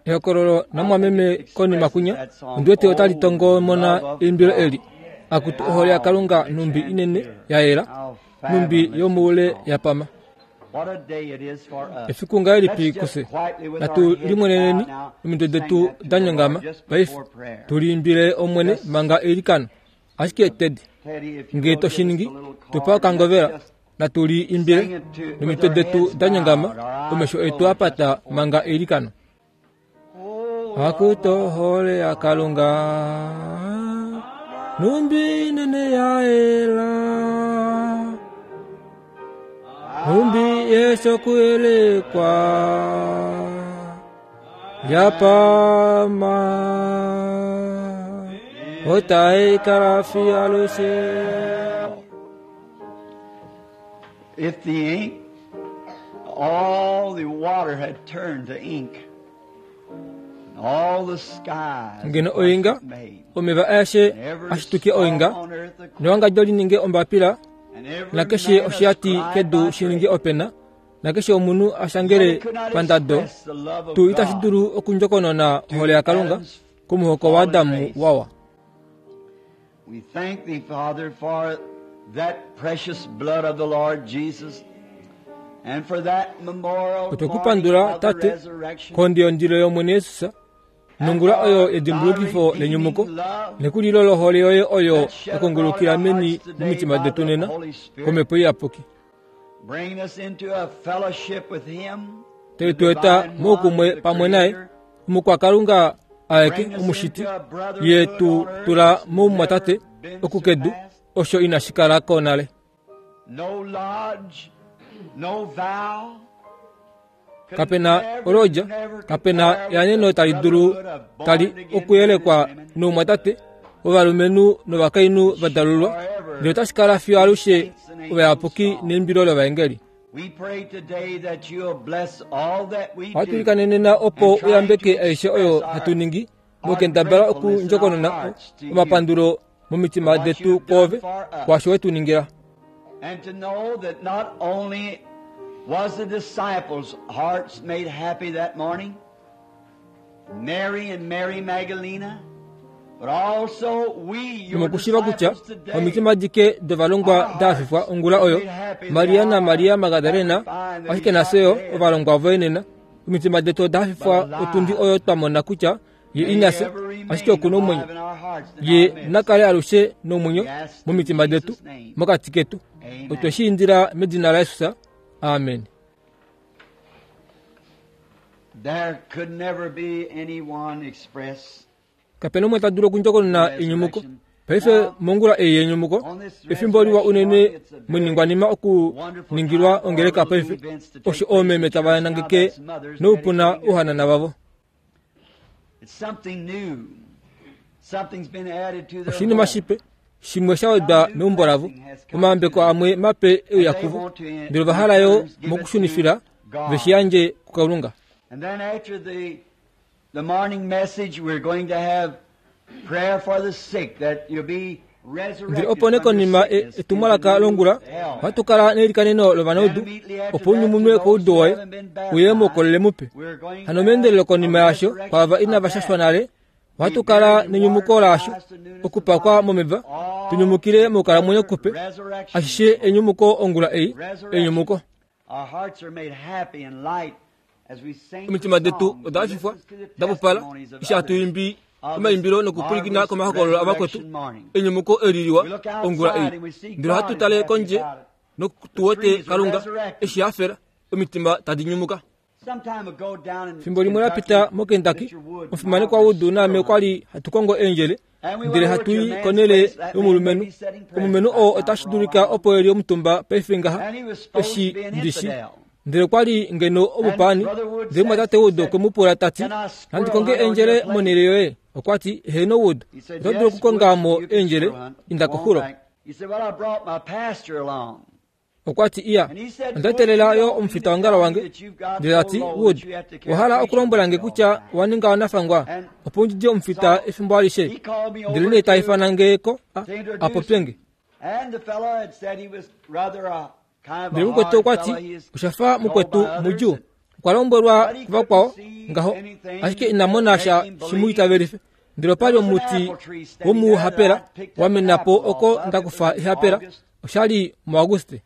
Ehokololo namwameme konima kunya ondi wete otali tongomona eimbilo eli akutu ohole yakalunga nhumbi inene ya yela nhumbi yomoule ya pama efiku ngahelipi kufye natu limweneneni omitwe detu da nyongama paife tu liimbile omwene manga eilikano ashike ted nge to shi ningi tu pa okangovela natu li imbile nomitwe detu da nyongama omesho etu a pata manga eilikano akuto ohole yakalunga nhumbi inene ya yela nhumbi yeshokuelekwa yapama otai kala fiyo alushe If the ink, all the water had turned to ink, all the skies ngeno oinga omeva aeshe a shituke oinga newangadjo li ninge ombapila nakeshe oshiyati kedu shi ninge opena nakeshe omunhu a shangele pandado tuu itashi dulu okundjokonona ohole yakalunga komuhoko waadamu wawa We thank thee, Father, for that precious blood of the Lord Jesus and for that memorial Otwe ku pandula, Tate, kondiyondilo yOmwene Jesus, nongula oyo yedimbulukifo lenyumuko, nekulilo lohole yoye oyo ya kongolokila meni momitima detu nena, kOmhepo Iyapuki. Tai tu eta moukumwe pamwe naye, omukwakalunga aeke omushiti, ye tu tula moumwatate oku kedu, osho inashi kala ko nale. Kape na olodja, kape na eaneno tali dulu tali okuyelekwa noumwatate wovalumenhu novakainhu va dalulwa, ndele otashi kala fiyo alushe ovayapuki neimbilo lovaengeli. Ohatu ilikane nena opo u yambeke aishe oyo hatu ningi mokendabala okundjokonona omapandulo momitima detu kwoove kwaasho we tu ningila. And to know that not only was the disciples' hearts made happy that morning, Mary and Mary Magdalena, but also we, your Nomokushiiva kutya disciples today, omitima adike dovalongwa da hafifwa ongula oyo, Maria naMaria Magdalena, ashike nafye yo ovalongwa voye nena, omitima detu oda hafifwa otundi oyo twa mona kutya Ye ina fya, ashike oku na omwenyo. Ye na kale alushe nomwenyo momitima detu, mokati ketu. Otwe shi indila medina laJesus. Amen. Kape na umwe ta dulu okundjokonona enyumuko. Paife mongula ei yenyumuko, efimbo liwa unene moiningwanima okuningilwa ongeleka paife, osho oomeme tava nangeke noupuna ouhanana vavo. Oshinima shipe, shimwe sha wedwa meumbo lavo, omayambeko amwe mape e uya kuvo, ndele ova hala yo mokushunifila ve shi yandje kuKalunga. Ndele opo nee konima e, etumwalaka longula, ohatu kala neilikaneno lovanaudu, opo u nyumunwe koudu woye, uye moukolele mupe. Hano meendelelo konima yaasho, kwaava inava shashwa nale, ohatu kala nenyumuko laasho, okupakwa momeva, tu nyumukile moukalamwenyo kupe. Ashishe enyumuko ongula ei, enyumuko. Omitima detu oda hafifwa, da pupala, eshi hatu imbi omaimbilo nokupwilikina komahokololo avakwetu enyumuko eli liwa ongula ei. Ndele ohatu tale kondje notu wete Kalunga eshi hafela, omitima tadi nyumuka. Fimbo limwe la pita moKentucky, omufimanekwa Wood naame okwa li hatu kongo eendjele ndele hatu i konhele yomulumenhu. Omulumenhu oo otashi dulika opo e li omutumba paife ngaha, eshi ndi shi. Ndele okwa li ngeno omupaani, ndele mumwatate Wood okwe mu pula ta ti, Nandi konge eendjele monhele yoye? Okwa ti, Heeno, Wood, oto dulu okukonga mo eendjele, inda koxulo. Okwa ti, Iya, onda etelela yo omufitaongalo wange. Ndele ta ti, Wood, owa hala okulombwela nge kutya owa ninga wanafangwa opo u didie omufita efimbo alishe? Ndele nee ta ifana nge ko a, a popye nge. Ndele mukwetu okwa ti, Osha fa mukwetu mudjuu. Okwa lombwelwa kuvakwao ngaho, ashike ina mona sha shi mu itavelife. Ndele opa li omuti womuhapela wa mena po oko nda kufa ehapela, osha li muAuguste.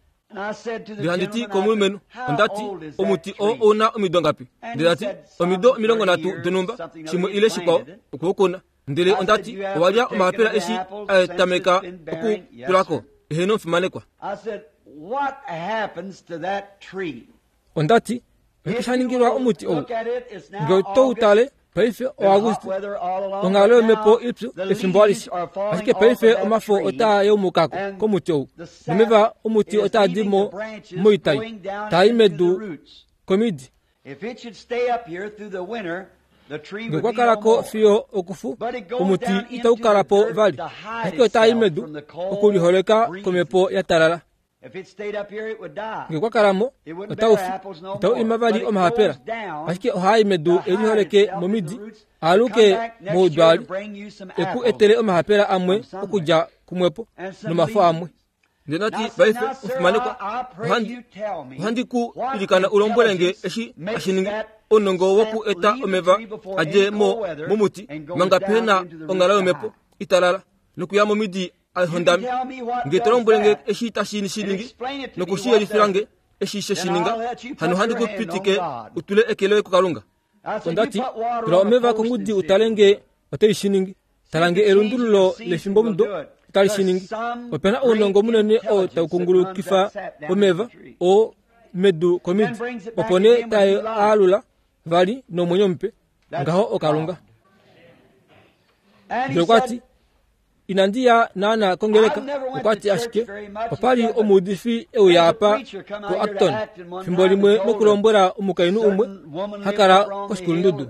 Ndele handi ti komulumenhu, onda ti, Omuti oo ou na omido ngapi? Ndele ta ti, Omido 30 donhumba, shimwe ile shikwao, okwe u kuna. Ndele onda ti, Owa lya omahapela eshi a tameka okukula ko? Eheno, omufimanekwa. Onda ti, Oshike sha ningilwa omuti ou? Nge oto u tale, paife oAuguste, onghalo yomhepo ipyu efimbo alishe. Ashike paife omafo otaa yaumuka ko komuti ou, nomeva omuti otaa di mo moitai, taa i medu komidi. Nge okwa kala ko fiyo okufu, omuti itau kala po vali, ashike otaa i medu okuliholeka komhepo ya talala. Nge okwa kala mo, otau fi, itau ima vali omahapela, ashike ohaa i medu e liholeke momidi, a aluke moudwaali, e ku etele omahapela amwe okudja kumwepo nomafo amwe. Ndele nati paife, omufimanekwa, ohandi, ohandi ku ilikana u lombwele nge eshi hashi ningi ounongo woku eta omeva a dje mo momuti manga pehe na onghalo yomhepo italala nokuya momidi a hondame. Nge to lombwele nge eshi tashi shi ningi noku shi yelifila nge eshi she shi ninga, hano ohandi ku pitike u tule eke loye kuKalunga. Onda ti, Tula omeva kongudi u tale nge otai shi ningi. Tala nge elundululo lefimbomudo otali shi ningi. Ope na ounongo munene oo tau kungulukifa omeva oo medu komidi, opo nee tae a alula vali nomwenyo mupe. Ngaho oKalunga. Ndele okwa ti, Inandi ya naana kongeleka, okwa ti ashike opa li omuudifi e uya apa koActon fimbo limwe nokulombwela omukainhu umwe ha kala koshikulundudu.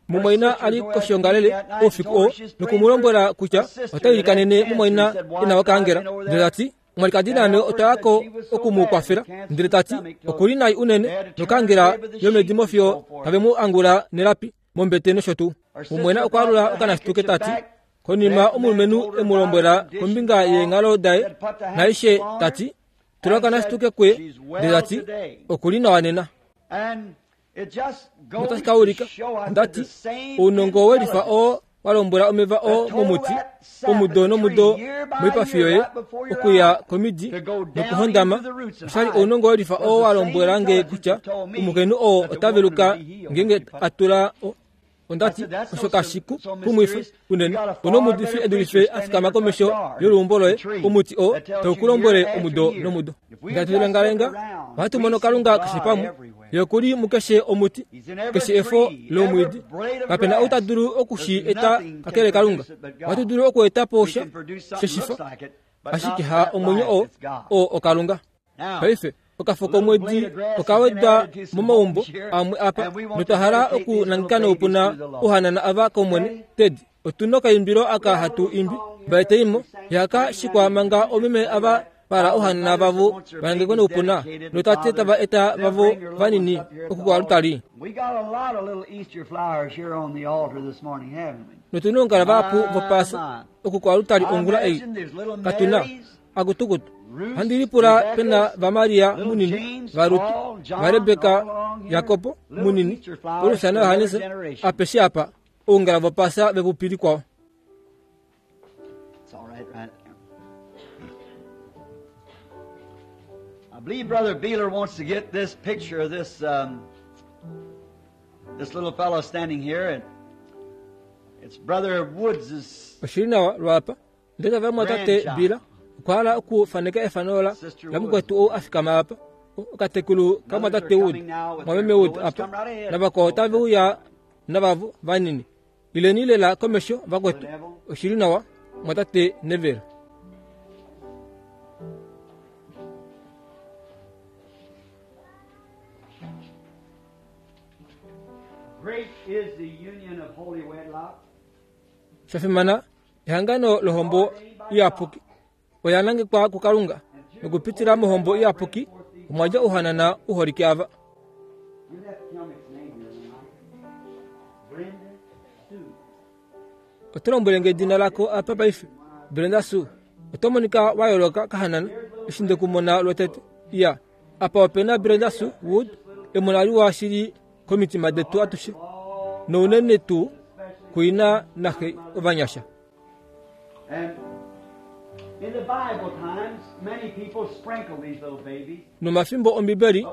Mumwaina a li koshiongalele oufiku oo noku mu lombwela kutya ota ilikanene mumwaina e na okaangela. Ndele ta ti, Omwalikadi naame otwa ya ko oku mu kwafela. Ndele ta ti, Oku li nai unene nokaangela yomedimo fiyo tave mu angula nelapi mombete nosho tuu. Mumwaina okwa alula okanashituke ta ti, Konima omulumenhu e mu lombwela kombinga yeenghalo daye naaishe ta ti, Tula okanashituke kuye, ndele ta ti, Oku li nawa nena. Notashi ka ulika, onda ti, ounongo we lifa oo wa lombwela omeva oo momuti omudo nomudo moipafi yoye okuya komidi nokuhondama, osha li ounongo we lifa oo wa lombwela nge kutya omukainhu oo ota veluka ngeenge a tula Onda ti, Osho kashi ku kumwife unene. Onomuudifi e dulife a fikama komesho yoluumbo loye, omuti oo tau ku lombwele omudo nomudo. Ngaashi hatu lengalenga, ohatu mono Kalunga keshe pamwe. Ye oku li mukeshe omuti, keshe efo lomwiidi. Kape na ou ta dulu oku shi eta kakele Kalunga. Ohatu dulu oku eta po sha sheshifa, ashike ha omwenyo oo, oo oKalunga. Paife, okafo komwedi oka wedwa momaumbo amwe apa, notwa hala okunangeka noupuna ouhanana ava kOmwene. Ted, otu nokaimbilo aka hatu imbi, Vaeteimo, ihaka shikwa manga oomeme ava va hala ouhanana vavo va nangekwe noupuna, nootate tava eta vavo vanini oku koalutali. Notu noungala vahapu vopaasa oku koalutali ongula ei. Katu na. Akutukutu, handi lipula pe na vaMaria munini, vaRut, vaRebeka, Jakob munini, Paulus naJohannes apeshe apa, oungala vopasa vepupi likwao. I believe Brother Beeler wants to get this picture of this um, this little fellow standing here, and it's Brother Woods' Oshili nawa lwaapa Ndele ovamwatate Bill okwa hala okufaneka efano la lamukwetu ou a fikama apa, okatekulu kamwatate Wood, mwameme Wood apa, navakwao otave uya navavo vanini. Ileni lela komesho vakwetu. Oshi li nawa, mwatate Neville. Great is the union of holy wedlock. Sha fimana, ehangano lohombo iyapuki oya nangekwa kuKalunga, nokupitila mohombo iyapuki omwa dja ouhanana u holike ava. Oto lombwele nge edina lako apa paife? Brenda Sue. Oto monika wa yooloka kahanana eshi nde ku mona lwotete. Iya, apa ope na Brenda Sue Wood, emona liwa shili. komitima detu atushe nounene tuu kuina naxe ovanyasha. Nomafimbo Ombibeli,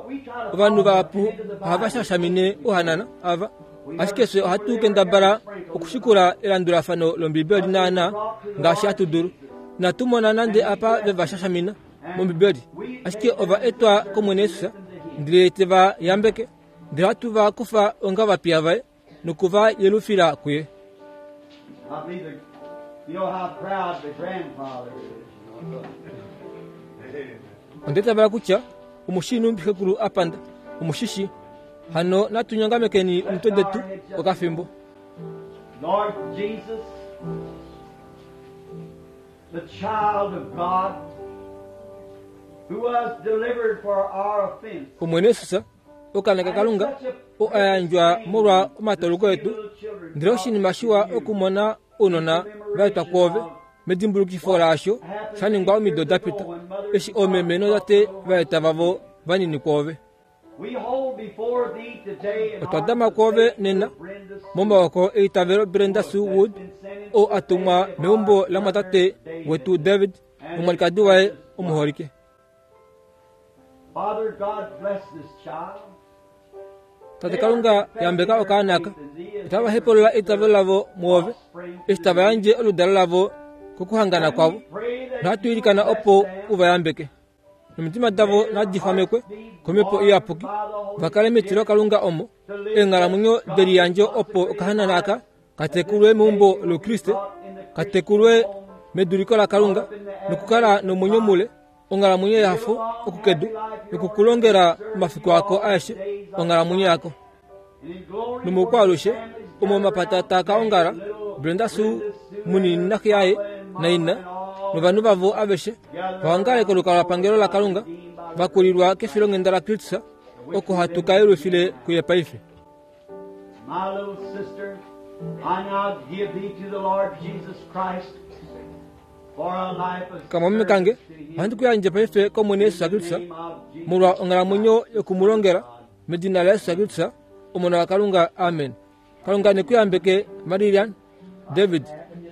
ovanhu vahapu ohava shashamine ohanana ava, ashike fye ohatu kendabala okushikula elandulafano lOmbibeli naanaa ngaashi hatu dulu. Inatu mona nande apa ve va shashamina mOmbibeli, ashike ova etwa kOmwene Jesus ndele te va yambeke, ndele hatu va kufa onga ovapiya vaye. noku va yelufila kuye. Onda itavela kutya omu shii nhumbi xekulu a panda. Omu shi shii. Hano natu nyongamekeni omitwe detu okafimbo. Lord Jesus, the child of God, who was delivered for our offense. Omwene Jesus, Okaana kaKalunga oo a yandjwa molwa omatoloko etu, ndele oshinima shiwa okumona ounona va etwa kwoove medimbulukifo laasho sha ningwa omido da pita eshi oomeme nootate va eta vavo vanini kwoove. Otwa dama kwoove nena momaoko eitavelo Brenda Sue Wood oo a tumwa meumbo lamwatate wetu David nomwalikadi waye omuholike. Tate Kalunga, yambeka okaana aka. Otava hepolola eitavelo lavo mwoove, eshi tava yandje oludalo lavo kokuhangana kwavo. Nohatu ilikana opo u va yambeke. Nomitima davo nadi xwamekwe komhepo iyapuki, va kale metilo Kalunga omo eenghalamwenyo deliyandjo opo okahanana aka ka tekulwe meumbo loukriste, ka tekulwe meduliko laKalunga nokukala nomwenyo mule onghalamwenyo yehafo okukedu nokukulongela omafiku ako aeshe onghalamwenyo yako. Nomoukwaalushe omo omapata taa ka ongala, Brenda Sue munini naxe yaye naina novanhu vavo aveshe va ongale kolukalwapangelo laKalunga va kulilwa kefilonghenda laKristus oko hatu ka yelufile kuye paife. My little sister, I now give thee to the Lord Jesus Christ Kamwameme kange, ohandi ku yandje paife kOmwene Jesus Kristus molwa onghalamwenyo yoku mu longela medina laJesus Kristus, Omona waKalunga. Amen. Kalunga ne ku yambeke, Marillian David.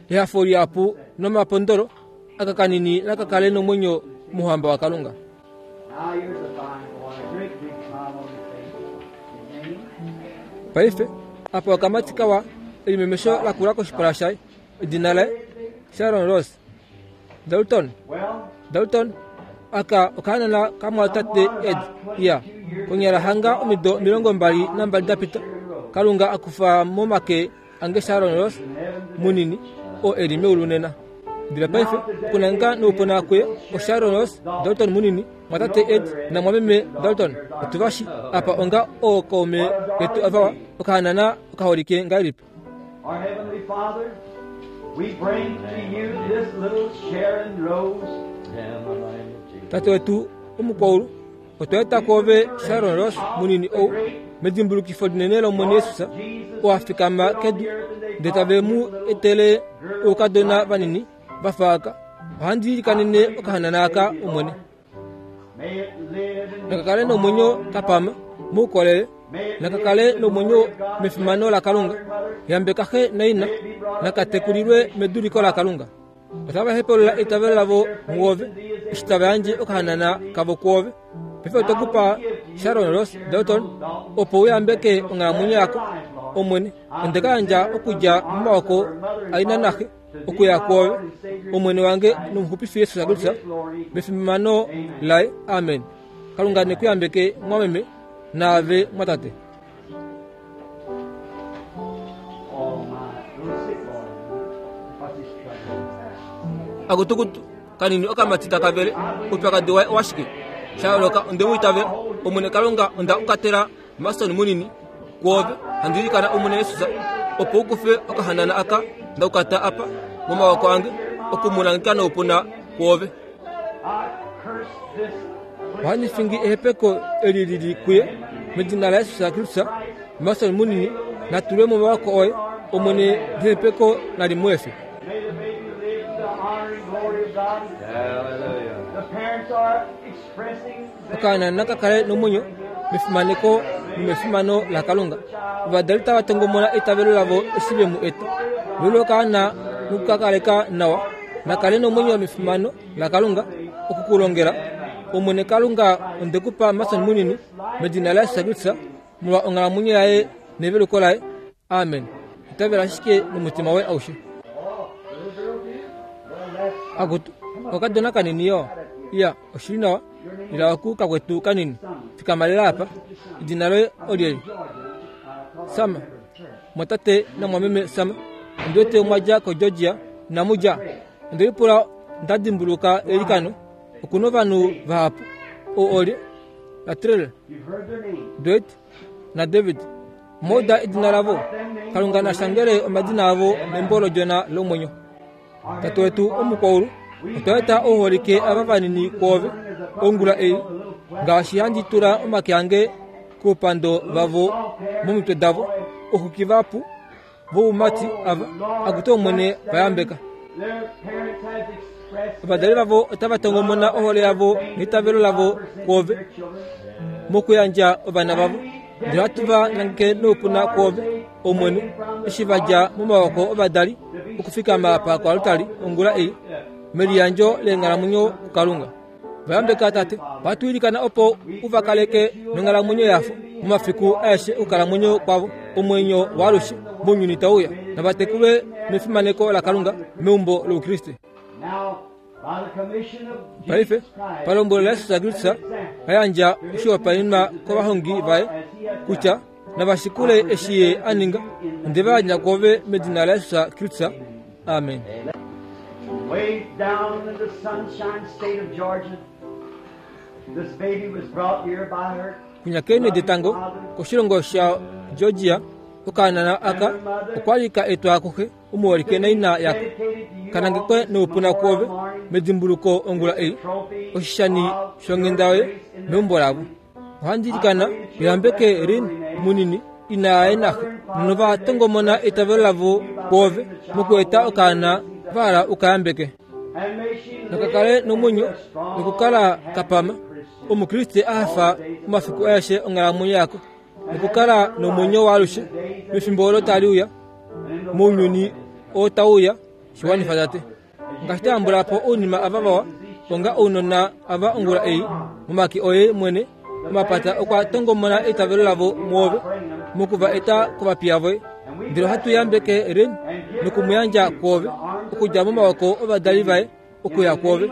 Ehafo lihapu nomapondolo aka kanini naka kale nomwenyo mouhamba waKalunga. Paife, apa okamati kawa, elimemesho lakula koshipala shaye. Edina laye Sharon Rose Dalton. Dalton aka okahanana kamwatate Ed ya konyala hanga omido 22 da pita. Kalunga a kufa momake ange Sharon Rose munini oo e li meulu nena. Ndele paife okunanga noupuna kuye oSharon Rose Dalton munini, mwatate Ed namwameme Dalton. Otu va shi apa onga ookaume ketu avawa, okahanana okaholike ngahelipi. Our Heavenly Father, we bring to you this little Sharon Rose. Tate wetu omukwaulu, otwa eta kwoove Sharon Rose munini ou medimbulukifo linene lOmwene Jesus, oo a fikama kedu, ndele tave mu etele oukadona vanini va fa aka. Ohandi ilikanene okahanana aka, Omwene. Naka kale nomwenyo ka pama moukolele, naka kale nomwenyo mefimano laKalunga. Yambeka xe naina, naka tekulilwe meduliko laKalunga. Otava hepolola eitavelo lavo muove, eshi tava yandje okahanana kavo kwoove. Paife otwe ku pa Sharon Rose Dalton, opo u yambeke onghalamwenyo yako, Omwene. Onde ka yandja okudja momaoko aina naxe. okuya kwoove, Omwene wange nOmuxupifi Jesus Kristus, mefimano laye. Amen. Kalunga ne ku yambeke mwameme naave mwatate. Akutukutu kanini okamati taka vele oupyakadi waye owashike sha yooloka onde mu itavela Omwene Kalunga onda ukatela Mason munini kwoove handi ilikana Omwene Jesus opo u kufe okahanana aka nda ukata apa momawoko ange oku mu nangeka noupuna kwoove. Ohandi fingi ehepeko eli li li kuye medina laJesus Kristus. Mason munini na tulwe momawoko oye, Omwene, nehepeko nali mu efe. Okaana naka kale nomwenyo. mefimaneko nomefimano laKalunga. Ovadali tava tongomona eitavelo lavo eshi ve mu eta. Lolo okaana noku ka kaleka nawa, na kale nomwenyo mefimano laKalunga oku ku longela. Omwene Kalunga, onde ku pa Mason munini, medina laJesus Kristus, molwa onghalamwenyo yaye neveluko laye. Amen. Itavela ashike nomutima woye aushe. Akutu, okakadona kanini yo. Iya, oshili nawa. Ila oku kakwetu kanini. Fikama lela apa. Edina loye olyelye? Sama. Mwatate namwameme Sama. Ondi wete mwa dja koGeorgia. Inamu dja? Onde lipula nda dimbuluka eilikano. Oku na ovanhu vahapu. Ou olye? Latrell, Dwight naDavid. Mouda edina lavo. Kalunga na shangele omadina avo membo lOdjona lomwenyo. Tate wetu omukwaulu, otwa eta ouholike ava vanini kwoove ongula ei, ngaashi handi tula omake ange koupando vavo momitwe davo, ouxuki vahapu voumati ava, akutu Omwene, va yambeka. Ovadali vavo otava tongomona ohole yavo neitavelo lavo kwoove mokuyandja ovana vavo. Ndele ohatu va nangeke noupuna kwoove, Omwene, eshi va dja momawoko ovadali okufikama apa koaltari ongula ei, meliyandjo leenghalamwenyo kuKalunga. Va yambeka, Tate. Ohatu ilikana opo u va kaleke nonghalamwenyo yafo momafiku aeshe okukalamwenyo kwavo, omwenyo waalushe mounyuni tau uya. Nava tekulwe mefimaneko laKalunga meumbo lOukriste. Paife, palombwelo laJesus Kristus, a yandja oshihopaenenwa kovahongi vaye kutya nava shikule eshi ye a ninga. Onde va yandja kwoove medina laJesus Kristus. Amen. Way down in the sunshine state of Georgia, this baby was brought here by her Kunya keenhe detango koshilongo shaGeorgia, okaanana aka okwa li ka etwa kuxe omuholike naina yako. Ka nangekwe noupuna kwoove medimbuluko ongula ei, oshishani shonghenda yoye meumbo lavo. Ohandi ilikana uyambeke Lynn munini, ina yaye naxe, nova tongomona eitavelo lavo kwoove mokueta okaana va hala u ka yambeke. Naka kale nomwenyo nokukala ka pama, Omukriste a hafa omafiku aeshe onghalamwenyo yako, nokukala nomwenyo waalushe mefimbo olo tali uya, mounyuni oo tau uya. Shi wanifa, Tate. Ngaashi twa yambula po ounima ava vawa, onga ounona ava ongula ei, momake oye mwene, omapata okwa tongomona eitavelo lavo mwoove, moku va eta kovapiya voye. Ndele ohatu yambeke Ren noku mu yandja kwoove, okudja momawoko ovadali vaye okuya kwoove.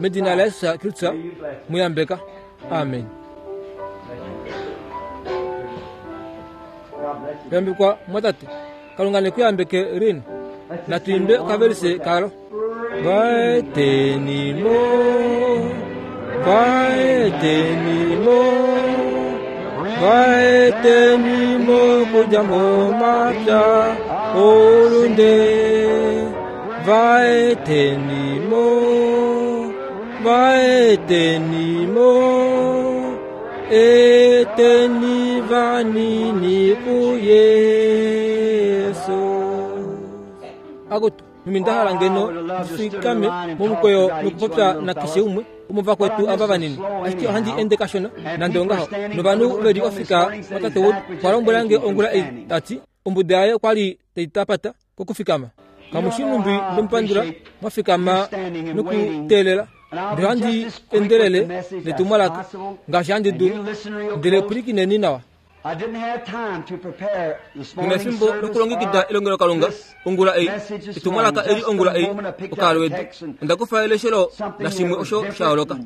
Medina laJesus Kristus, mu yambeka. Amen. Yambekwa mwatate. Kalunga ne ku yambeke Rin. Natu imbe okavelise kalo. Vaetenimo, vaetenimo, vaetenimo kudja momapya oulunde. Vaetenimo, vaetenimo. Eteni vanini kuYesu. Akutu, mimi nda hala ngeno ndifikame momukweyo nokupopya nakeshe umwe womovakwetu ava vanini, ashike ohandi ende kashona nande ongaho. Novanhu ve li ofika watate Wood okwa lombwela nge ongula ei, ta ti, Ombuda yaye okwa li tai tapata kokufikama. Kamu shi nhumbi nde mu pandula, mwa fikama nokuteelela. Ndele ohandi endelele netumwalaka ngaashi handi dulu. Ndele pwilikineni nawa. Nghi na efimbo lokulongekida elongelokalunga ongula ei, etumwalaka eli ongula ei, okaalwedu. Onda kufa eleshelo lashimwe osho sha yooloka.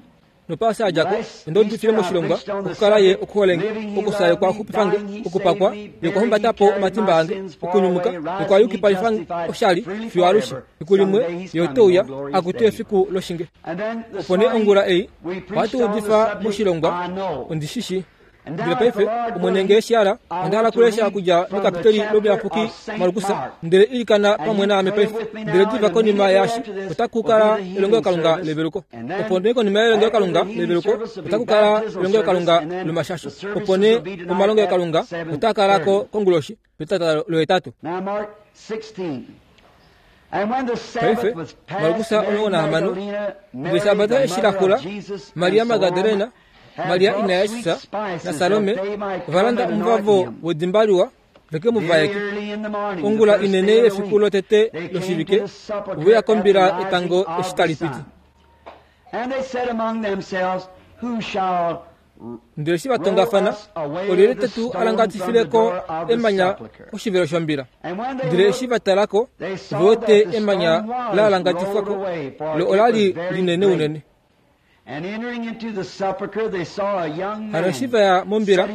Nopaasa ya dja ko, onda udifile moshilongwa, okukala Ye okuhole nge, okufya Ye okwa xupifa nge, okupakwa Ye okwa humbata po omatimba ange, okunyumuka Ye okwa yukipalifa oshali fiyo alushe. Efiku limwe Ye ote uya, akutu efiku loshinge. Opo nee ongula ei, ohatu udifa moshilongwa, Ondi shi shii. Ndele paife, Omwene nge eshi hala, onda hala okulesha okudja mekapiteli lOmuyapuki Markus, ndele ilikana pamwe naame paife. Ndele diva konima yaashi, otaku kala elongelokalunga leveluko. Opo nee konima yelongelokalunga leveluko, otaku kala elongelokalunga lomashasho. Opo nee omalongelokalunga otaa kala ko konguloshi petata lohetatu. Paife, Markus 16, Ndele Eshabata eshi la xula, Maria Magdalena, Maria ina yaJesus naSalome ova landa omuvavo wedimba liwa ve ke mu vaeke. Ongula inene yefiku lotete loshivike ove uya kombila etango eshi tali piti. Ndele eshi va tongafana, olyelye te tu alangatifile ko emanya koshivelo shombila? Ndele eshi va tala ko, ove wete emanya la alangatifwa ko, lo ola li linene unene. Hano eshi va ya mombila,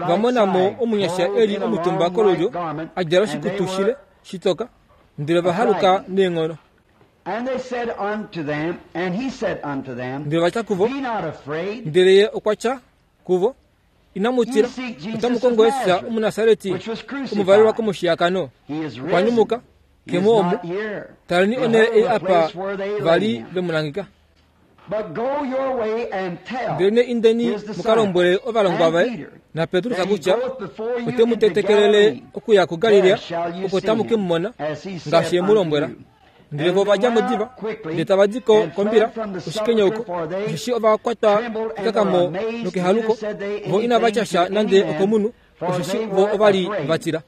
va mona mo omunyasha e li omutumba kolulyo, a djala oshikutu shile shitoka, ndele va haluka neenghono. Ndele va tya kuvo, Ndele ye okwa tya kuvo, Inamu tila, otamu kongo Jesus Omunasareti, omuvalelwa komushiyakano. Okwa nyumuka, ke mo omu. Taleni onhele ei apa va li ve mu nangeka. Ndelenee indeni mu ka lombwele ovalongwa vaye naPetrus kutya ote mu tetekelele okuya kuGalilea, oko tamu ke mu mona, ngaashi e mu lombwela. Ndele vo ova dja mo diva, ndele tava di ko kombila oshikenyauko, osheshi ova kwatwa kekakamo nokehaluko. Vo inava tya sha nande okomunhu, osheshi vo ova li va tila.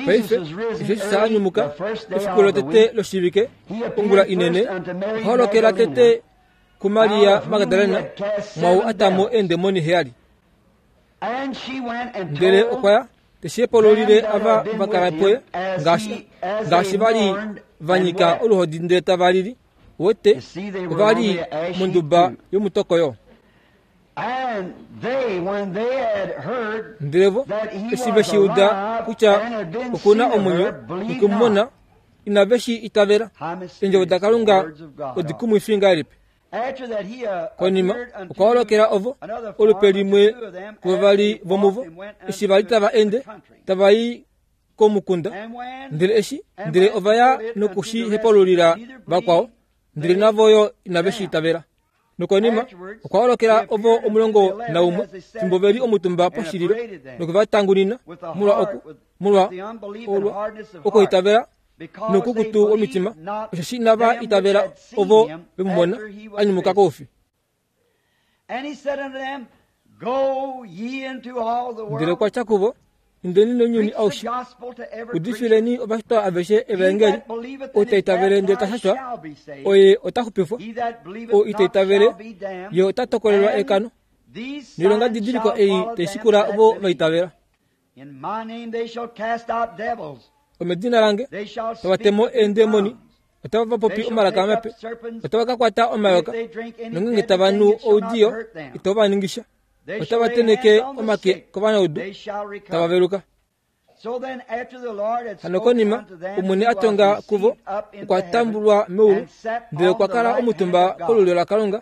Paife, eshi Jesus a nyumuka efiku lotete loshivike, ongula inene, okwa holokela tete kuMaria Magdalena, mwaau a ta mo eendemoni heyali. Ndele okwa ya te shi hepololile ava va kala puye, ngaashi ngaashi va li va nyika oluhodi ndele tava lili. Wete, ova li monduba yomutokoyo. Ndele vo eshi ve shi uda kutya oku na omwenyo noku mu mona, inave shi itavela. Eendjovo daKalunga odikumwifi ngahelipi! Konima okwa holokela ovo olupe limwe kuvavali vomuvo eshi va li tava ende tava i komukunda, ndele eshi ndele ova ya noku shi hepalulila vakwao, ndele navo yo inave shi itavela. Nokonima okwa holokela ovo 11 fimbo ve li omutumba poshililo noku va tangunina molwa oku molwa olwa okuitavela noukukutu womitima, osheshi inava itavela ovo ve mu mona a nyumuka koufi. Ndele okwa tya kuvo, Indeni nounyuni aushe, udifileni ovashitwa aveshe evaengeli. Ou ta itavele ndele ta shashwa, oye ota xupifwa. Ou ita itavele, ye ota tokolelwa ekano. Noilongadidiliko ei tai shikula ovo va itavela. Omedina lange tava te mo eendemoni, otava va popi omalaka mape, otava ka kwata omayoka, nongeenge tava nu oudiyo itau va ningi sha, otava tenheke omake kovanaudu, tava veluka. Hano konima Omwene a tonga kuvo, okwa tambulwa meulu, ndele okwa kala omutumba kolulyo laKalunga,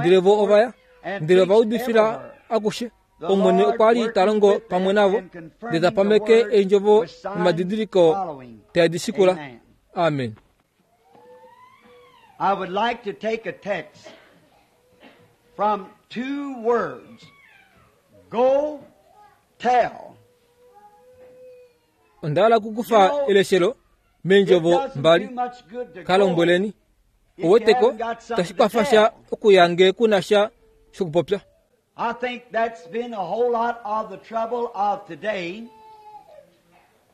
ndele vo ova ya, ndele ova udifila akushe. Omwene okwa li ta longo pamwe navo, ndele ta pameke eendjovo nomadidiliko tae di shikula. Amen. I would like to take a text from two words. Go tell. Onda hala okukufa eleshelo meendjovo mbali. Ka lombweleni. Ouweteko, itashi kwafa sha okuya nge ku na sha shokupopya. I think that's been a whole lot of the trouble of today.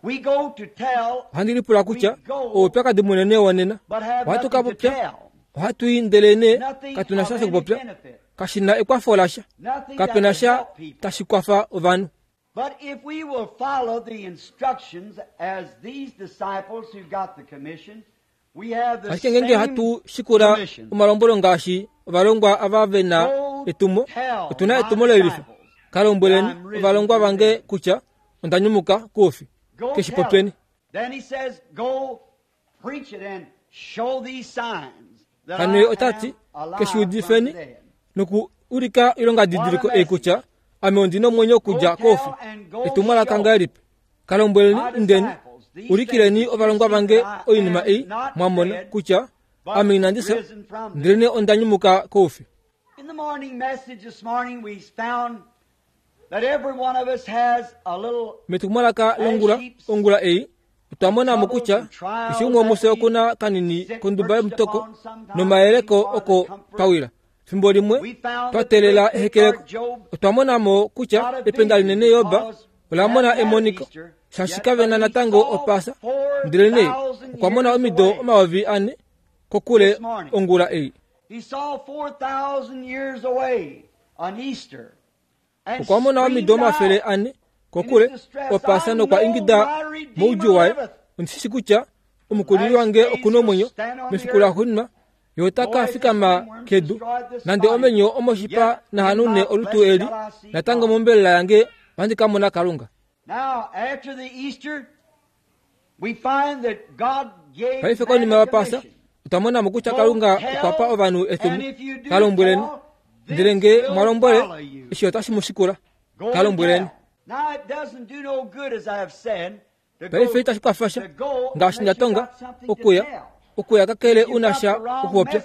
We go to tell, Ohandi lipula kutya oupyakadi munene wonena. but have Ohatu ka nothing to popya, tell. ohatu i ndelenee Nothing katu na of sha any shokupopya. benefit. Kashi na ekwafo lasha. Nothing Kape that na would sha help people. tashi kwafa ovanhu. But if we will follow the instructions as these disciples who got the commission, we have the Ashike ngeenge same hatu shikula commission. omalombwelo ngaashi ovalongwa ava ve na Go etumo, tell otu na my etumo lelifa. disciples Ka lombweleni that I'm risen ovalongwa from the vange dead. kutya onda nyumuka koufi. Go Ke shi tell popyeni. it. Then he says, go preach it and show these signs that Hano ye I ota ti, am alive ke shi from the udifeni dead. noku ulika oilongadidiliko ei kutya ame ondi na omwenyo okudja koufi. Etumwalaka ngahelipi? Ka lombweleni, indeni, ulikileni ovalongwa vange oinima ei mwa mona kutya ame inandi fya, ndelenee onda nyumuka koufi. In the morning message this morning, we found that every one of us has a little Metumwalaka longula ongula ei, otwa mona mo kutya keshe umwe womufye oku na kanini konduba yomutoko nomayeleko oko pawila. Fimbo limwe twa teelela ehekeleko. Otwa mona mo kutya ependa linene Job ola mona emoniko, shaashi kave na natango Opaasa, ndelenee okwa mona omido 4000 kokule ongula ei. Okwa mona omido 400 kokule Opaasa nokwa ingida moudjuu waye, Ondi shi shii kutya Omukulili wange oku na omwenyo, mefiku laxuuninwa Ye ota ka fikama kedu. Nande omenyo omoshipa nahanune olutu eli, natango mombelela yange ohandi ka mona Kalunga. Paife konima yOpaasa, otwa mona mo kutya Kalunga okwa pa ovanhu etumo. Ka lombweleni. Ndele nge mwa lombwele, eshi otashi mu shikula. Ka lombweleni. Paife itashi kwafa sha, ngaashi nda tonga, okuya, okuya kakele u na sha okupopya.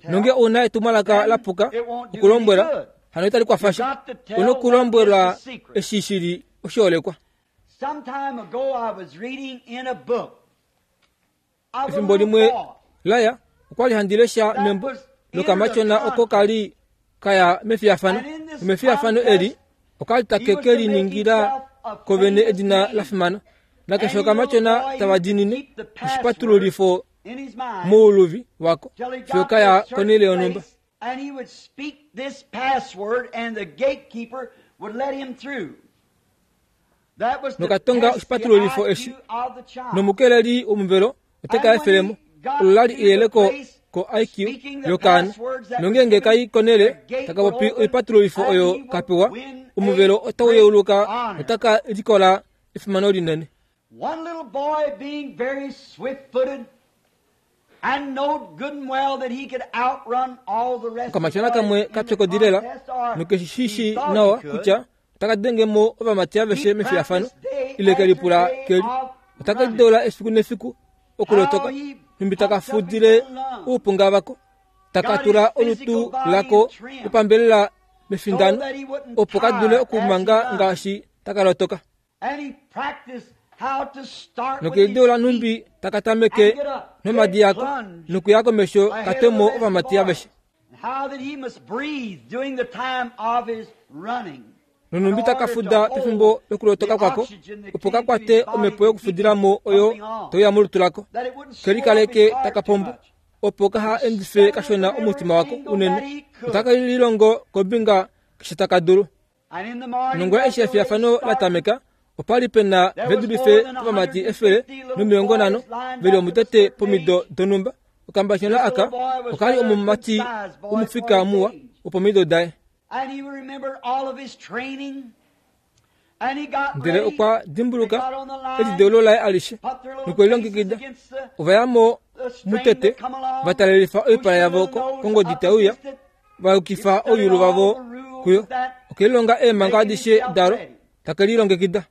Nonge ou na etumwalaka la puka okulombwela, hano itali kwafa sha. U nokulombwelwa eshi shi li oshiholekwa. Efimbo limwe laya, okwa li handi lesha membo lokamatyona oko ka li ka ya mefiyafano. Nomefiyafano eli, oka li take ke liningila ko vene edina la fimana. Nakeshe okamatyona tava diinine oshipatululifo mouluvi wako fiyo ka ya konhele yonhumba. Nokatonga oshipatululifo eshi, nomukeleli womuvelo ote ka efele mo. Olo la li eyeleko ko-IQ yokaana. Nongeenge ka i konhele taka popi oipatululifo oyo ka pewa, omuvelo otau yeuluka notaka likola efimano linene. Okamatyona kamwe ka pyokodi lela noke shi shii nawa kutya otaka denge mo ovamati aveshe mefiyafano ile ke lipula ke li otaka lideula efiku nefiku okulotoka nhumbi taka fudile oupunga vako taka tula olutu lako lopambelela mefindano opo ka dule okumanga ngaashi taka lotoka. Nokedu lanhumbi taka tameke nomadi ako nokuya komesho ka twe mo ovamati aveshe. Nonhumbi taka fuda pefimbo lokulotoka kwako, opo ka kwate omhepo yokufudila mo oyo tai uya molutu lako, ke likaleke taka pombo, opo kaha endife kashona omutima wako unene, notaka lilongo kombinga keshe taka dulu. Nongula eshi efiyafano la tameka, opa li pe na ve dulife povamati 150 ve li omutete pomido donhumba. Okambashona aka oka li omumati womufika muwa wopomido daye. Ndele okwa dimbuluka elideulo laye alishe nokwe lilongekida. Ova ya mo mutete, va talelifa oipala yavo kongodi tai uya, va yukifa ouyulu vavo kuyo. Oke lilonga eemhango adishe dalo, take lilongekida.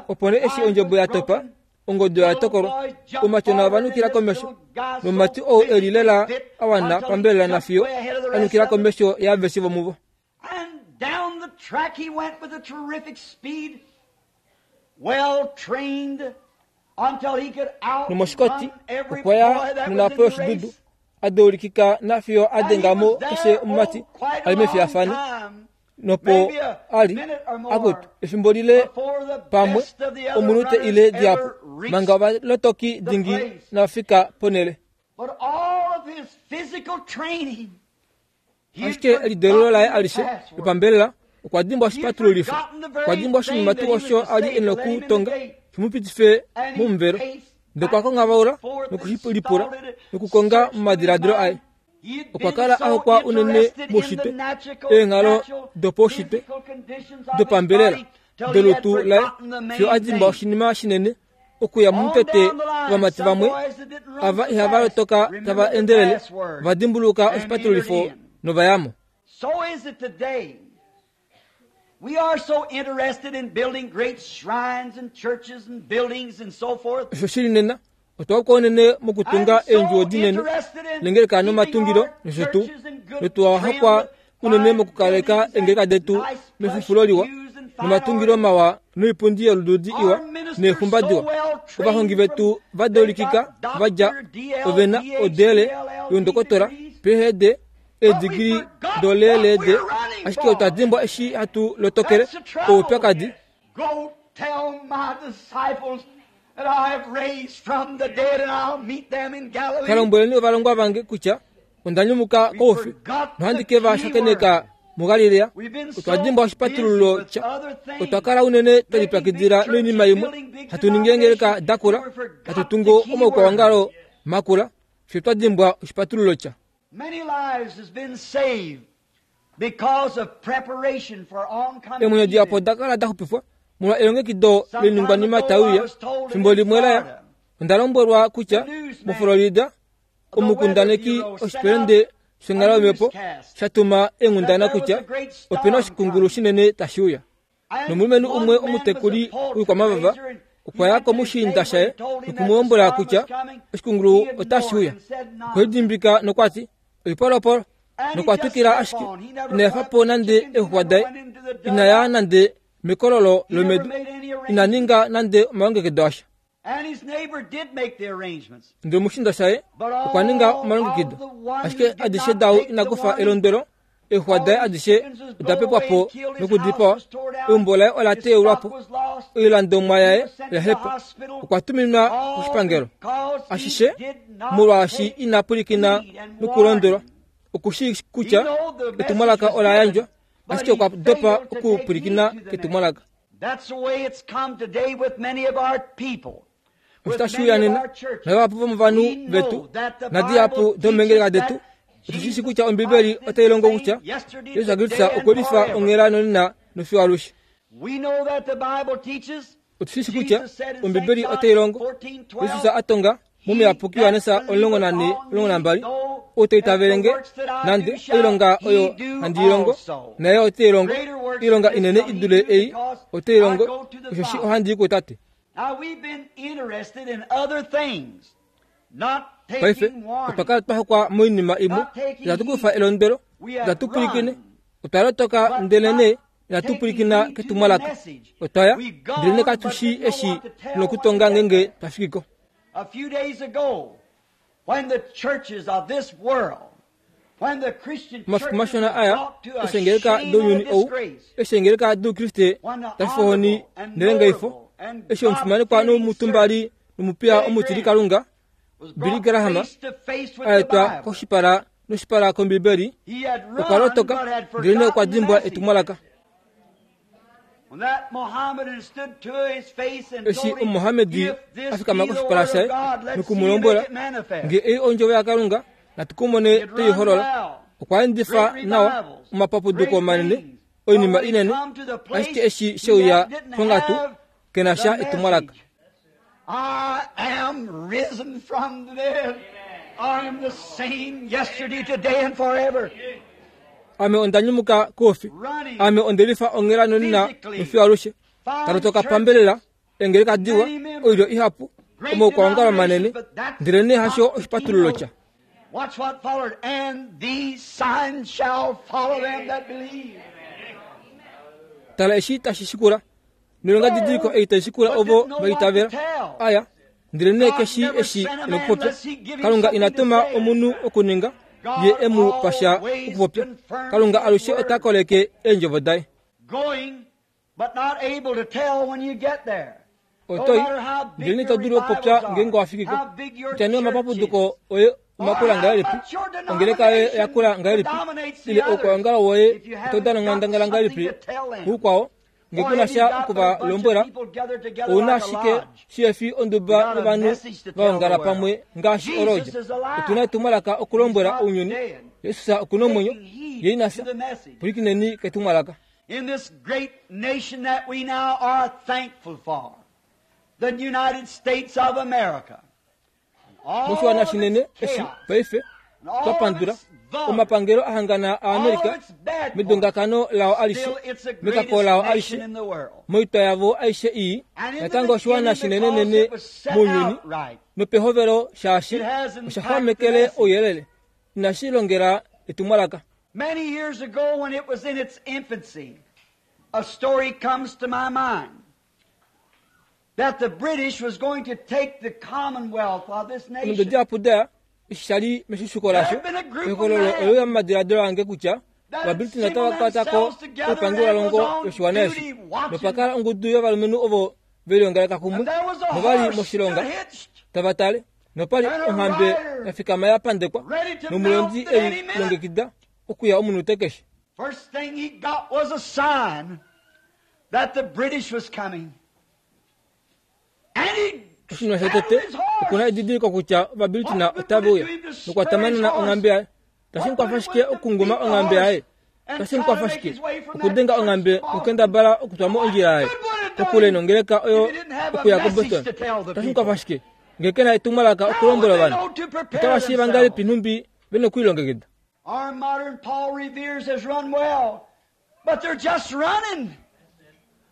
Opo nee eshi ondjebo ya topa, ongodi oya tokolwa, oumatyona ova nukila komesho, nomumati ou e li lela a wana pambelela nafiyo a nukila komesho yaaveshe vomuvo. Nomoshikoti okwa ya nonhapo yoshidudu, a deulikika nafiyo a denga mo keshe omumati a li mefiyafano. Nopo a li, akutu, efimbo lile pamwe omunute ile dihapu, manga ovalotoki dingi inava fika ponhele. Ashike elideulo laye alishe lopambelela okwa dimbwa oshipatululifo. Okwa dimbwa oshinima tuu osho a li e nokutonga shi mu pitife momuvelo. Ndele okwa konghabaula noku shi lipula nokukonga momadiladilo aye. Okwa kala a hokwa unene moushitwe, eenghalo dopaushitwe dopambelela dolutu laye fiyo a dimbwa oshinima shinene okuya momutete ovamati vamwe ava ihava lotoka tava endelele va dimbuluka oshipatululifo nova ya mo. Osho shili nena, otwa hokwa unene mokutunga eendjuwo dinene nengeleka nomatungilo nosho tuu, notwa hokwa unene mokukaleka eengeleka detu mefufulo liwa nomatungilo mawa noipundi yolududi iwa neexumba diwa. Ovahongi vetu va deulikika va dja ove na odele youndokotola, PhD, eedigili doleeleede, ashike otwa dimbwa eshi hatu lotokele oupyakadi. Ka lombweleni ovalongwa vange kutya onda nyumuka koufi nohandi ke va shakeneka muGalilea. Otwa dimbwa oshipatululo sha otwa kala unene twe lipyakidila noinima imwe, hatu ningi eengeleka da kula, hatu tungu omaukwaongalo makula, fye twa dimbwa oshipatululo sha. Eemwenyo dihapu oda kala da xupifwa molwa elongekido loiningwanima tai uya. Fimbo limwe la ya, onda lombwelwa kutya moFlorida omukundaneki oshipelende shonghalo yomhepo sha tuma eenghundana kutya ope na oshikungulu shinene tashi uya. Nomulumenhu umwe omutekuli woikwamavava okwa ya komushiinda shaye noku mu lombwela kutya oshikungulu otashi uya. Okwe lidimbika nokwa ti, Oipolopolo! Nokwa twikila ashike, ina efa po nande eexuxwa daye, ina ya nande mekololo lomedu, ina ninga nande omalongekido asha. Ndele omushiinda shaye okwa ninga omalongekido, ashike adishe dau ina kufa elondwelo, eexuxwa daye adishe oda pepwa po nokudipawa, eumbo laye ola teulwa po, oilandomwa yaye oya hepa, okwa tuminwa koshipangelo. Ashishe molwaashi ina pwilikina nokulondwelwa. Oku shii kutya etumwalaka ola yandjwa, ashike okwa dopa okupwilikina ketumwalaka. Osho tashi uya nena, navahapu vomovanhu vetu nadihapu domeengeleka detu, otu shi shi kutya Ombibeli otai longo kutya Jesus Kristus okwe lifa onghela nonena nofiyo alushe. Otu shi shi kutya Ombibeli otai longo Jesus a tonga mOmuyapuki Johannes 14:12, Ou ta itavele nge, nande oilonga oyo handi i longo, naye ote i longo, oilonga inene i dule ei ote i longo, osheshi ohandi i kuTate. Paife otwa kala twa hokwa moinima imwe, itatu kufa elondwelo, itatu pwilikine, otwa lotoka ndelenee inatu pwilikina ketumwalaka, otwa ya ndelenee katu shii eshi tu na okutonga ngeenge twa fiki ko. A few days ago, when the churches of this world, when the Christian Omafiku churches mashona were aya, brought to a eshi eengeleka shame and a dounyuni ou, disgrace, eshi eengeleka doukriste when the da fifohoni honorable and nelengaifo, notable and eshi omufimanekwa God-fearing nomutumbali servant nomupiya Billy omutilikalunga was Billy brought Graham face to face with a the etwa Bible. koshipala noshipala kOmbibeli, He had okwa run lotoka but had ndelenee okwa forgotten the dimbwa message. etumwalaka. When that Mohammedan stood to his face and Eshi told him, Omuhamedi If this a fikama be the koshipala word shaye of God, let's noku see mu you make lombwela, it manifest. Nge ei ondjovo yaKalunga, natu ku mone He had te i run holola. well. Okwa endifa Great nawa revivals, omapapuduko great manene, things. oinima But when he inene, come to the place, ashike eshi she he uya didn't ponghatu, have ke na sha the etumwalaka. message. I am risen from the dead. I am the same yesterday, today, and forever. Ame onda nyumuka koufi. Running Ame onde lifa onghela nonena physically, nofiyo alushe. fine Talotoka churches, pambelela, eengeleka diwa, many members, oilyo ihapu, great omaukwaongalo manene, denominations, but that's ndelenee hasho not the oshipatululo keynote. sha. Watch what followed. And these signs shall follow them that believe. Tala eshi tashi shikula. Noilongadidiliko ei tai shikula But ovo didn't know va what to itavela. tell. Aya, ndelenee God keshi never eshi sent a e man nokupopya. unless he give him Kalunga ina something to tuma say. omunhu okuninga, ye God e mu pa sha always okupopya. confirms Kalunga his alushe ota word. koleke eendjovo daye. Going, but not able to tell when you get there. No Otoi, matter how big ndelenee your ito dulu okupopya revivals ngeenge are, wa fiki ko. how big your Kutya nee church omapapuduko is, oye or omakula how ngahelipi, much your ongeleka yoye oya denomination kula ngahelipi, dominates the ile others, oukwaongalo woye if you oto haven't dana got onghandangala something ngahelipi to tell them, kuukwao, nge or ku na have you sha got oku but a va bunch of lombwela, people gathered together ou na like a ashike lodge, shi fi you onduba got a yovanhu message to va tell the ongala world. pamwe ngaashi Jesus olodja. is alive. Otu na etumwalaka He's okulombwela not ounyuni. dead. Jesus oku na omwenyo, Taking heed ye ina to fya. the message. Pwilikineni ketumwalaka. In this great nation that we now are thankful for, the United States of America, all Moshiwana of shinene its eshi chaos, paife and all twa of pandula its vulgar, omapangelo a hangana all of aAmerika its bad points, medongakano lao alishe still it's the mekako greatest lao nation alishe in the world. moitwa yavo aishe ii And in the natango oshiwana beginning, because shinenenene it was set mounyuni out right, nopehovelo shaashi it has osha impacted the xwamekele message. ouyelele inashi longela etumwalaka. Many years ago, when it was in its infancy, a story comes to my mind. That the British was going to take the commonwealth of this Omido nation. dihapu daya eshi sha li meshishuko lasho, ehokololo ole uya momadiladilo ange kutya Ovabritina otava kwata ko oipangelwalongo yoshiwana eshi. Nopa kala ongudu yovalumenhu ovo ve liongaleka kumwe And there was a nova li horse moshilonga stood hitched, tava tale, nopa li onghambe ya fikama ya pandekwa nomulondi ei longekida okuya omunute keshe. First thing he got was a sign that the British was coming. And he Oshinima saddled shotete his horse. okuna edidiliko kutya Ovabritina otave uya nokwa tamanana onghambe yaye. Tashi mu kwafa shike okunguma onghambe yaye? Tashi mu kwafa shike okudenga onghambe nokukendabala okutwa mo ondjila yaye kokule nongeleka oyo okuya koBoston? Tashi mu kwafa shike ngee ke na etumwalaka okulombwela ovanhu? Otava shiiva ngahelipi nhumbi ve nokulilongekida? Our modern Paul Revere's has run well, but they're just running.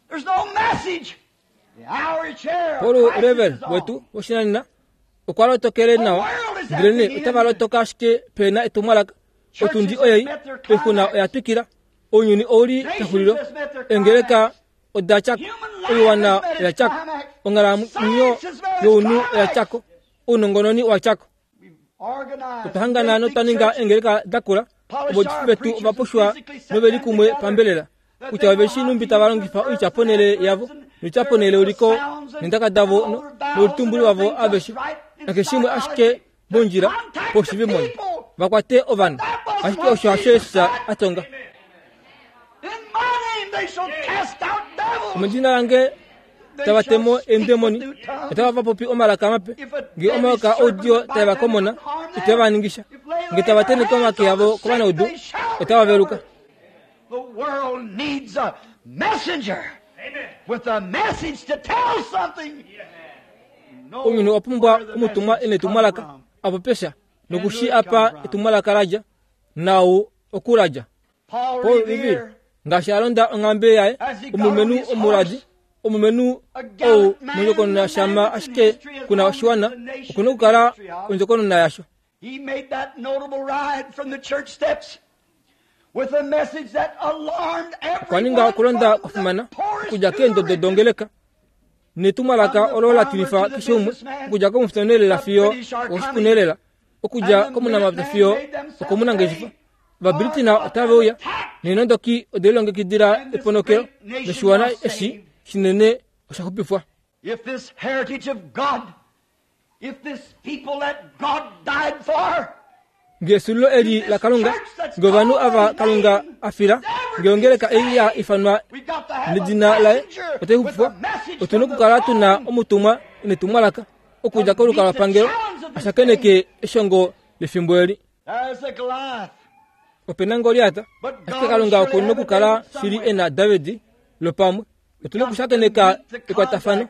There's no message. The hour is here. Paul Crisis Revere is on. wetu woshinanena okwa lotokele nawa, ndelenee otava lotoka ashike pe na etumwalaka. Otundi oyei, oixuna oya twikila, ounyuni ou li pexulilo, eengeleka oda tya ko, oiwana oya tya ko, onghalamwenyo younhu oya tya ko, ounongononi owa tya ko. Otwa hangana notwa ninga eengeleka da kula, ovaudifi vetu ova pushwa nove li kumwe pambelela, kutya ove shii nhumbi tava longifa oitya ponhele yavo, noitya ponhele uliko, neendaka davo noulutumbuli wavo aveshe, nakeshe shimwe ashike mondjila poshivimoni, va kwate ovanhu. Ashike osho hasho Jesus a tonga. In my name they shall cast out devils. Omedina lange tava temo eendemoni, otava va popi omalaka mape. Ngee omayoka oudiyo tae va komona, itave va ningisha. Ngee tava tenheke omake avo kovanaudu, otava veluka. The world needs a messenger with a message to tell something. Know Ounyuni owa pumbwa where the omutumwa message e na etumwalaka come from. a popye sha noku shi apa etumwalaka la dja, naau oku la dja. Paul Paul Revere, Revere, ngaashi a londa onghambe yaye, omulumenhu omuladi, omulumenhu ou mondjokonona shama ashike kuna oshiwana, oku na okukala ondjokonona yasho. he made that notable ride from the church steps with a message that alarmed Okwa ninga everyone okulonda from kwa fimana the poorest okudja to the keendodo richest. dongeleka netumwalaka olo la tilifa keshe umwe, okudja komufutonelela fiyo okoshipunelela, okudja komunamapya fiyo okomunangeshefa. Ovabritina otave uya, neenondoki ode lilongekidila eponokelo, noshiwana eshi shinene osha xupifwa. If this heritage of God, if this people that God died for, Ngee esulilo eli laKalunga, ngee ovanhu ava Kalunga a fila, ngee ongeleka ei ya ifanwa we got to have a nedina laye messenger otai with xupifwa, a message otu na from the okukala tu na throne. omutumwa netumwalaka okudja kolukalwapangelo a shakeneke eshongo lefimbo eli. There's a Goliath. Ope na Goliat, ashike Kalunga oku na okukala shili e na David lopamwe. Otu na okushakeneka ekwatafano.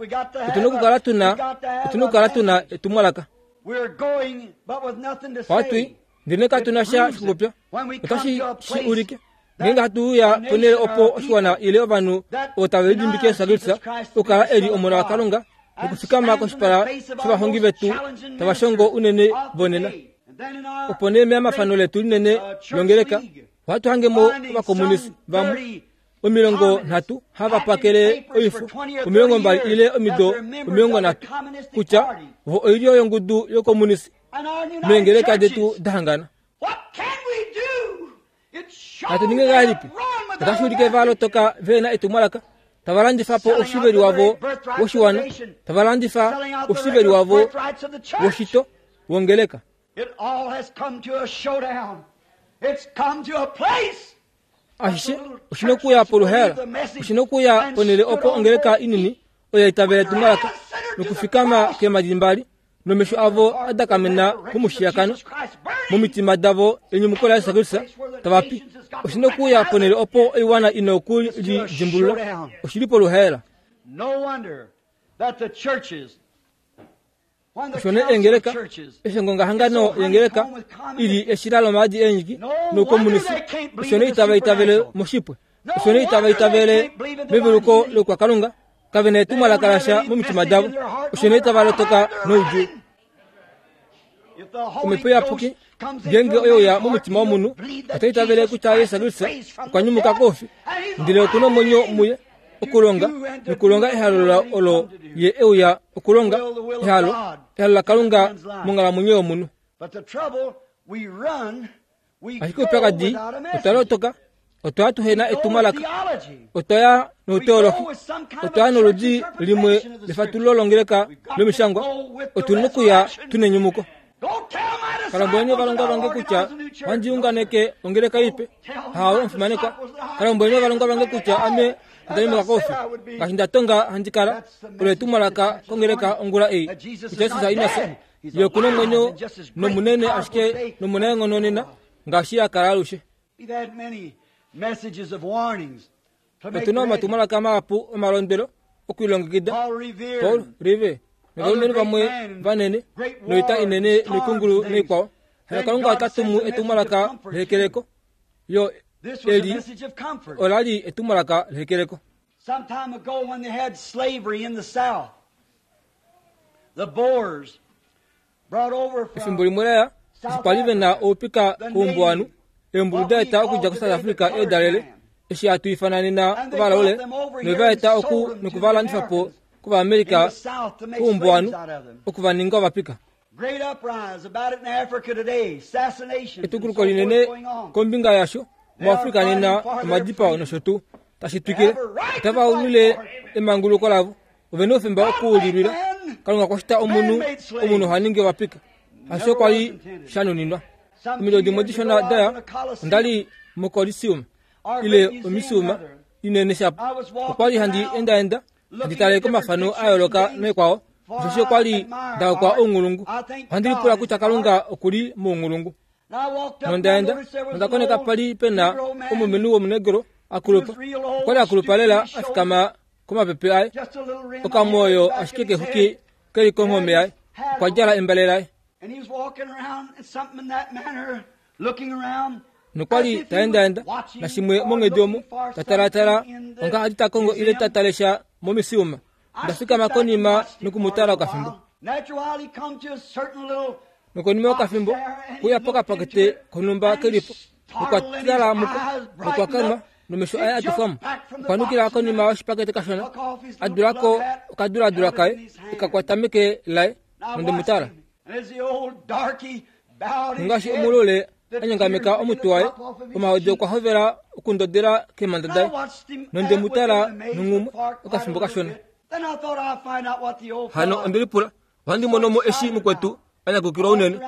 Otu na okukala tu na, otu na okukala tu na etumwalaka. We're going, but with nothing to Ohatu i, say. ndele katu na sha shokupopya. Otashi shi ulike. Ngeenge hatu uya ponhele opo oshiwana ile ovanhu ovo tave lidimbike Jesus Kristus okukala e li Omona waKalunga nokufikama koshipala shovahongi vetu tava shongo unene vonena. Opo nee meamafano letu linene longeleka, ohatu hange mo ovakomunisi vamwe 30 hava pakele oifo 20 ile omido 30 kutya vo oilyo yongudu yokomunisi meengeleka detu da hangana. What can we do? It shows Natu ninge ngahelipi? Otashi ulike va lotoka ve na etumwalaka, tava landifa po oshiveli wavo woshiwana, tava landifa oshiveli wavo woshito wongeleka. It all has come to a showdown. It's come to a place. Ashishe oshi na okuya poluhaela, oshi na okuya ponhele opo ongeleka inini oyo ya itavela etumwalaka nokufikama keemhadi mbali nomesho avo a dakamena komushiyakano, momitima davo enyumuko laJesus Kristus tava pi. Oshi na okuya ponhele opo oiwana i na oku li dimbulula. Oshi li poluhaela. No wonder that the churches, when the Osho nee council of eengeleka, churches, eshi ongongahangano yengeleka ili eshila lomaadi eenyiki noukomunisi, osho nee itava itavele moshipwe, osho nee itava itavele meveluko lokwakalunga, kave na etumwalaka lasha momitima davo, osho nee itava lotoka noudjuu. if the Holy Omhepo Iyapuki Ghost comes ngeenge into a oye uya man's heart, momutima womunhu, he'll believe that ota itavele Jesus kutya Christ Jesus is Kristus raised from okwa the nyumuka dead, koufi, and he's ndele oku na omwenyo alive. muye. okulonga nokulonga ehalo olo ye e uya okulonga, ehalo, ehalo laKalunga monghalamwenyo yomunhu. Ashike oupyakadi, otwa lotoka, otwa ya tuhe na etumwalaka, otwa ya nouteolohi, otwa ya noludi limwe lefatululo longeleka lomishangwa, otu na okuya tu nenyumuko. Kalombweleni ovalongwa vange kutya ohandi unganeke ongeleka ipe. Hawe omufimanekwa. Kalombweleni ovalongwa vange kutya ame onda nyumuka koufi. Ngaashi nda tonga handi kala, olo etumwalaka kongeleka ongula ei, kutya Jesus ina fya. Ye oku na omwenyo nomunene ashike nomunaenghono nena ngaashi a kala alushe. Otu na omatumwalaka mahapu omalondwelo okulilongekida. Paul Revere novalumenhu vamwe vanene noita inene noikungulu noikwao. Hano Kalunga ota tumu etumwalaka lehekeleko. Yo eli ola li etumwalaka lehekeleko. Some time ago when they had slavery in the South, the Boers brought over from Efimbo limwe laya, eshi kwa li ve na oupika koumbuwanhu, eembulu da eta okudja koSouth Africa eedalele, eshi hatu ifana nena ovalaule, nove va eta oku noku va landifa po kOvaamerica koumbuwanhu, oku va ninga ovapika. Great uprise about it in Africa today, assassinations and so Etukuluko forth linene going on. kombinga yasho muAfrika nena, omadipao nosho tuu tashi twikile. Otava ulwile emanguluko lavo. Ove na oufemba oku li lwila. Kalunga okwa shita omunhu, omunhu oha ningi ovapika. Hasho kwa li sha nuninwa. Omido dimwe dishona daya, onda li moColiseum, ile omisiuma inene shapo. Okwa li handi endaenda, handi tale komafano a yooloka noikwao, osheshi okwa li nda hokwa ounghulungu. Ohandi lipula kutya Kalunga oku li mounghulungu. Nonda enda, nonda koneka pa li pe na omulumenhu womunegro a kulupa. Okwa li a kulupa lela a fikama komapepe aye, okamwoyo ashike kexuki ke li konghome yaye. Okwa djala embale laye. Nokwa li ta endaenda nashimwe monghedi omo, ta talaatala onga a li ta kongo ile ta tale sha momisiuma. Onda fikama konima noku mu tala okafimbo. Nokonima yokafimbo, okwe uya pokapakete konhumba ke li po, nokwa tala muko, nokwa kanwa, nomesho aye a tufwa mo. Okwa nukila konima yoshipakete kashona, a dula ko okaduladula kaye, e ka kwata meke laye, nonde mu tala. Ngaashi omulule a nyongameka omutwe waye, omahodi okwa hovela okundodela keemhanda daye, nonde mu tala nonghumwe okafimbo kashona. Hano onde lipula, ohandi mono mo eshi mukwetu a nyakukilwa unene.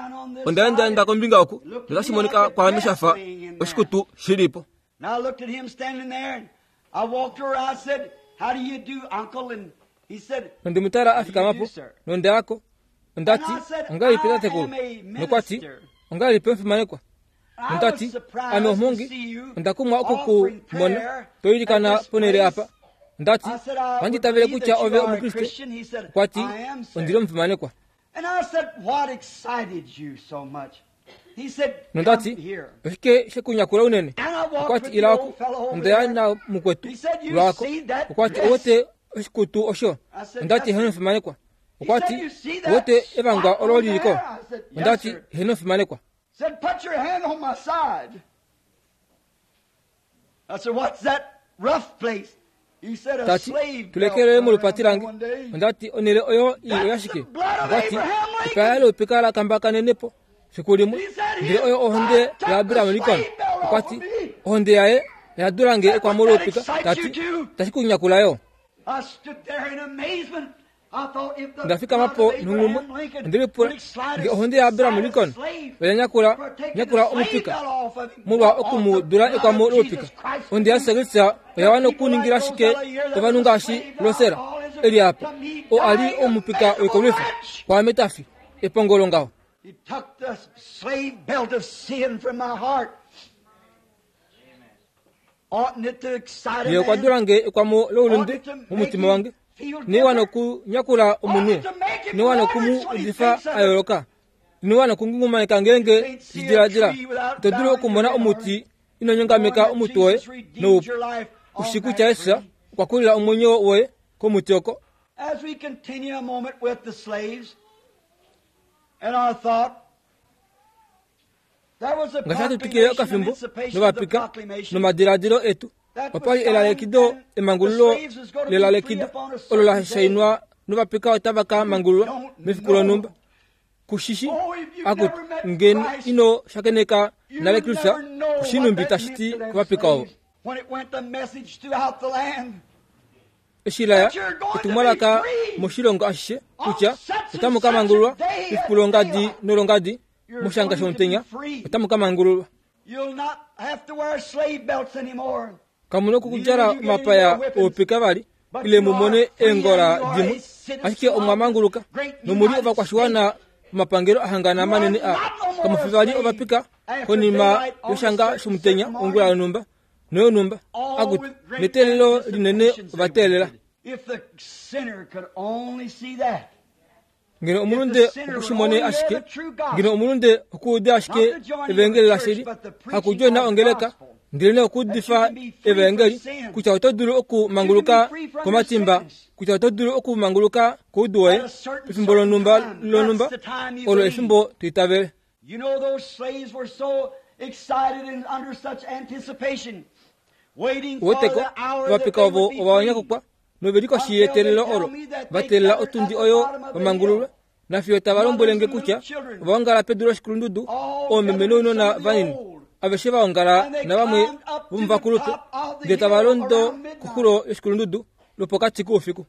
Onda endaenda kombinga oku, notashi monika kwaame sha fa oshikutu shi li po. Nonde mu tala a fikama po, nonda ya ko. Onda ti, Ongahelipi tatekulu? Nokwa ti, Ongahelipi omufimanekwa? Onda ti, Ame omhongi, onda kumwa oku ku mona to ilikana ponhele apa. Onda ti, Ohandi itavele kutya ove Omukriste. Okwa ti, Ondi li omufimanekwa. Nonda ti, Oshike she ku nyakula unene? Okwa ti, Ila oku. Onda ya namukwetu lwaako. Okwa ti, Ou wete oshikutu osho? Onda ti, Heeno, omufimanekwa. Okwa ti, Ou wete evangwa olo li li ko? Onda ti, Heeno, omufimanekwa. Ta ti, Tulekele molupati lange. Onda ti, Onhele oyo ii oyashike? Okwa ti, Epaya loupika la kambakanene po fiku limwe, ndele oyo ohonde yaAbraham Lincoln. Okwa ti, Ohonde yaye oya dula nge ekwamo loupika. Ta ti, Tashi ku nyakula yo. Onda fikama po nonghumwe, onde lipula nge ohonde yaAbraham Lincoln oya nyakula nyakula omupika molwa oku mu dula ekwamo loupika. Ohonde yaJesus Kristus oya wana okuningila shike ovanhu ngaashi Losera e li apa, oo a li omupika woikolwifa, kwaame ta fi, epongolo ngaho. Ye okwa dula nge ekwamo loulunde momutima wange. Ine wana okunyakula omunhu. Ine wana oku mu udifa a yooloka. Ine wana okungungumaneka ngeenge ti diladila. Ito dulu okumona omuti ino nyongameka omutwe woye noupu. U shii kutya Jesus okwa kulila omwenyo woye komuti oko. As we continue a moment with the slaves and our thought, Ngaashi hatu twikile okafimbo novapika nomadiladilo etu, Opa li elalekido emangululo lelalekido olo la shainwa novapika otava ka mangululwa mefiku lonhumba. Ku shi shi akutu ngeno ino shakeneka nale Kristus, ku shi nhumbi tashi ti kovapika ovo. Eshi la ya etumwalaka moshilongo ashishe kutya otamu ka mangululwa mefiku longadi nolongadi moshanga shomutenya otamu ka mangululwa. Kamu na okudjala omapaya oupika vali ile mu mone eengola dimwe, ashike omwa manguluka nomu li ovakwashiwana vomapangelo a hangana manene a. Kamu fi vali ovapika konima yoshanga shomutenya ongula yonhumba noyonhumba. Akutu, neteelelo linene ova teelela. Ngeno omulunde oku shi mone ashike, ngeno omulunde okuude ashike evaengeli lashili, hakudjoina ongeleka, ndelenee okuudifa evaengeli, kutya oto dulu okumanguluka komatimba, kutya oto dulu okumanguluka koudu woye pefimbo lonhumba lonhumba, olo efimbo to itavele. Uweteko, ovapika ovo ova nyakukwa nove li koshi yeteelelo olo, va teelela otundi oyo va mangululwe, nafiyo tava lombwele nge kutya ova ongala pedu loshikulundudu, oomeme nounona vanini, aveshe va ongala navamwe vomovakulupe, ndele tava londo koxulo yoshikulundudu lwopokati koufiku.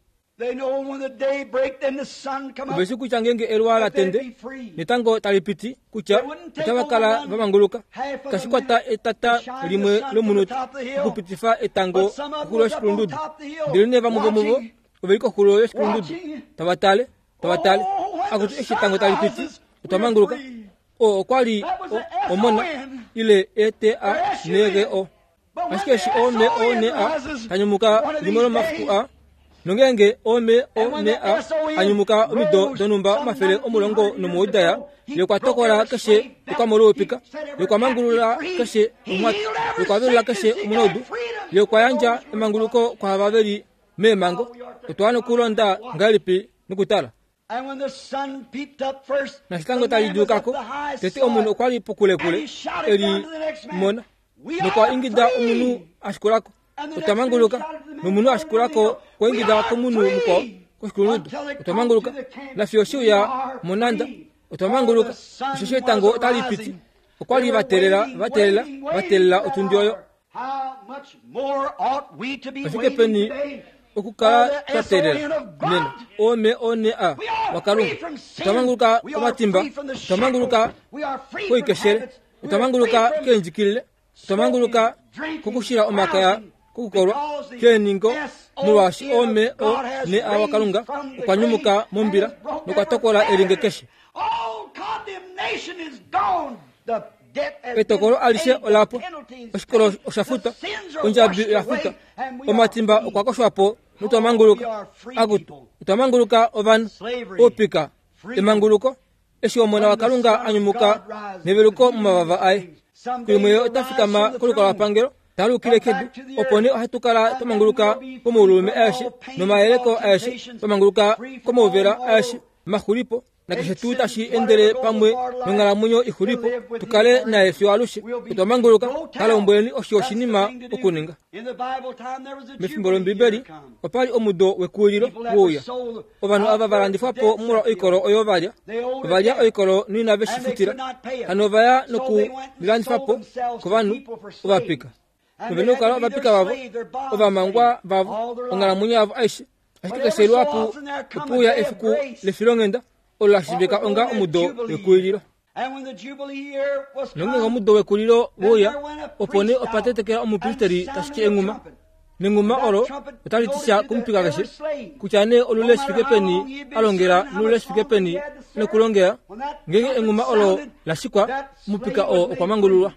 Ove shi kutya ngeenge eluwa la tende netango tali piti kutya otava kala va manguluka. Itashi kwata etata limwe lomunute okupitifa etango koxulo yoshikulundudu. Ndelenee vamwe vomuvo ove li koxulo yoshikulundudu tava tale, tava tale. Akutu eshi etango tali piti, otwa manguluka. Oo okwa li omona ile E-T-A-N-G-O. Ashike eshi O M O N A ta nyumuka limwe lomafiku a, nongeenge O M O N A a nyumuka omido donhumba 190 da ya, ye okwa tokola keshe okamolwoupika, ye okwa mangulula keshe omwati, ye okwa velula keshe omunaudu, ye okwa yandja emanguluko kwaava ve li meemhango. Otwa wana okulonda ngahelipi nokutala? Nashi tango tali djuuka ko, tete omunhu okwa li pokulekule e li mona, nokwa ingida omunhu a shikula ko, Otwa manguluka! Nomunhu a shikula ko okwa ingida komunhu mukwao koshikulundudu, Otwa manguluka! Nafiyo she uya monhanda, Otwa manguluka! Osheshi etango otali piti. Okwa li va teelela, va teelela, va teelela otundi oyo. Oshike peni okukala twa teelela nena ome one a waKalunga? Otwa manguluka komatimba, otwa manguluka koikeshele, otwa manguluka keendjikilile, otwa manguluka kokushila omakaya, kokukolwa, keeningo, molwaashi ome one a waKalunga okwa nyumuka mombila nokwa tokola elinge keshe. Etokolo alishe ola pwa, oshikolo osha futwa, ondjabi oya futwa, omatimba okwa koshwa po notwa manguluka. Akutu, otwa manguluka ovanhu, oupika, emanguluko, eshi Omona waKalunga a nyumuka neveluko momavava aye. Kulimwe ye ota fikama kolukalwapangelo ta lukile kedu, opo nee ohatu kala twa manguluka komaululume aeshe nomayeleko aeshe, twa manguluka komauvela aeshe, maxulipo, nakeshe tuu tashi endele pamwe nonghalamwenyo ixulipo, tu kale naye fiyo alushe. Otwa manguluka. Ka lombweleni osho oshinima okuninga. Mefimbo lOmbibeli, opa li omudo wekuwililo wouya. Ovanhu ava va landifwa po molwa oikolo oyo va lya, ova lya oikolo noinave shi futila, hano ova ya nokulilandifa po kovanhu ovapika. Nove na okukala ovapika vavo, ovamangwa vavo, onghalamwenyo yavo aishe. Ashike keshe luhapu ope uya efiku lefilonghenda olo la shiivika onga omudo wekulilo. Nongeenge omudo wekulilo we uya, opo nee opa tetekela omupristeri ta shiki enghuma. Nenghuma olo otali ti sha komupika keshe, kutya nee olule shi fike peni a longela nolule shi fike peni nokulongela. Ngeenge enghuma olo la shikwa, omupika oo okwa mangululwa.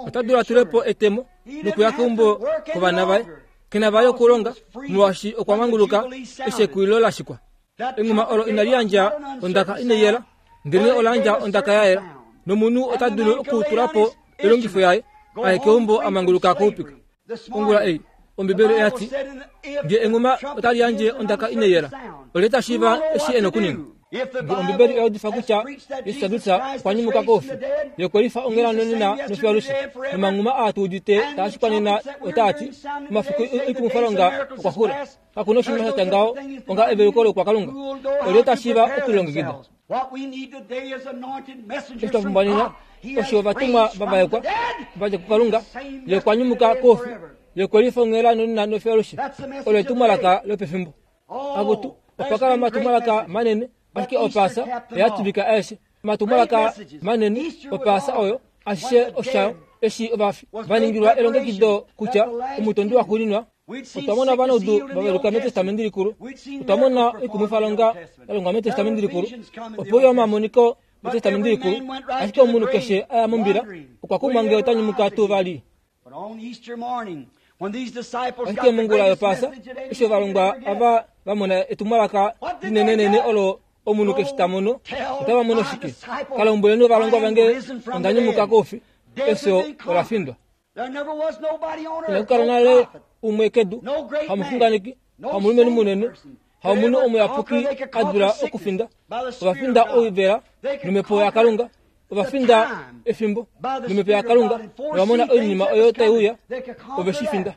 Ota dulu a tule po etemo nokuya keumbo kovana vaye. Ke na vali okulonga molwaashi okwa manguluka eshi ekulilo la shikwa. Enghuma olo inali yandja ondaka inai yela, ndelenee ola yandja ondaka ya yela, nomunhu ota dulu okutula po elongifo yaye a ye keumbo a manguluka koupika. Ongula ei, Ombibeli oya ti, Nge enghuma otali yandje ondaka inai yela, olye ta shiiva eshi e na okuninga? Nge Ombibeli oya udifa kutya Jesus Kristus okwa nyumuka koufi, Ye okwe lifa onghela nonena nofiyo-alushe. Nomanghuma aa tu udite taa shikwa nena otaa ti, Omafiku oikumwifalonga okwa xula. Kaku na oshinima sha tya ngaho onga eveluko loukwakalunga. Olye ta shiiva okulilongekida? Eshi twa pumbwa nena osho ovatumwa va vaekwa va dja kuKalunga, Ye okwa nyumuka koufi, Ye okwe lifa onghela nonena nofiyo-alushe. Olo etumwalaka lopefimbo. Akutu, opa kala omatumwalaka manene, ashike Opaasa oya tuvika aeshe. Omatumwalaka manene, Opaasa oyo, ashishe oshayo, eshi ovafi va ningilwa elongekido kutya omutondi waxuuninwa. Otwa mona ovanaudu va veluka mEtestamenti Likulu. Otwa mona oikumwifalonga ya longwa mEtestamenti Likulu. Ope uya omamoniko mEtestamenti Likulu. Ashike omunhu keshe a ya mombila okwa kumwa nge ota nyumuka tuu vali. Ashike mongula yOpaasa, eshi ovalongwa ava va mona etumwalaka linenenene olo omunhu keshe ta mono, otava mono shike? Ka lombweleni ovalongwa vange onda nyumuka koufi, efyo ola findwa. Inaku kala nale umwe kedu, hamuxunganeki, hamulumenhu munene, hamunhu omuyapuki a dula okufinda. Ova finda oivela nomhepo yaKalunga. Ova finda efimbo nomhepo yaKalunga nova mona oinima oyo tai uya. Ove shi finda.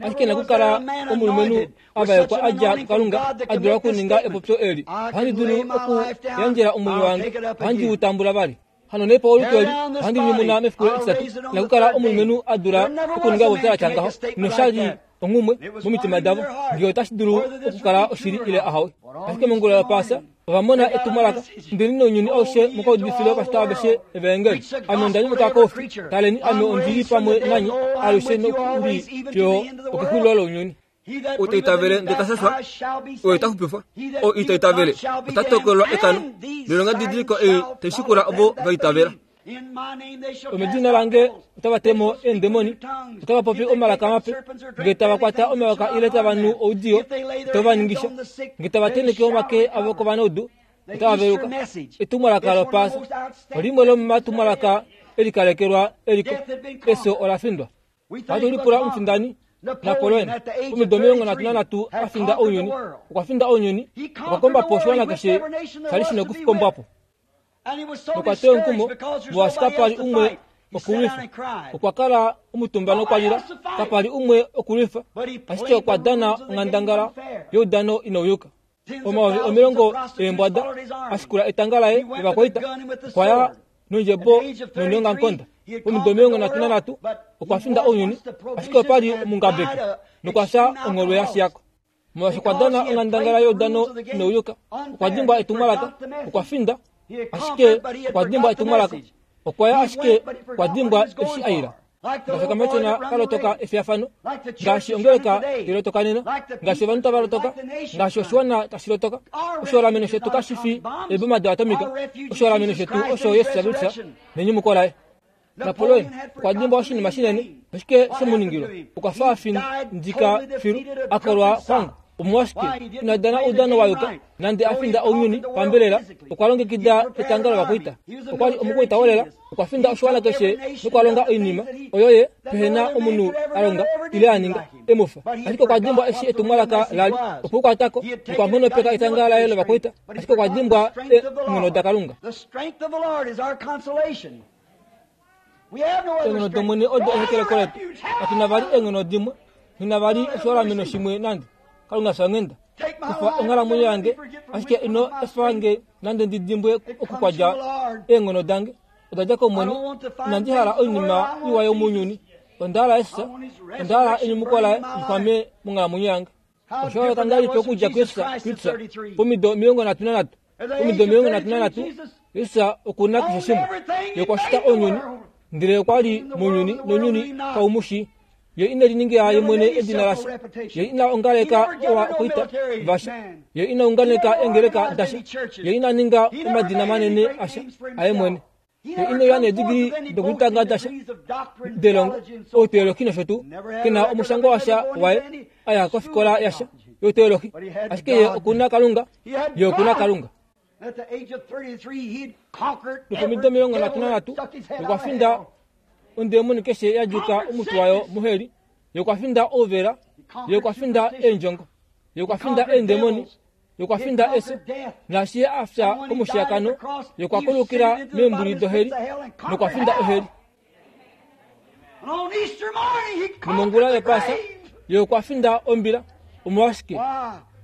Ashike inaku kala omulumenhu a vaekwa a dja kuKalunga a dula okuninga epopyo eli, Ohandi dulu okuyandjela omwenyo wange, ohandi u tambula vali. Hano nee paolutu eli ohandi nyumuna mefiku etitatu. Inaku kala omulumenhu a dula okuninga epopyo la tya ngaho, nosha li onghumwe momitima davo ngee otashi dulu okukala oshili ile ahawe. Ashike mongula yOpaasa ova mona etumwalaka, Indeni nounyuni aushe mu ka udifile ovashitwa aveshe evaengeli. Ame onda nyumuka koufi, taleni ame ondi li pamwe nanye alushe nokuli fiyo okexulilo lounyuni. Ou ta itavele ndele ta shashwa, oye ta xupifwa. Ou ita itavele ota tokolelwa ekano. Noilongadidiliko ei tai shikula ovo va itavela. Omedina lange otava te mo eendemoni, otava popi omalaka mape, nge tava kwata omayoka ile tava nu oudiyo, itau va ningisha. Nge tava tenheke omake avo kovanaudu, otava veluka. Etumwalaka lOpaasa olimwe lomomatumwalaka e likalekelwa eliko. Efyo ola findwa. Ohatu lipula omufindani Napoleon omido 33 a finda ounyuni. Okwa finda ounyuni, okwa komba po oshiwana keshe sha li shi na okukombwa po. Nokwa teya omukumo molwaashi kapa li umwe okulwifa. Okwa kala omutumba nokwa lila, kapa li umwe okulwifa, ashike okwa dana onghandangala youdano inau yuka. 10,000 eembwada a shikula etanga laye lovakwaita. Okwa ya nondjebo noneongamukonda. Omido 33 okwa finda ounyuni, ashike opa li omungabeki nokwa fya ongholwe ya shiya ko. Molwaashi okwa dana onghandangala youdano nouyuka, okwa dimbwa etumwalaka, okwa finda, ashike okwa dimbwa etumwalaka. Okwa ya ashike okwa dimbwa eshi a ila. Ngaashi okamatyona ka lotoka efiyafano, ngaashi ongeleka tai lotoka nena, ngaashi ovanhu tava lotoka, ngaashi oshiwana tashi lotoka. Oshiholameno shetu kashi fi eeboma doatomika. Oshiholameno shetu osho Jesus Kristus nenyumuko laye. Napoleon okwa dimbwa oshinima shinene. Oshike she mu ningilwa? Okwa fa a findika filu, a kolwa xwanga. Omolwashike ina dana oudano wa yuka? Nande a finda ounyuni pambelela, okwa longekida etanga lovakwaita. Okwa li omukwaita wolela, okwa finda oshiwana keshe nokwa longa oinima oyo ye pehe na omunhu a longa ile a ninga e mu fa. Ashike okwa dimbwa eshi etumwalaka la li opo u kwata ko nokwa nghonopeka etanga laye lovakwaita, ashike okwa dimbwa eenghono daKalunga. Eenghono dOmwene odo ehekeleko letu. Katu na vali eenghono dimwe, nghi na vali oshiholameno shimwe nande. Kalunga fya onghenda, kufa onghalamwenyo yange, ashike ino efa nge nande ndi dimbwe oku kwa dja eenghono dange. Oda dja kOmwene. Inandi hala oinima iwa yomounyuni. Onda hala Jesus, onda hala enyumuko laye li xwame monghalamwenyo yange. Osha yooloka ngahelipi okudja kuJesus Kristus pomido 33? Pomido 33, Jesus oku na keshe shimwe. Ye okwa shita ounyuni, ndele okwa li mounyuni, nounyuni kau mu shii. Ye ine liningila ye mwene edina lasha. Ye ina ongaleka ovakwaita vasha. Ye ina unganeka eengeleka dasha. Ye ina ninga omadina manene asha aye mwene. Ye ine uya needigili dokulitanga dasha delongo, outeolohi nosho tuu. Ke na omushangwa washa waye a ya kofikola yasha youteolohi. Ashike ye oku na Kalunga. Ye oku na Kalunga. Nopomido 33 okwa finda ondemoni keshe ya djuka omutwe wayo moheli. Ye okwa finda ouvela. Ye okwa finda eendjongo. Ye okwa finda eendemoni. Ye okwa finda efyo, naashi Ye a fya komushiyakano, Ye okwa kulukila meembuli doheli nokwa finda oheli. Nomongula yOpaasa, Ye okwa finda ombila. Omolwashike?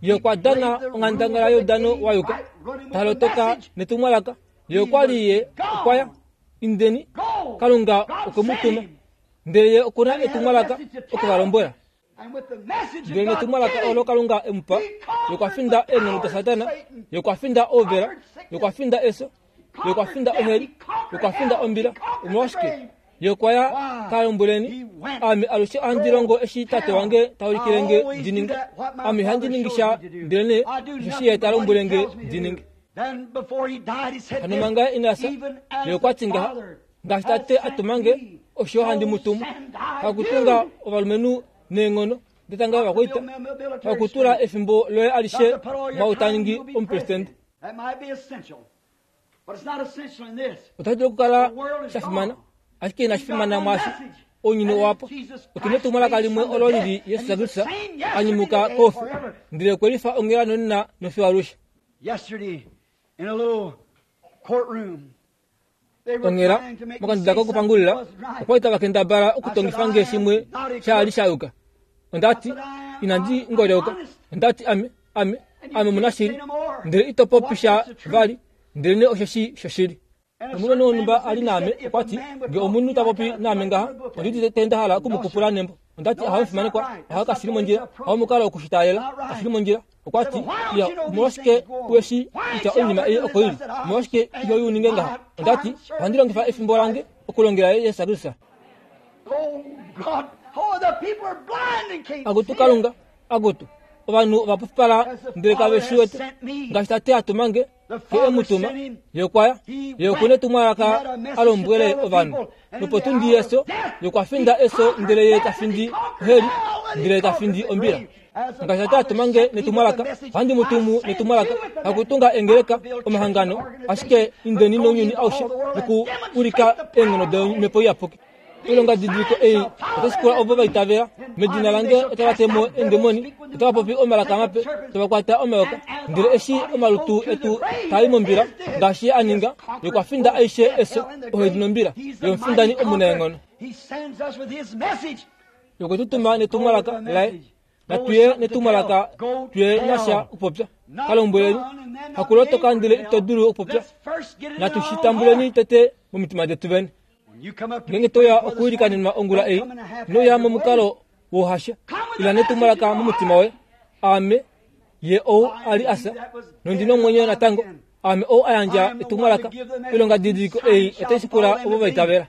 Ye okwa dana onghandangala youdano wa yuka, ta lotoka netumwalaka. Ye okwa li Ye okwa ya. Indeni, Kalunga okwe mu tuma. Ndele Ye oku na etumwalaka oku va lombwela. Ndele netumwalaka olo Kalunga e mu pa, Ye okwa finda eenghono daSatana, Ye okwa finda ouvela, Ye okwa finda efyo, Ye okwa finda oheli, Ye okwa finda ombila. Omolwashike? Ye okwa ya ka lombweleni, Ame alushe ohandi longo eshi Tate wange ta ulikile nge ndi ninge. Ame ihandi ningi sha ndelenee osheshi Ye ta lombwele nge ndi ninge. Hano manga ina fya, Ye okwa ti ngaha, Ngaashi Tate a tuma nge, osho handi mu tumu. Hakutunga ovalumenhu neenghono detanga lovakwaita, hakutula efimbo loye alishe mwaau ta ningi omupresidente. Otashi dulu okukala sha fimana, ashike inashi fimana mwaashi ounyuni owa pwa. Otu na etumwalaka limwe olo li li Jesus Kristus a nyumuka koufi, ndele okwe lifa onghela nonena nofiyo alushe. Onghela, mokanduda kokupangulila, okwa li tava kendabala okutongifa nge shimwe sha li sha yuka. Onda ti, Inandi ngolyoka. Onda ti, Ame, ame, ame omunashili. Ndele ito popi sha vali, ndelenee osheshi shoshili. Nomulumenhu wonhumba a li naame okwa ti, Nge omunhu ta popi naame ngaha, ondi udite nda hala oku mu kupula nembo. Onda ti, Ahawe mufimanekwa, ahawe kashi li mondjila. Hawo omukalo woku shi taalela. Kashi li mondjila. Okwa ti, Iya, omolwashike u shi kutya oinima ei oko i li? Omolwashike iho i u ninge ngaha? Onda ti, Ohandi longifa efimbo lange okulongela Jesus Kristus. Akutu Kalunga, akutu, ovanhu ova pupala ndele kave shi wete. Ngaashi Tate a tuma nge, Ye e mu tuma, Ye okwa ya. Ye oku na etumwalaka a lombwele ovanhu. Nopotundi yefyo, Ye okwa finda efyo ndele Ye ta findi oheli, ndele Ye ta findi ombila. Ngaashi Tate a tuma nge netumwalaka, ohandi mu tumu netumwalaka, hakutunga eengeleka, omahangano, ashike indeni nounyuni aushe noku ulika eenghono dOmhepo Iyapuki. Oilongadidiliko ei otai shikula ovo va itavela. Medina lange otava te mo eendemoni, otava popi omalaka mape, tava kwata omayoka. Ndele eshi omalutu etu taa i mombila, ngaashi ye a ninga, ye okwa finda aishe efyo, oheli nombila. Ye omufindani omunaenghono. Ye okwe tu tuma netumwalaka laye. Natu ye netumwalaka tuye na sha okupopya. Ka lombweleni, hakulotoka ndele ito dulu okupopya. Natu shi tambuleni tete momitima detu vene. Ngeenge to ya okwiilikanenwa ongula ei, ino ya momukalo wohasha. Ila netumwalaka momutima woye. Aame ye ou a li a fya, nondi nomwenyo natango. Aame ou a yandja etumwalaka. Oilongadidiliko ei otai shikula ovo va itavela.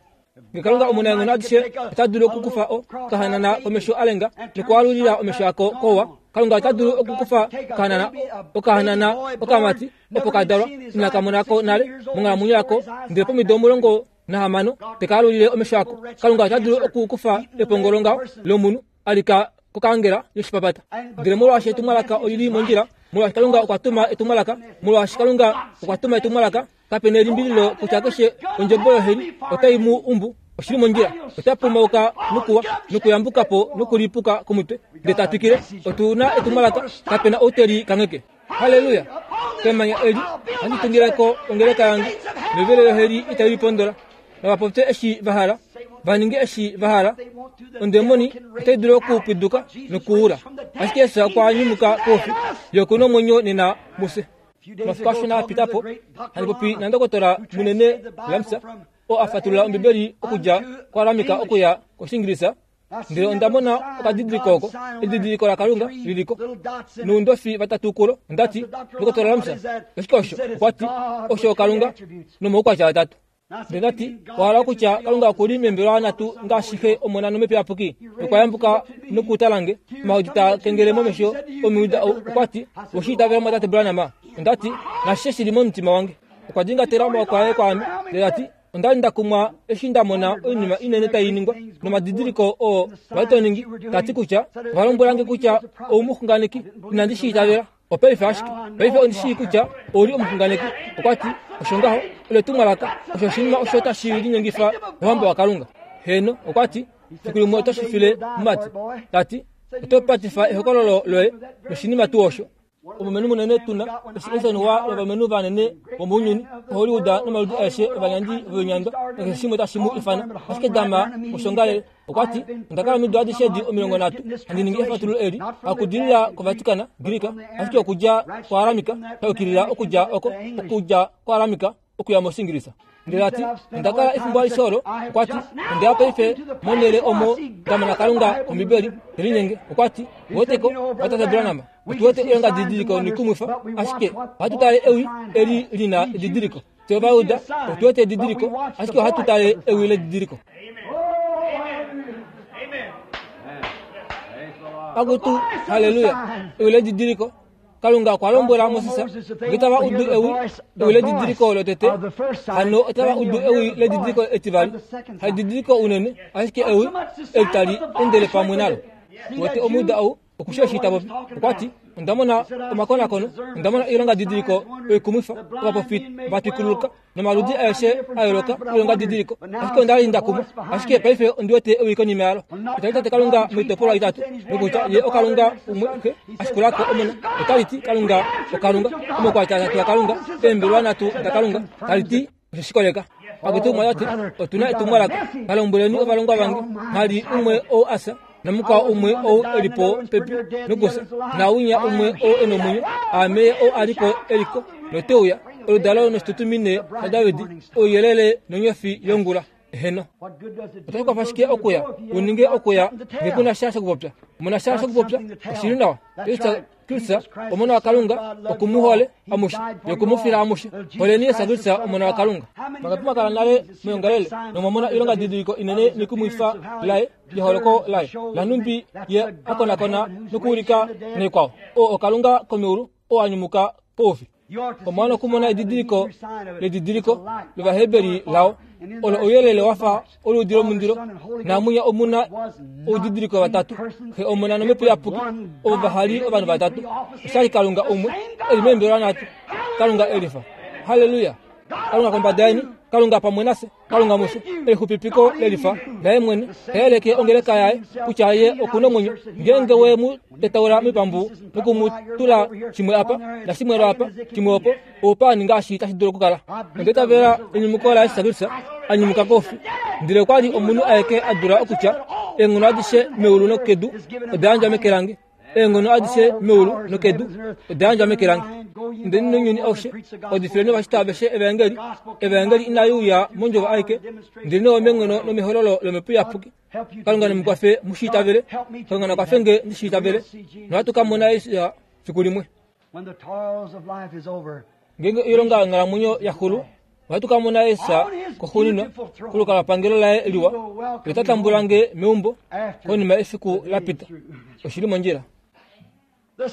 Nge Kalunga omunaenghono adishe ota dulu okukufa o kahanana komesho a lenga nokwaalulila omesho ako kouwa, Kalunga ota dulu okukufa okahanana okahanana okamati opo ka dalwa inaka mona ko nale monghalamwenyo yako, ndele pomido 16 te ka alulile omesho ako. Kalunga ota dulu okukufa epongolo ngaho lomunhu a lika kokangela yoshipapata. Ndele molwaashi etumwalaka oli li mondjila, molwaashi Kalunga okwa tuma etumwalaka, molwaashi Kalunga okwa tuma etumwalaka, Kape na elimbililo kutya keshe ondjebo yoheli otai mu umbu. Oshi li mondjila. Ota pumauka nokuwa, nokuyambuka po nokulipuka komutwe, ndele ta twikile. Otu na etumwalaka. Kape na ou te li kangheke. Halleluya! Kemanya eli ohandi tungile ko ongeleka yange, novelo yoheli itai li pondola. Nava popye eshi va hala, va ninge eshi va hala. Ondemoni otai dulu okupwiduka nokuula, ashike Jesus okwa nyumuka koufi. Ye oku na omwenyo nena mufye. Omafiku ashona a pita po, handi popi nandokotola munene Lamsa, oo a fatulula Ombibeli okudja kuAramika okuya kOshiingilisa, ndele onda mona okadidiliko oko, edidiliko laKalunga li li ko, noundofi vatatu kulo. Onda ti, Ndokotola Lamsa, oshike osho? Okwa ti, Osho oKalunga nomaukwatya atatu. Ndele nda ti, Owa hala okutya Kalunga oku li meembelewa nhatu ngaashi Xe, Omona nOmhepo Iyapuki? Nokwa yambuka nokutala nge, omahodi taa kengele momesho omujuda ou. Okwa ti, Owe shi itavela Mumwatate Branham? Onda ti, Nashishe shi li momutima wange. Okwa dingatela omaoko aye kwaame, ndele ta ti, Onda li nda kumwa eshi nda mona oinima inene tai ningwa nomadidiliko oo wa li to ningi, ta ti kutya ova lombwela nge kutya ou muxunganeki. Inandi shi itavela. Opaife ashike, paife ondi shii kutya ou li omuxunganeki. Okwa ti, Osho ngaho, olo etumwalaka, osho oshinima osho tashi linyengifa Ouhamba waKalunga. Heeno, okwa ti, fiku limwe oto shi file mumati. Ta ti, Oto patifa ehokololo loye noshinima tuu osho. Omulumenhu munene tu na, eshi Eisenhower novalumenhu vanene vomounyuni, Hollywood nomaludi aeshe ovanyandi voinyandwa, nakeshe shimwe tashi mu ifana. Ashike dama moshongalele, okwa ti, Onda kala omido adishe edi 30 handi ningi efatululo eli, hakudilila koVatican, Greek, ashike okudja koAramika, sha yukilila okudja oko, okudja koAramika okuya mOshingilisa. Ndele a ti, Onda kala efimbo alishe olo, okwa ti, Onde ya paife monhele omo nda mona Kalunga kOmbibeli te linyenge. Okwa ti, Weteko, watate Branham, otu wete oilonga didiliko noikumwifa, ashike ohatu tale ewi eli li na edidiliko. Fye Ovajuda otu wete edidiliko, ashike ohatu tale ewi ledidiliko. Akutu, haleluya! Ewi ledidiliko. Kalunga okwa lombwela Moses, nge tava udu ewi, ewi ledidiliko lotete, hano otava udu ewi ledidiliko etivali. Hadidiliko unene, ashike ewi eli tali endele pamwe nalo. Wete omuuda ou, oku shii eshi ta popi. Okwa ti, Onda mona omakonakono, onda mona oilongadidiliko oikumwifa, ovapofi va twikululuka, nomaludi aeshe a yooloka oilongadidiliko, ashike onda li nda kumwa. Ashike paife ondi wete ewi konima yalo. Otali tate Kalunga moitopolwa itatu, nokutya Ye oKalunga umwe, Xe, a shikula ko Omona. Otali ti Kalunga oKalunga, omaukwatya atatu aKalunga, eembelwa nhatu daKalunga. Tali ti osho shi koleka. Akutu umwe ota ti, Otu na etumwalaka. Ka lombweleni ovalongwa vange, mwa li umwe ou a fya, namukwao umwe ou e li po pepi nokufya, naawinya umwe ou e nomwenyo, aame ye ou a li ko e li ko, note uya, oludalo noshitutumine shaDavid, ouyelele nonyofi yongula. Eheno. Otashi kwafa shike okuya u ninge okuya nge ku na sha shokupopya? Mu na sha shokupopya? Oshi li nawa. Kristus, Omona waKalunga, oku mu hole amushe noku mu fila amushe. Holeni Jesus Kristus, Omona waKalunga. Vangapi mwa kala nale meyongalele nomwa mona oilongadidiliko inene nekumwifa laye, yeholoko laye, lanhumbi ye a konakona nokuulika naikwao? Oo oKalunga komeulu oo a nyumuka koufi. Omwa wana okumona edidiliko ledidiliko lOvaheberi lao, olo ouyelele wa fa oluudi lomundilo, naamwinya omu na oudidiliko vatatu, Xe, Omona nOmhepo Iyapuki, ovo vaha li ovanhu vatatu. Oshali Kalunga umwe e li meembelwa nhatu, Kalunga e lifa. Halleluya! Kalunga kombada yeni, Kalunga pamwe nafye. Kalunga mufye, elixupipiko lelifa laye mwene, ta yeleke ongeleka yaye kutya ye oku nomwenyo. Ngeenge we mu tetaula moipambu noku mu tula shimwe apa, nashimwe lwaapa, shimwe opo, oupaani ngaashi tashi dulu okukala. Onda itavela enyumuko laJesus Kristus a nyumuka koufi, ndele okwa li omunhu aeke a dula okutya, Eenghono adishe meulu nokedu oda yandjwa meke lange. Eenghono adishe meulu nokedu oda yandjwa meke lange. Indeni nounyuni aushe, udifileni ovashitwa aveshe evaengeli. Evaengeli inai uya mondjovo aike, ndelenee omeenghono nomehololo lOmhepo Iyapuki. Kalunga ne mu kwafe mu shi itavele. Kalunga na kwafe nge ndi shi itavele. Nohatu ka mona Jesus fiku limwe. Ngeenge oilonga yonghalamwenyo ya xulu, ohatu ka mona Jesus koxuuninwa kolukalwapangelo laye liwa. Ye ota tambula nge meumbo konima yefiku la pita. Oshi li mondjila.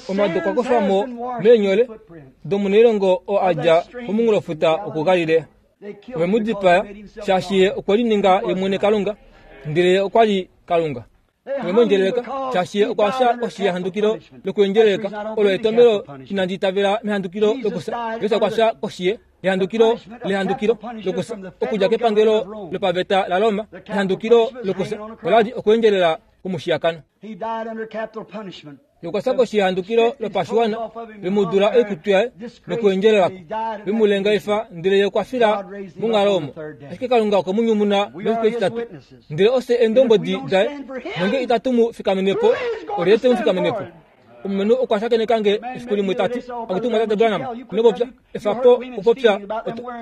Omadu okwa kufa mo meenyole domunailongo oo a dja komunghulofuta wokuGalilea. Ove mu dipaya, shaashi ye okwe lininga ye mwene Kalunga, ndele ye okwa li Kalunga. Ove mu endjeleleka, shaashi ye okwa fya koshi yehandukilo lokuendjeleleka. Olo etomhelo inandi itavela mehandukilo lokufya. Jesus okwa fya koshi ye yehandukilo lehandukilo lokufya, okudja kepangelo lopaveta laRoma. Ehandukilo lokufya ola li okuendjelela kwomushiyakano. Ye okwa fya koshi yehandukilo lopashiwana, ve mu dula oikutu yaye nokuendjelela ko, ve mu lengaifa, ndele ye okwa fila monghalo omo. Ashike Kalunga okwe mu nyumuna mefiku etitatu, ndele ofye eendombwedi daye. Nonge itatu mu fikamene po, olyelye te mu fikamene po? Omulumenhu okwa shakeneka nge efiku limwe ta ti, Akutu Mumwatate Branham, ino popya. Efa po okupopya.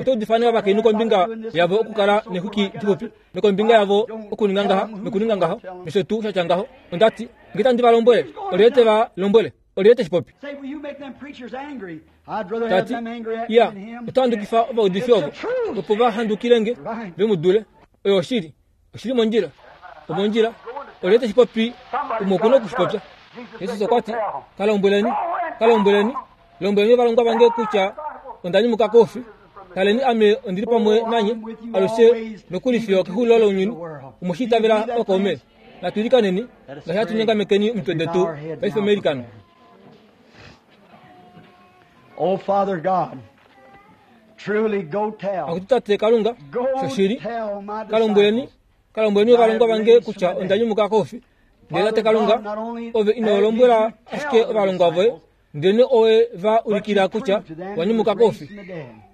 Oto udifa ovakainhu kombinga yavo okukala neexwiki dixupi. nokombinga yavo okuninga ngaha nokuninga ngaho nosho tuu sha tya ngaho. Onda ti, Nge tandi va lombwele, olyelye te va lombwele? Olyelye te shi popi? Ta ti, Ya, oto handukifa ovaudifi ovo, opo va handukile nge, ve mu dule. Oyo oshili. Oshi li mondjila. Omondjila. Olyelye te shi popi? Umwe oku na oku shi popya. Jesus okwa ti, Ka lombweleni, ka lombweleni, Lombweleni ovalongwa vange kutya onda nyumuka koufi. Taleni, ame ondi li pamwe nanye alushe nokuli fiyo kexulilo lounyuni. Omwe shi itavela ookaume? Natu ilikaneni ngaashi hatu nyongamekeni omitwe detu paife meilikano. Oh, Father God, truly go tell. Akutu Tate Kalunga, Go shoshili, tell my ka lombweleni, disciples. ka lombweleni ovalongwa vange kutya onda nyumuka koufi. Ndele Tate Kalunga, ove ino lombwela ashike ovalongwa voye, Ndelenee owe va ulikila kutya wa nyumuka koufi.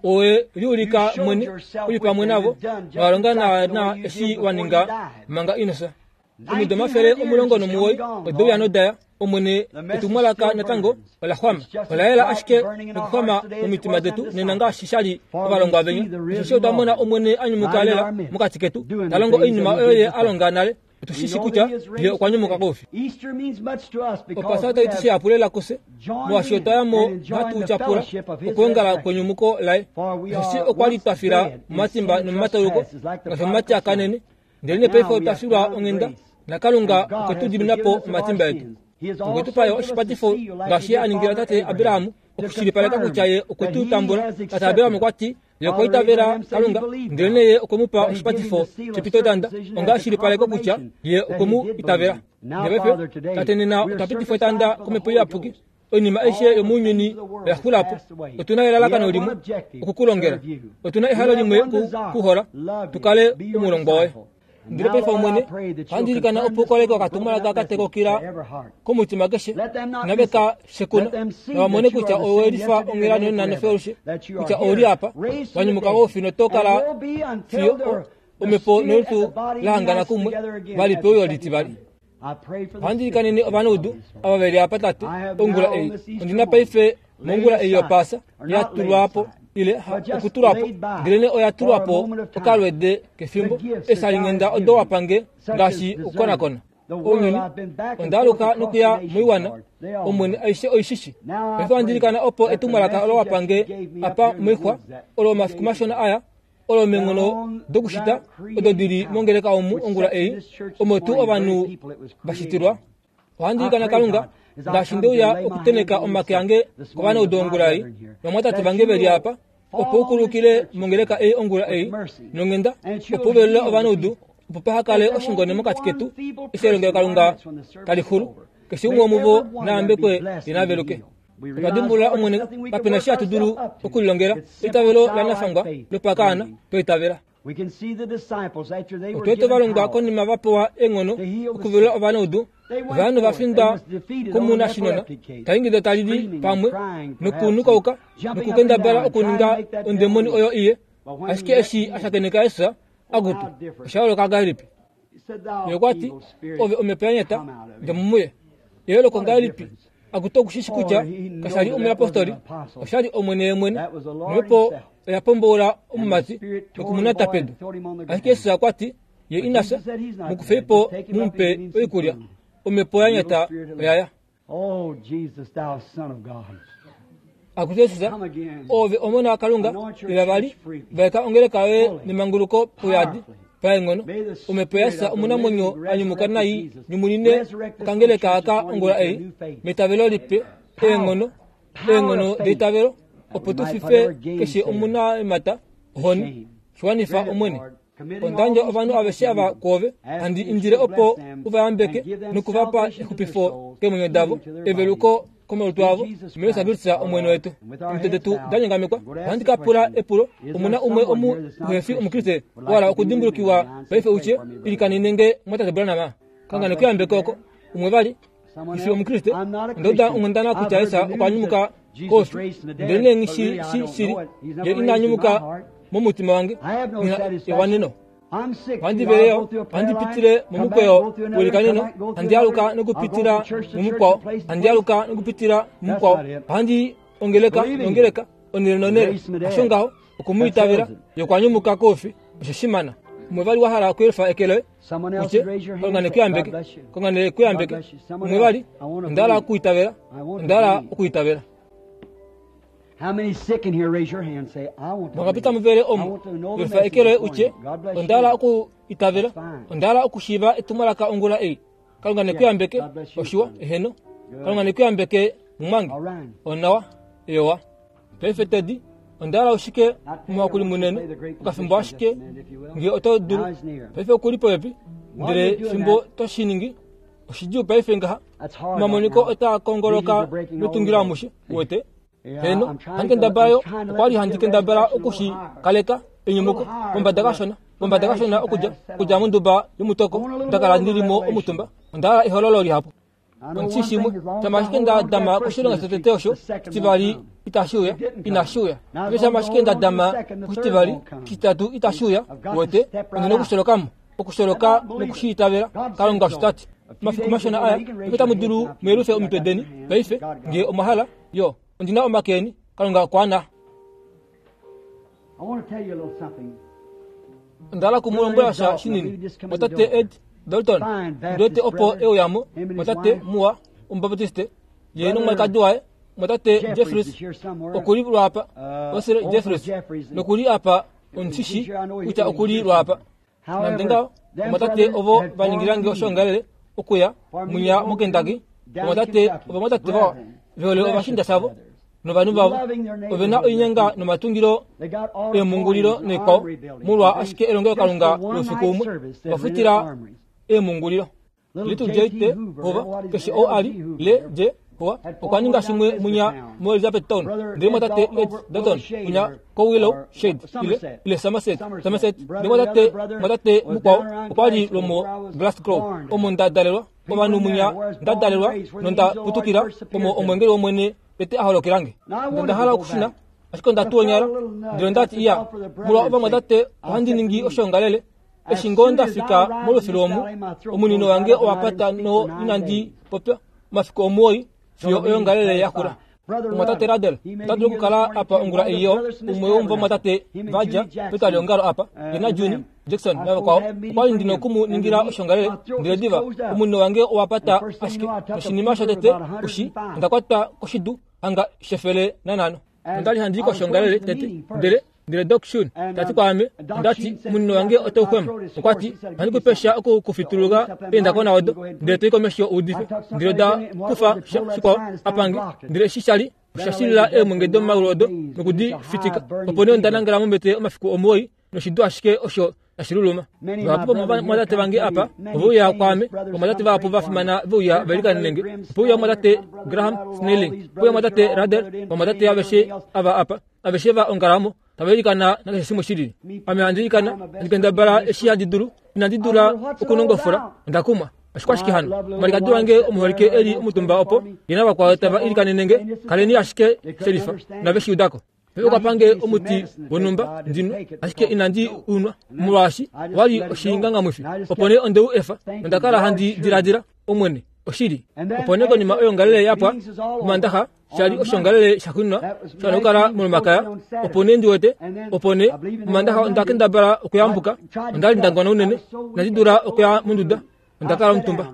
Owe liulika mwene u li pamwe navo, nowa longa naanaa eshi wa ninga manga ino fya. Omido 190 ode uya noda ya, Omwene, etumwalaka natango ola xwama. Ola yela ashike nokuxwama momitima detu nena ngaashi sha li ovalongwa venya. Osheshi otwa mona Omwene a nyumuka lela mokati ketu, ta longo oinima oyo Ye a longa nale. Otu shi shi kutya Ye okwa nyumuka koufi. Opasa otai ti shihapu lela kufye, molwaashi otwa ya mo nohatu tyapula okwoongala kwenyumuko laye. Osheshi okwa li twa fila momatimba nomomatauluko, ngaashi omumati a kanene, Ndelenee paife otwa filwa onghenda, naKalunga okwe tu dimina po omatimba etu. Okwe tu pa yo oshipatifo ngaashi ye a ningila tate Abraham, okushilipaleka kutya ye okwe tu tambula. Tate Abraham okwa ti, Ye okwa itavela Kalunga, ndelenee ye okwe mu pa oshipatifo shepitotanda onga eshilipaleko kutya ye okwe mu itavela. Ndele paife, Tate, nena otwa pitifwa etanda kOmhepo Iyapuki. Oinima aishe yomounyuni oya xula po. Otu na elalakano limwe, oku ku longela. Otu na ehalo limwe ku ku hola, tu kale omulongwa woye. Ndele paife, Omwene, ohandi ilikana opo u koleke okatumwalaka ka tekokila komutima keshe, nave ka shekuna, nava mone kutya owe lifa onghela nonena nofyo alushe, kutya ou li apa, wa nyumuka koufi noto kala fiyo omhepo nolutu la hangana kumwe vali peuyo litivali. Ohandi ilikanene ovanaudu ava ve li apa, Tate, ongula ei. Ondi na paife mongula ei yOpaasa ya tulwa po, ile ha okutulwa po, ndelenee oya tulwa po okalwede kefimbo, eeshalinghenda odo wa pa nge, ngaashi okukonakona ounyuni. Onda aluka nokuya moiwana, Omwene, aishe oi shi shi. Paife ohandi ilikana opo etumwalaka olo wa pa nge apa moixwa, olo omafiku mashona aya, olo meenghono dokushita odo di li mongeleka omu ongula ei, omo tuu ovanhu va shitilwa. Ohandi ilikana Kalunga, ngaashi nde uya okutenheka omake ange kovanaudu ongula ei, novamwatate vange ve li apa, opo u kulukile mongeleka ei ongula ei nonghenda, opo u velule ovanaudu, opo paha kale oshingone mokati ketu eshi elongelokalunga tali xulu. Keshe umwe womuvo na yambekwe ye na veluke. Otwa dimbulula, Omwene, kape na eshi hatu dulu okulilongela. Eitavelo lanafangwa lopakaana, twa itavela. Otwa wete ovalongwa konima va pewa eenghono okuvelula ovanaudu, ovanhu va findwa komunashinona, ta ingida ta lili pamwe nokunukauka nokukendabala okuninga ondemoni oyo iye. Ashike eshi a shakeneka Jesus, akutu, osha yooloka ngahelipi? Ye okwa ti, Ove omhepo ya nyata, dja mo muye. Eyooloko ngahelipi? Akutu oku shi shi kutya kasha li omuyapostoli, osha li Omwene ye mwene. Nomhepo oya pomboula omumati noku mu nata pedu. Ashike Jesus okwa ti, Ye ina fya, mu kufei po mu mu pe oikulya. Omhepo ya nyata oya ya. Akutu Jesus, Oove Omona waKalunga, uya vali, vaeka ongeleka yoye nemanguluko pauyadi, paenghono. Omhepo yaJesus omunamwenyo a nyumuka nai nyumunine okangeleka aka ongula ei, metavelo lipe, eenghono, eenghono deitavelo, opo tu fife keshe omunaemata ohoni. Shi wanifa, Omwene. Onda yandja ovanhu aveshe ava kwoove, handi indile opo u va yambeke noku va pa exupifo keemwenyo davo, eveluko komalutu avo, muJesus Kristus Omwene wetu. Omitwe detu da nyongamekwa, ohandi ka pula epulo, Omu na umwe omu uhe fi Omukriste wa hala okudimbulukiwa paife u tye, Ilikanene nge, Mumwatate Branham? Kalunga ne ku yambeke oko. Umwe vali? Nghi fi Omukriste, onda uda onghundana kutya Jesus okwa nyumuka koufi, ndelenee nghi shi shii shili. Ye ina nyumuka momutima wange, nghi na ewaneno. Ohandi vele yo, ohandi pitile momukweyo welikaneno, handi aluka nokupitila mumukwao, handi aluka nokupitila mumukwao, ohandi ongeleka nongeleka, onhele nonhele. Hasho ngaho, oku mu itavela, ye okwa nyumuka koufi, osho shimana. Umwe vali wa hala okuyelifa eke loye? Utye, Kalunga ne ku yambeke. Kalunga ne ku yambeke. Umwe vali, onda hala okuitavela. Onda hala okuitavela. Mwakapita muvele omu, yelifa eke loye utye, Onda hala okuitavela. Onda hala okushiiva etumwalaka ongula ei. Kalunga ne ku yambeke. Oshiwa, eheno. Kalunga ne ku yambeke, mumwange. Onawa, eyowa. Paife Teddy, onda hala ushike omuhakuli munene, okafimbo ashike, nge oto dulu. Paife oku li popepi, ndele fimbo to shi ningi, oshidjuu paife ngaha. Omamoniko otaa kongoloka metungilo amushe, uwete. Heeno, ohandi kendabala yo, okwa li handi kendabala oku shi kaleka enyumuko pombada kashona, pombada kashona okudja, okudja monduba yomutoko nda kala ndi li mo omutumba. Onda hala ehololo lihapu. Ondi shi shimwe, shama ashike nda dama koshilonga shotete osho, shitivali itashi uya, inashi uya. Ndele shama ashike nda dama koshitivali, oshititatu itashi uya, uwete, ondi nokusholoka mo. Okusholoka noku shi itavela, Kalunga osho ta ti. Omafiku mashona aya, paife otamu dulu mu yelufe omitwe deni, paife, nge omwa hala, yo. Ondi na omake eni, Kalunga okwa ana. I want to tell you a little something. Onda hala oku mu lombwela sha shinini. Mwatate Ed Dalton, ndi wete opo e uya mo, mwatate muwa Omubaptiste, ye nomwalikadi waye, mwatate Jeffries, oku li lwaapa, Wesley Jeffries, noku li apa, ondi shi shii kutya oku li lwaapa. Nande ngaho, ovamwatate ovo va ningila nge oshoongalele okuya mwinya moKentucky, ovamwatate ovamwatate vawa ve hole ovashiinda shavo novanhu vavo. Ove na oinyanga nomatungilo eemhungulilo noikwao, molwa ashike elongelokalunga loufiku umwe, ova futila eemhungulilo. Little J.T. Hoover, keshe ou a li, le, J. Hoover, okwa ninga shimwe munya moElizabethtown, ndele mwatate Ed Dalton munya koWillow Shade, ile, ile Somerset, Somerset, ndele mwatate, mwatate mukwao okwa li lwomoGlasgow, omo nda dalelwa, ovanhu munya nda dalelwa nonda putukila, omo omwengeli wOmwene tete a holokela nge. Nonda hala okushuna, ashike onda tuonyala, ndele onda ti, Iya, molwa ovamwatate ohandi ningi oshoongalele, Eshi ngoo nda fika molufilu omu, omunino wange owa pata no inandi popya omafiku omuwoi fiyo oyoongalele ya xula. Omumwatate Ruddell ota dulu okukala apa ongula ei yo, umwe womuvamwatate va dja petwaliongalo apa, ye naJunie Jackson navakwao. Okwa li ndi noku mu ningila oshoongalele, ndele diva omunino wange owa pata ashike, noshinima shotete u shi, onda kwatwa koshidu hanga shefele nanhano. Onda li handi i koshoongalele tete, ndele ndele Doc Shun ta ti kwaame, onda ti, omunino wange otau xwema. Okwa ti, Ohandi ku pe sha oku ku fituluka eendakona odo, ndele to i komesho u udife. Ndele oda kufa sha shikwao a pange, ndele eshi sha li osha shilila eemwenge domomaulu odo noku di fitika. Opo nee onda nangala mombete omafiku omuwoi noshidu ashike osho tashi luluma. Vahapu vomovamwatate vange apa ove uya kwaame, ovamwatate vahapu va fimana ve uya va ilikanene nge. Ope uya omumwatate Graham Snelling, ope uya omumwatate Ruddell, ovamwatate aveshe ava apa, aveshe va ongala omo, tava ilikana nakeshe shimwe shi lili. Ame handi ilikana, handi kendabala eshi handi dulu, inandi dula okunongofula, onda kumwa. Oshikwashike hano? Omwalikadi wange omuholike e li omutumba opo, ye navakwao tava ilikanene nge, kaleni ashike shelifa, nave shi uda ko. Pe okwa pange omuti wonhumba ndi nwe, ashike inandi u nwa, molwaashi owa li oshingangamwifi. Opo nee onde u efa, nonda kala handi diladila, Omwene, oshili. Opo nee konima oyoongalele ya pwa, Omandaxa, sha li oshoongalele shaxuuninwa sha nokukala mOlomakaya, opo nee ndi wete, opo nee, Omandaxa onda kendabala okuyambuka, onda li nda ngona unene, inandi dula okuya monduda. Onda kala omutumba.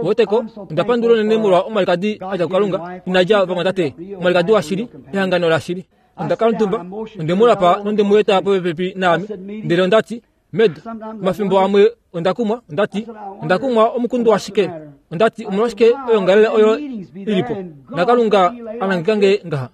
Weteko, onda pandula unene molwa omwalikadi a dja kuKalunga, ina dja vamwatate, omwalikadi washili, ehangano lashili. Onda kala omutumba, onde mu lapa nonde mu eta popepi naame, ndele onda ti, Med, omafimbo amwe onda kumwa, onda ti, onda kumwa omukundu washike? Onda ti, omolwashike oyoongalele oyo i li po, naKalunga a nangeka nge ngaha?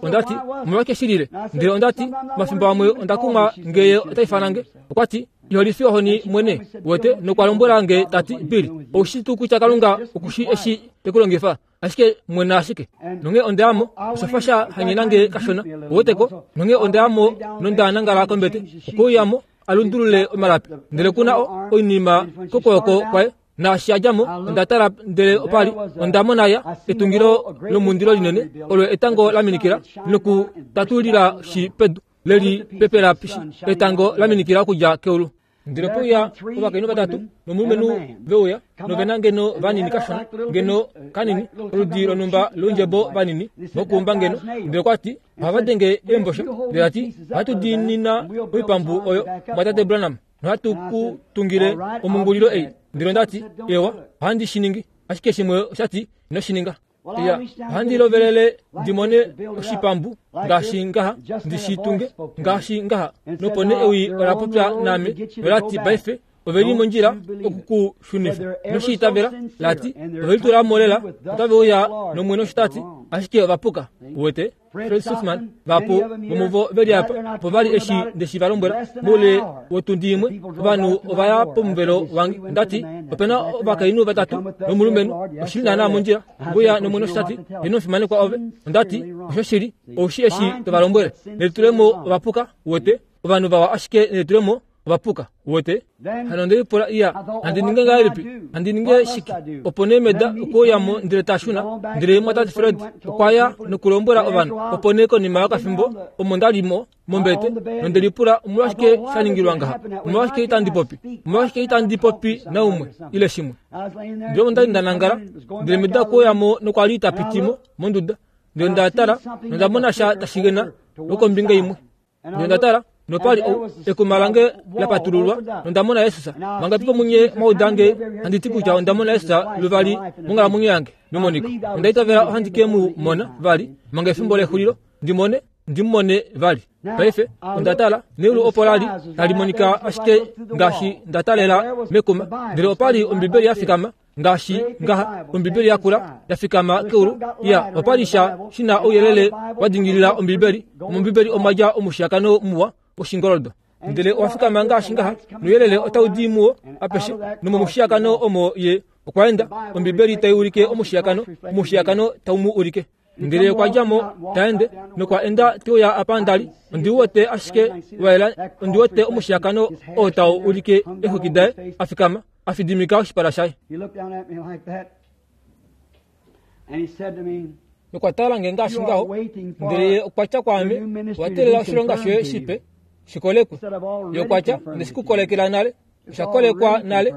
Onda ti, Omolwashike shi lile? Ndele onda ti, Omafimbo amwe onda kumwa nge ye ota ifana nge. Okwa ti, Iho lifi ohoni mwene, wete, nokwa lombwela nge ta ti, Bill, ou shii tuu kutya Kalunga oku shii eshi te ku longifa? Ashike mwena ashike. Nonghee onda ya mo, osha fa sha hanyena nge kashona, uwete ko. Nonghee onda ya mo nonda nangala kombete. Okwe uya mo, a lundulule omalapi. Ndele ku na o, oinima kokwooko kwaye. Naashi a dja mo, onda tala ndele opa li onda mona ya etungilo lomundilo linene olo etango la minikila nokutatulila shi pedu leli pepela shi etango la minikila okudja keulu. Ndele ope uya ovakainhu vatatu nomulumenhu ve uya nove na ngeno vanini kashona ngeno kanini oludi lonhumba loundjebo vanini vokuumba ngeno. Ndele okwa ti, Ohava denge eembosha. Ndele a ti, Ohatu diinina oipambu oyo, mwatate Branham. Nohatu ku tungile omungulilo ei. Ndele onda ti, Ewa, ohandi shi ningi. Ashike shimwe osha ti, Ino shi ninga. Ya, ohandi lovelele ndi mone oshipambu ngaashi ngaha, ndi shi tunge ngaashi ngaha. Nopo nee ewi ola popya naame, nola ti, Paife, ove li mondjila oku ku shunifa. Ino shi itavela, la ti, Ove litula mo lela, otave uya nOmwene osho ta ti, ashike ova puka. Uwete? Fred Sothmann, vahapu vomuvo ve li apa, opo va li eshi nde shi va lombwela. Moule wotundi imwe, ovanhu ova ya pomuvelo wange. Onda ti, Ope na ovakainhu vatatu nomulumenhu. Oshi li naanaa mondjila. Ove uya nOmwene osho ta ti, Ye nomufimanekwa ove. Onda ti, Oshoshili, ou shii eshi to va lombwele. Nelitulemo ova puka, uwete. Ovanhu vawa ashike nelitulemo. Ova puka. Uwete? Hano onde lipula, Iya, handi ninge ngahelipi? Handi ninge shike? Opo nee Meda okwe uya mo ndele ta shuna, ndele mumwatate Fred okwa ya nokulombwela ovanhu. Opo nee konima yokafimbo, omo nda li mo, mombete, nonde lipula, Omolwashike sha ningilwa ngaha? Omolwashike itandi popi? Omolwashike itandi popi naumwe, ile shimwe? Ndele omo nda li nda nangala, ndele Meda okwe uya mo nokwa li ta piti mo monduda. Ndele nda tala, nonda mona sha tashi gena lwokombinga imwe. Ndele nda tala, nopa li ekuma lange la patululwa, nonda mona Jesus. Manga pipo munye mwa uda nge handi ti kutya onda mona Jesus luvali monghalamwenyo yange memoniko. Onda itavela ohandi ke mu mona vali manga efimbo lexulilo, ndi mone, ndi mu mone vali. Paife, onda tala, neulu opo la li tali monika ashike ngaashi nda talela mekuma, ndele opa li Ombibeli ya fikama ngaashi ngaha ombibeli ya kula ya fikama keulu ya opa li sha shi na ouyelele wa dingilila ombibeli mombibeli omwa dja omushiyakano muwa woshingoldo ndele owa fikama ngaashi ngaha nouyelele otau di muwo apeshe nomomushiyakano omo ye okwa enda ombibeli tai ulike omushiyakano omushiyakano tau mu ulike Ndele okwa dja mo, ta ende, nokwa enda te uya apa nda li. Ondi wete ashike wa yela, ondi wete omushiyakano oo tau ulike eexwiki daye, a fikama, a fidimika oshipala shaye. Nokwa tala nge ngaashi ngaho, ndele ye okwa tya kwaame, Owa teelela oshilonga shoye shipe shi kolekwe. Ye okwa tya, Onde shi ku kolekela nale. Osha kolekwa nale.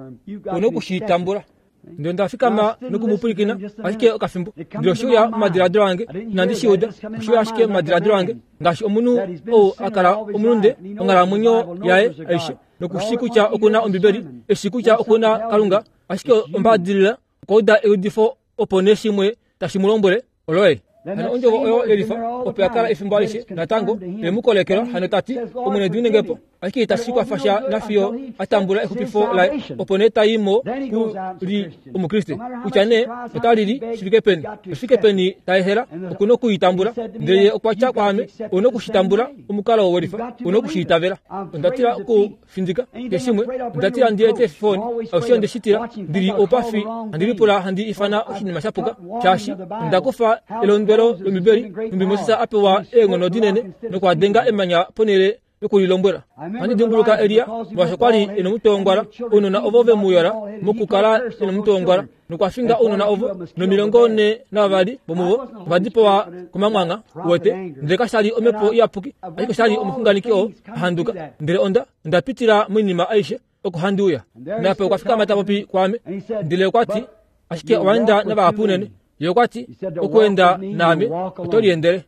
U noku shi tambula. Ndele onda fikama noku mu pwilikina ashike okafimbo. Ndele oshe uya momadiladilo ange, inandi shi uda, oshe uya ashike momadiladilo ange, ngaashi omunhu ou a kala omulunde onghalamwenyo yaye aishe, noku shii kutya oku na Ombibeli, e shii kutya oku na Kalunga, ashike ombaadilila okwa uda eudifo opo nee shimwe tashi mu lombwele, Oloye. Hano ondjovo oyo yelifa opo ya kala efimbo alishe natango ye mu kolekelwa hano ta ti, Omwene diminenge po. Ashike itashi kwafa sha nafiyo a tambula exupifo laye, opo nee ta i mo ku li Omukriste. Kutya nee ota lili shi fike peni, oshifike peni ta ehela, oku noku i tambula. Ndele ye okwa tya kwaame, Ou noku shi tambula omukalo welifa, ou noku shi itavela. Onda tila oku findika keshimwe onda tila ndi ete efifoni aushe onde shi tila ndi li oupafi handi lipula handi ifana oshinima sha puka shaashi onda kufa elondwelo lombibeli nhumbi Moses a pewa eenghono dinene nokwa denga emanya ponhele yokulilombwela ohandi dimbuluka Elia molwaashi okwa li e nomutwe wongwala ounona ovo ve mu yola mokukala e nomutwe wongwala nokwa finga ounona ovo nomilongo ne navavali vomuvo ova dipawa komamwangha uwete ndele kasha li omhepo iyapuki ashike osha li omuxunganeki oo a handuka ndele onda onda pitila moinima aishe oko handi uya nape okwa fikama ta popi kwaame ndele okwa ti ashike owa enda navahapu unene ye okwa ti okuenda naame oto liendele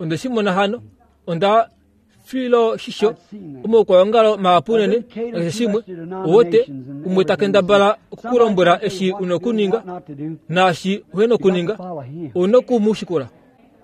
Onde shi mona hano. Onda filo shisho omaukwaongalo mahapu unene nakeshe shimwe. Uwete, umwe ta kendabala oku ku lombwela eshi u nokuninga naashi uhe nokuninga. U noku mu shikula.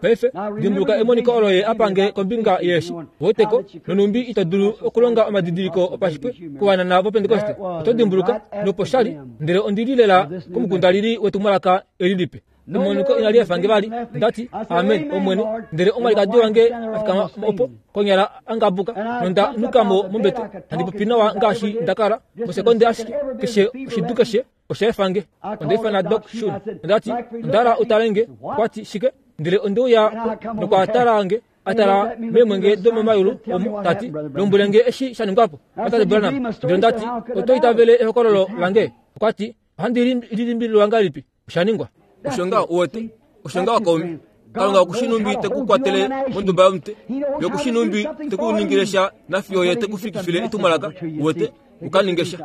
Paife, dimbuluka emoniko olo ye a pange kombinga yeeshi. Uweteko, nonhumbi ito dulu okulonga omadidiliko opashitwe kovanana vOpentekoste. Oto dimbuluka, nopo sha li, ndele ondi li lela komukundalili wetumwalaka eli lipe. Emoniko inali efa nge vali. Nda ti, Amen, Omwene. Ndele omwalikadi wange a fikama opo, konyala a ngabuka, nonda nuka mo mombete, handi popi nawa ngaashi nda kala, mosekonde ashike, keshe oshidu keshe osha efa nge. Onda ifana Doc Shun. Onda ti, Onda hala u tale nge. Okwa ti, Shike? Ndele onde uya po, nokwa tala nge, a tala meemwenge domomayulu omu, ta ti, Lombwele nge eshi sha ningwa po, Tate Branham. Ndele onda ti, Oto itavele ehokololo lange? Okwa ti, Ohandi lilimbililwa ngahelipi? Osha ningwa. Osho ngaho u wete. Osho ngaho kaume. Kalunga oku shi numbi te ku kwatele monduba yomute. Ye oku shi numbi te ku ningile sha nafiyo ye te ku fikifile etumwalaka, u wete, u ka ninge sha.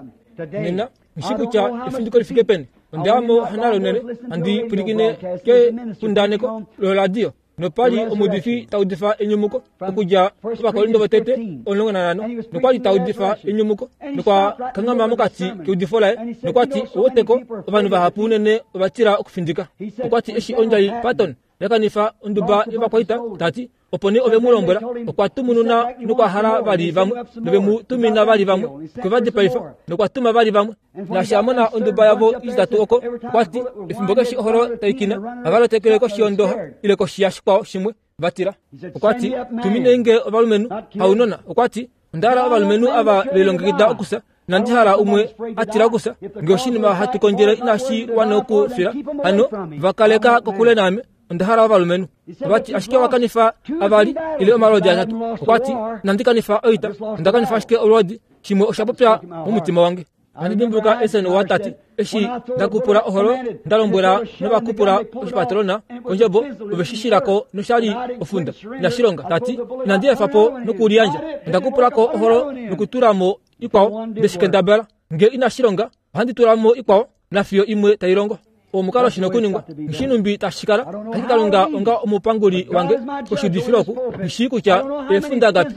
Nena, nghi shi kutya efindiko li fike peni. Onda ya mo nale unene, handi pwilikine kekundaneko loradio. Nopa li omuudifi ta udifa enyumuko okudja kOvakorinto votete 15, nokwa li ta udifa enyumuko, nokwa kanghama mokati keudifo laye, nokwa ti, Ouweteko, ovanhu vahapu unene ova tila okufindika. Okwa ti eshi ondjai Patton ya kanifa onduba yovakwaita, ta ti, opo nee ove mu lombwela, okwa tumununa nokwa hala vali vamwe, nove mu tumina vali vamwe, okwe va dipaifa, nokwa tuma vali vamwe. Naashi a mona onduba yavo itatu oko, okwa ti, Efimbo keshe oholo tai kina, ohava lotekele koshi yondoha ile koshi yashikwao shimwe, va tila. Okwa ti, Tuminei nge ovalumenhu, haunona. Okwa ti, Onda hala ovalumenhu ava ve lilongekida okufya. Inandi hala umwe a tila okufya. Nge oshinima hatu kondjele inashi wana okufila, hano va kaleka kokule naame. Onda hala ovalumenhu. Ova ti, Ashike owa kanifa avali ile omalwoodi atatu. Okwa ti, Inandi kanifa oita, onda kanifa ashike olwoodi. Shimwe osha popya momutima wange. Ohandi dimbuluka Esen wa tati, Eshi nda kupula oholo, nda lombwela novakupula oshipatrona kondjebo ove shi shila ko nosha li ofunda. Inashi longa, ta ti. Inandi efa po nokuliyandja. Onda kupula ko oholo nokutula mo ikwao, nde shi kendabala. Nge inashi longa, ohandi tula mo ikwao, nafiyo imwe tai longo. Omukalo shi nokuningwa, nghi numbi tashi kala, ashike Kalunga onga omupanguli wange koshiudifilo oku, nghi shii kutya eefunda ngapi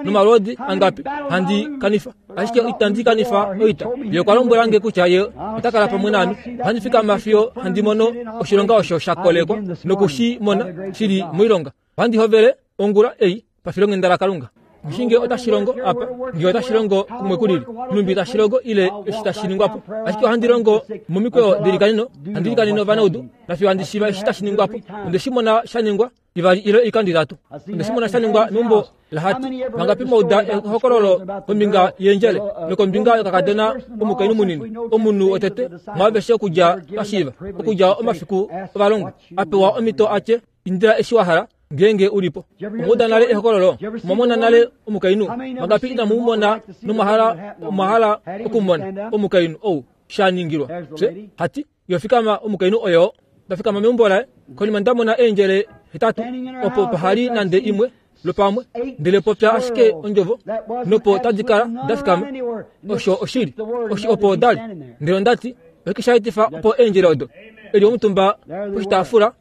nomalwoodi angapi handi kanifa, ashike itandi kanifa oita. Ye okwa lombwela nge kutya Ye ota kala pamwe naame. Ohandi fikama fiyo handi mono oshilonga osho sha kolekwa noku shi mona shi li moilonga. Ohandi hovele ongula ei pafilonghenda laKalunga. Nghi nge otashi longo apa, nge otashi longo kumwe ku lili, nhumbi tashi longo ile eshi tashi ningwa po. Ashike ohandi longo momikweyo dilikaneno, handi ilikanene ovanaudu, nafiyo handi shiiva eshi tashi ningwa po. Onde shi mona sha ningwa ivali ile oikando itatu. Onde shi mona sha ningwa meumbo laHati. Vangapi mwa uda ehokololo kombinga yeendjele nokombinga yokakadona omukainhu munini, omunhu wotete mwaaveshe okudja twa shiiva, okudja omafiku ovalongwa, a pewa omhito a tye, Indila eshi wa hala, ngeenge u li po. Omwa uda nale ehokololo? Omwa mona nale omukainhu? Vangapi inamu mu mona nomwa hala, omwa hala okumona omukainhu ou sha ningilwa? Fye, hati, Yo fikama omukainhu oyoo. Nda fikama meumbo laye, konima nda mona eendjele hetatu, opo paha li nande imwe lwopamwe, ndele popya ashike ondjovo, nopo tadi kala da fikama. Osho oshili. Oshi opo da li. Ndele onda ti, Oshike sha etifa opo eendjele odo? E li omutumba poshitaafula,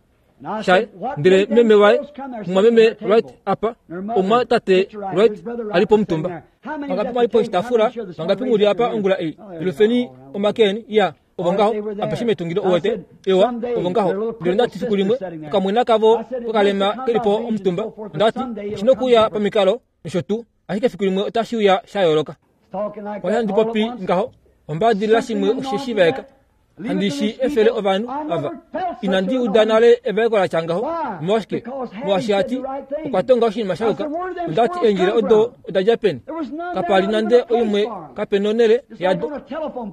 shaye ndele meme waye mumwameme Wright apa omumwatate Wright a li pomutumba vangapi mwa li poshitaafula vangapi mu li apa ongula ei lufeni omake eni ya ovo ngaho apeshe metungilo uwete ewa ovo ngaho ndele onda ti fiku limwe okamwena kavo kokalema ke li po omutumba onda ti oshi nokuuya pamikalo nosho tuu ashike fiku limwe otashi uya sha yooloka Kwali handi popi ngaho ombaadilila shimwe osheshi vaeka handi shi efele ovanhu ava. Inandi uda nale evaeko la tya ngaho. Omolwashike? Molwaashi hati okwa tonga oshinima sha yuka. Onda ti eendjila odo oda dja peni? Kapa li nande oimwe kape nonhele yado.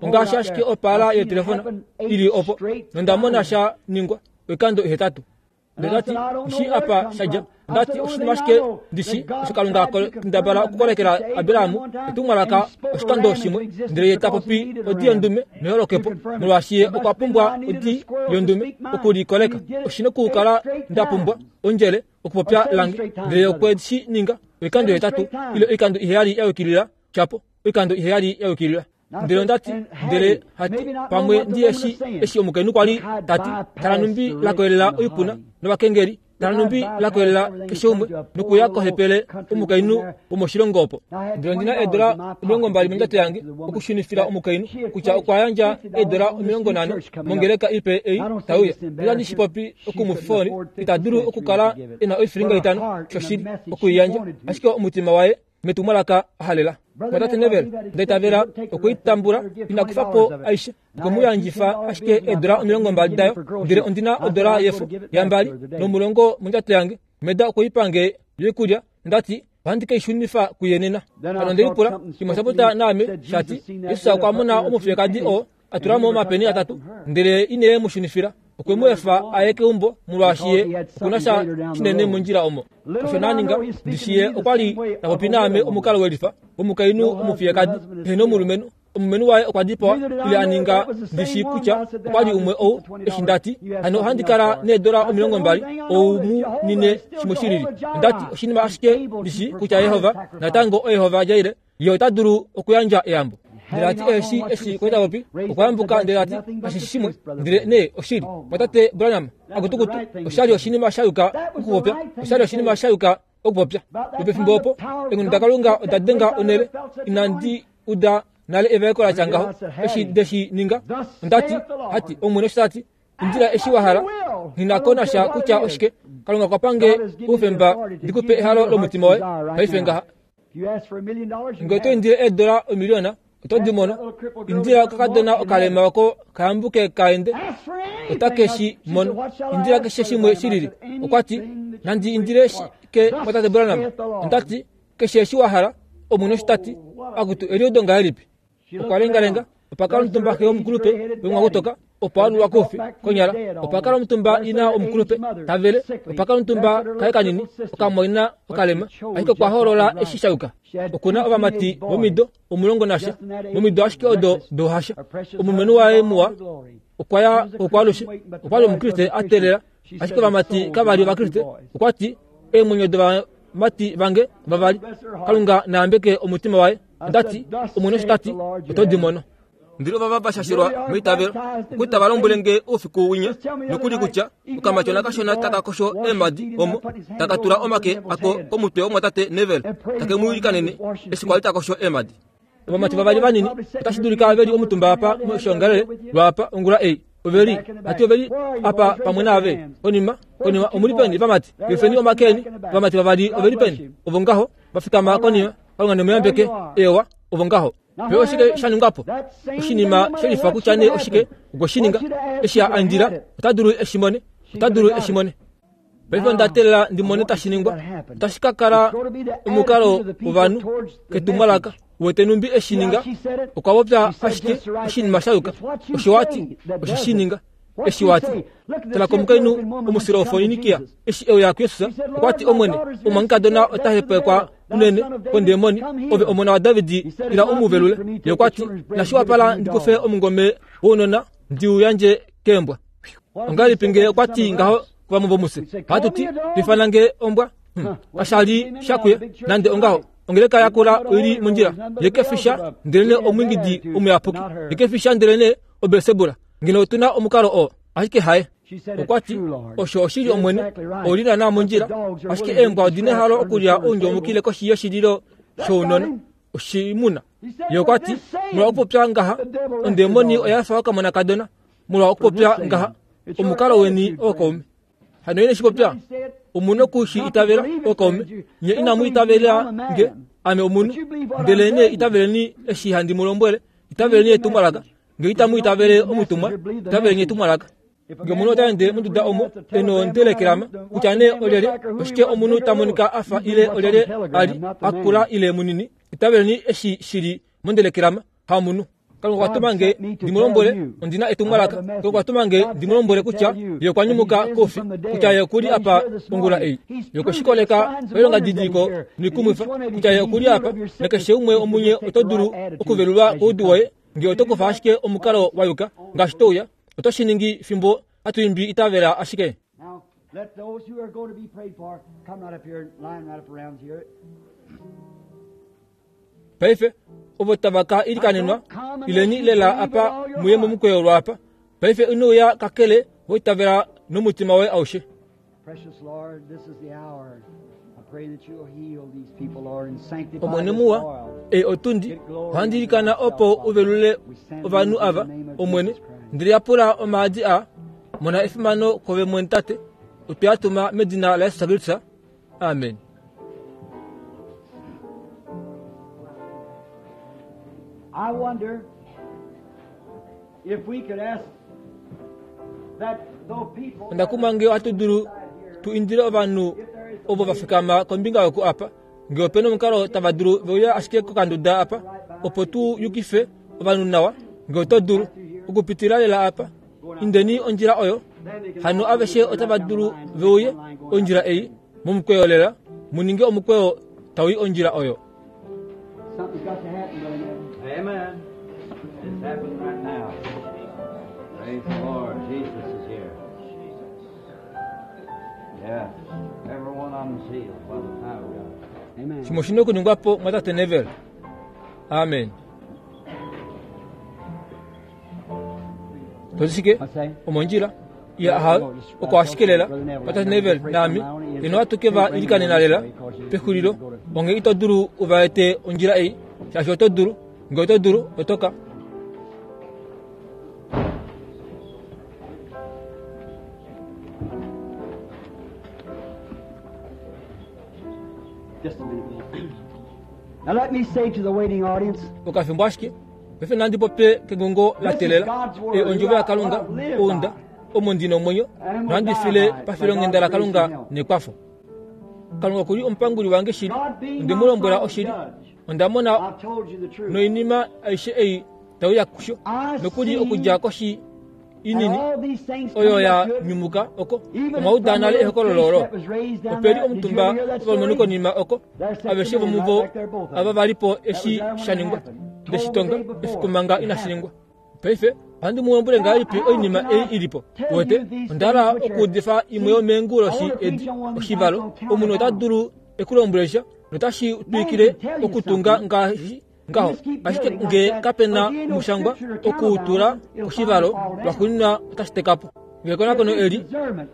Ongaashi ashike opaala yetelefona i li opo, nonda mona sha ningwa oikando ihetatu. Ndele ta ti, Shi apa sha dja. Nda ti, Oshinima ashike ndi shi, osho Kalunga a kendabala okukolekela Abraham etumwalaka oshikando shimwe, ndele ye ta popi odi yondume neholokepo, molwaashi ye okwa pumbwa odi yondume oku li koleka. Oshi nokukala nda pumbwa ondjele okupopya lange. Ndele ye okwe shi ninga oikando ihetatu ile oikando iheyali ya yukilila, tyapo, oikando iheyali ya yukilila. Ndele onda ti, ndele hati, pamwe ndi eshi, eshi omukainhu kwa li ta ti, tala numbi la koyelela oipuna novakengeli, tala numbi la koyelela keshe umwe, nokuya kohepele omukainhu womoshilongo opo. Ndele ondi na eedola 20 mondjato yange okushunifila omukainhu kutya okwa yandja eedola 50 mongeleka ipe ei tai uya. Ndele shi popi oku mu foni, ita dulu okukala e na oifilinga itano, shoshili, oku i yandja. Ashike omutima waye metumwalaka a halela. Mwatate Neville, nda itavela okwe i tambula, ina kufa po aishe. Okwe mu yandjifa ashike eedola 20 dayo, ndele ondi na odola yefo yambali nomulongo mondjato yange. Meda okwe i pa nge yoikulya, nda ti, Ohandi ke i shunifa kuye nena. Hano onde lipula, shimwe osha popya naame, sha ti, Jesus okwa mona omufiyekadi oo a tula mo omapeni atatu, ndele ine mu shunifila. Okwe mu efa a ye keumbo molwaashi ye oku na sha shinene mondjila omo. Osho na ninga, ndishi ye okwa li ta popi naame omukalo welifa womukainhu omufiyekadi ehe nomulumenhu. Omulumenhu waye okwa dipawa ile a ninga ndishi kutya okwa li umwe ou eshi nda ti hano ohandi kala needola 20 ou mu nine shimwe shilili. Onda ti oshinima ashike ndishi kutya Yehova natango oYehova Jaire Ye ota dulu okuyandja eyambo. Ndele a ti eshi eshi kwali ta popi, okwa yambuka ndele a ti, Kashi shi shimwe, ndele nee oshili. Mwatate Branham, akutukutu, osha li oshinima sha yuka okupopya. Osha li oshinima sha yuka okupopya. Lwopefimbo opo, eenghono daKalunga oda denga onhele. Inandi uda nale evaeko la tya ngaho. Eshi nde shi ninga, onda ti, hati, Omwene osho ta ti, Indila eshi wa hala, nghi na ko nasha kutya oshike. Kalunga okwa pa nge oufemba ndi ku pe ehalo lomutima woye paife ngaha. Nge oto indile eedola omiliona, oto di mono. Indila okakadona okalema oko ka yambuke ka ende, ota ke shi mono. Indila keshe shimwe shi lili. Okwa ti, Nandi indile shike mwatate Branham? Onda ti, Keshe eshi wa hala, Omwene osho ta ti. Akutu, eliudo ngahelipi! Okwa lengalenga, opa kala omutumba xe yomukulupe wemwakutoka. Opo a lulwa koufi, konyala, opa kala omutumba ina omukulupe, ta vele, opa kala omutumba kaye kanini, okamwaina okalema, ashike okwa hoolola eshi sha yuka. Oku na ovamati vomido omulongo nasha, momido ashike odo douhasha. Omulumenhu waye muwa okwa ya kokwaalushe, okwa li Omukriste a teelela, ashike ovamati kava li Ovakriste. Okwa ti, Eemwenyo dovamati vange vavali, Kalunga na yambeke omutima waye. Onda ti, Omwene osho ta ti, oto di mono. Ndele ovava va shashelwa meitavelo, okuli tava lombwele nge oufiku winya nokuli kutya okamatyona kashona taka kosho eemhadi omo, taka tula omake ako komutwe womwatate Neville, take mu ilikanene eshi kwali ta kosho eemhadi. Ovamati vavali vanini otashi dulika ve li omutumba apa moshiongalele lwaapa ongula ei. Ove li, hati ove li apa pamwe naave. Konima, konima, omu li peni, vamati? Yefeni omake eni. Ovamati vavali ove li peni? Ovo ngaho, va fikama konima. Kalunga ne mu yambeke. Eewa, ovo ngaho. Pe oshike sha ningwa po? Oshinima she lifa kutya nee oshike okwe shi ninga. Eshi a andila, ota dulu e shi mone. Ota dulu e shi mone. Paife onda teelela ndi mone tashi ningwa. Otashi ka kala omukalo wovanhu ketumwalaka. Wete numbi e shi ninga? Okwa popya ashike oshinima sha yuka. Osho wa ti, osho shi ninga. Eshi wa ti, Tala komukainhu Omusirofoinikia, eshi e uya kuJesus, okwa ti, Omwene, omumwangekadona ota hepekwa unene kondemoni, ove omona waDavid, ila u mu velule. Ye okwa ti, Inashi wapala ndi kufe omungome wounona ndi u yandje keembwa. Ongahelipi nge okwa ti ngaho kuvamwe vomufye? Ohatu ti, Tu ifana nge ombwa? Hmm. Kasha li sha kuye nande ongaho. Ongeleka ya kula oi li mondjila. Ye ke fi sha, ndelenee omwiingidi omuyapuki. Ye ke fi sha, ndelenee oBelsebula. Ngeno otu na omukalo oo, ashike haye. Okwa ti, Osho oshili Omwene, ou li naanaa mondjila, ashike eembwa odi nehalo okulya oundjomukile koshi yoshililo shounona, oshimuna. Ye okwa ti, Molwa okupopya ngaha, ondemoni oya fa okamonakadona. Molwa okupopya ngaha, omukalo weni ookaume. Hano ine shi popya, omu noku shi itavela, ookaume. Nye inamu itavela nge, ame omunhu, ndelenee itaveleni eshi handi mu lombwele, itaveleni etumwalaka. Nge itamu itavele omutumwa, itaveleni etumwalaka. Nge omunhu ota ende monduda omo e nondelekelama, kutya nee olyelye, oshike omunhu ta monika a fa ile olyelye a li, a kula ile munini, itaveleni eshi shi li mondelekelama, hamunhu. Kalunga okwa tuma nge ndi mu lombwele, ondi na etumwalaka. Kalunga okwa tuma nge ndi mu lombwele kutya Ye okwa nyumuka koufi, kutya Ye oku li apa ongula ei. Ye okwe shi koleka pailongadidiliko noikumwifa kutya Ye oku li apa, nakeshe umwe womunye oto dulu okuvelulwa koudu woye nge oto kufa ashike omukalo wa yuka ngaashi to uya. Oto shi ningi fimbo hatu imbi Itavela ashike. Now, let those who are going to be prayed for come right up here and line right up around here. Paife, ovo tava ka ilikanenwa, ileni lela apa muye momukweyo lwaapa. Paife ino uya kakele wa itavela nomutima woye aushe. Precious Lord, this is the hour. I pray that you'll heal these people, Lord, and sanctify Omwene this muwa, oil. ei otundi, ohandi ilikana opo u velule ovanhu ava, Omwene, ndele yapula omaadi a mona efimano kove mwene Tate, otwe a tuma medina laJesus Kristus. Amen. I wonder if we could ask that though people Onda kumwa nge ohatu dulu tu indile ovanhu ovo va fikama kombinga yoku apa nge ope na omukalo tava dulu ve uya ashike kokanduda apa opo tu yukife ovanhu nawa nge oto dulu okupitila lela apa Indeni ondjila oyo, hano aveshe otava dulu ve uye ondjila ei momukweyo lela, mu ninge omukweyo tau i ondjila oyo. Something's got to happen, Brother Neville. Amen. It's happening right now. Praise the Lord. Jesus is here. Yes. Every one of them's healed by the power of God. Amen. Shimwe oshi na okuningwa po, Mwatate Neville. Amen. Toti shike? Omondjila. Ye aha, oko ashike lela. Mwatate Neville naame, ino ohatu ke va ilikanena lela pexulilo. Onge ito dulu u va ete ondjila ei, shaashi oto dulu. Nge oto dulu, oto ka. Just a minute. Now let me say to the waiting audience, Okafimbo ashike. Paife nandi popye kengongo la telela e ondjovo yaKalunga ounda omo ndi nomwenyo nohandi file pafilonghenda laKalunga nekwafo. Kalunga oku li omupanguli wange shili, onde mu lombwela oshili. Onda mona I've told you the truth. noinima aishe ei tau ya kusho, nokuli okudja koshi Inini oyo ya nyumuka oko. Omwa uda nale ehokololo olo. Ope li omutumba wovalumenhu konima oko, aveshe vomuvo ava va li po eshi sha ningwa, nde shi tonga efiku manga inashi ningwa. Paife, ohandi mu lombwele ngahelipi oinima ei i li po? Uwete, onda hala okuudifa imwe yomeenguloshi edi, oshivalo. Omunhu ota dulu e ku lombwele sha, notashi twikile okutunga ngaashi ngaho ashike nge kape na omushangwa okuutula koshivalo lwaxuuninwa otashi teka po ngekonakono eli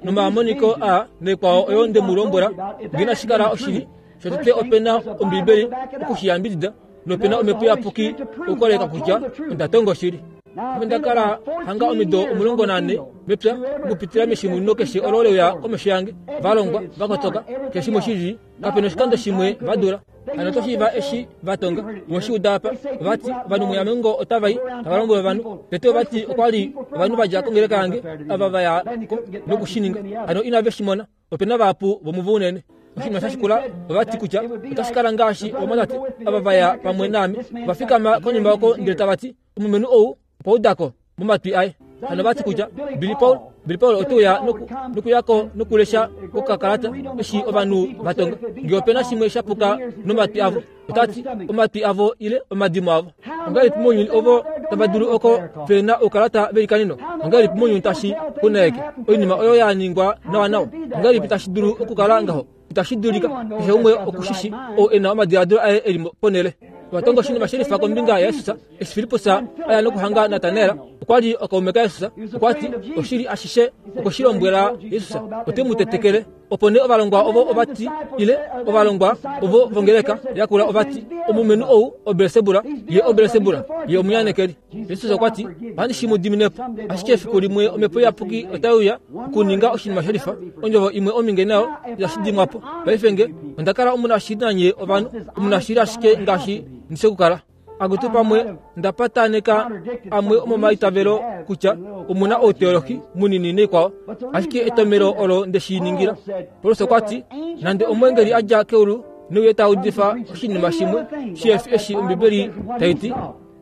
nomamoniko aa naikwao oyo nde mu lombwela nge inashi kala oshili shotete ope na ombiibeli oku shi yambidida nope na omhepo iyapuki okukoleka kutya onda tonga oshili Ame nda kala hanga omido 14 mepya okupitila meshimunino keshe olo leuya komesho yange va longwa va kotoka keshe shimwe shili kape na oshikando shimwe va dula Hano oto shiiva eshi va tonga. Owe shi uda apa. Ova ti, Ovanhu muYamengo otava i, tava lombwele ovanhu. Tete ova ti okwa li ovanhu va dja kongeleka yange ava va ya ko noku shi ninga. Hano inave shi mona. Ope na vahapu vomuvo unene. Oshinima sha shikula, ova ti kutya otashi kala ngaashi ovamwatate ava va ya pamwe naame va fikama konima oko ndele tava ti, Omulumenhu ou okwa uda ko momatwi aye. Hano va ti kutya Billy Paul, Billy Paul ote uya noku, nokuya ko nokulesha kokakalata eshi ovanhu va tonga. Nge ope na shimwe sha puka nomatwi avo, ota ti omatwi avo ile omadimo avo. Ongahelipi mounyuni ovo tava dulu oko ve na oukalata velikaneno? Ongahelipi mounyuni tashi kunaeke oinima oyo ya ningwa nawanawa? Ongahelipi tashi dulu okukala ngaho? Itashi dulika keshe umwe oku shi shi ou e na omadiladilo aye e li ponhele. Ova tonga oshinima she lifa kombinga yaJesus eshi Filippus a ya nokuhanga Natanael. Okwa li okaume kaJesus. Okwa ti, Oshili ashishe okwe shi lombwela Jesus, ote mu tetekele. Opo nee ovalongwa ovo ova ti, ile ovalongwa ovo vongeleka yakula ova ti, Omulumenhu ou oBelsebul, ye oBelsebul, ye omunyanekeli. Jesus okwa ti, Ohandi shi mu dimine po. Ashike efiku limwe Omhepo Iyapuki otai uya okuninga oshinima shelifa, ondjovo imwe ominge nayo itashi dimwa po. Paife nge onda kala omunashili nanye ovanhu, omunashili ashike ngaashi ndi shi okukala. Akutu pamwe nda pataneka amwe omomaitavelo kutya omu na outeolohi munini naikwao, ashike etomelo olo nde shi ningila. Paulus okwa ti, Nande omweengeli a dja keulu neuye ta udifa oshinima shimwe shihe fi eshi Ombibeli tai ti,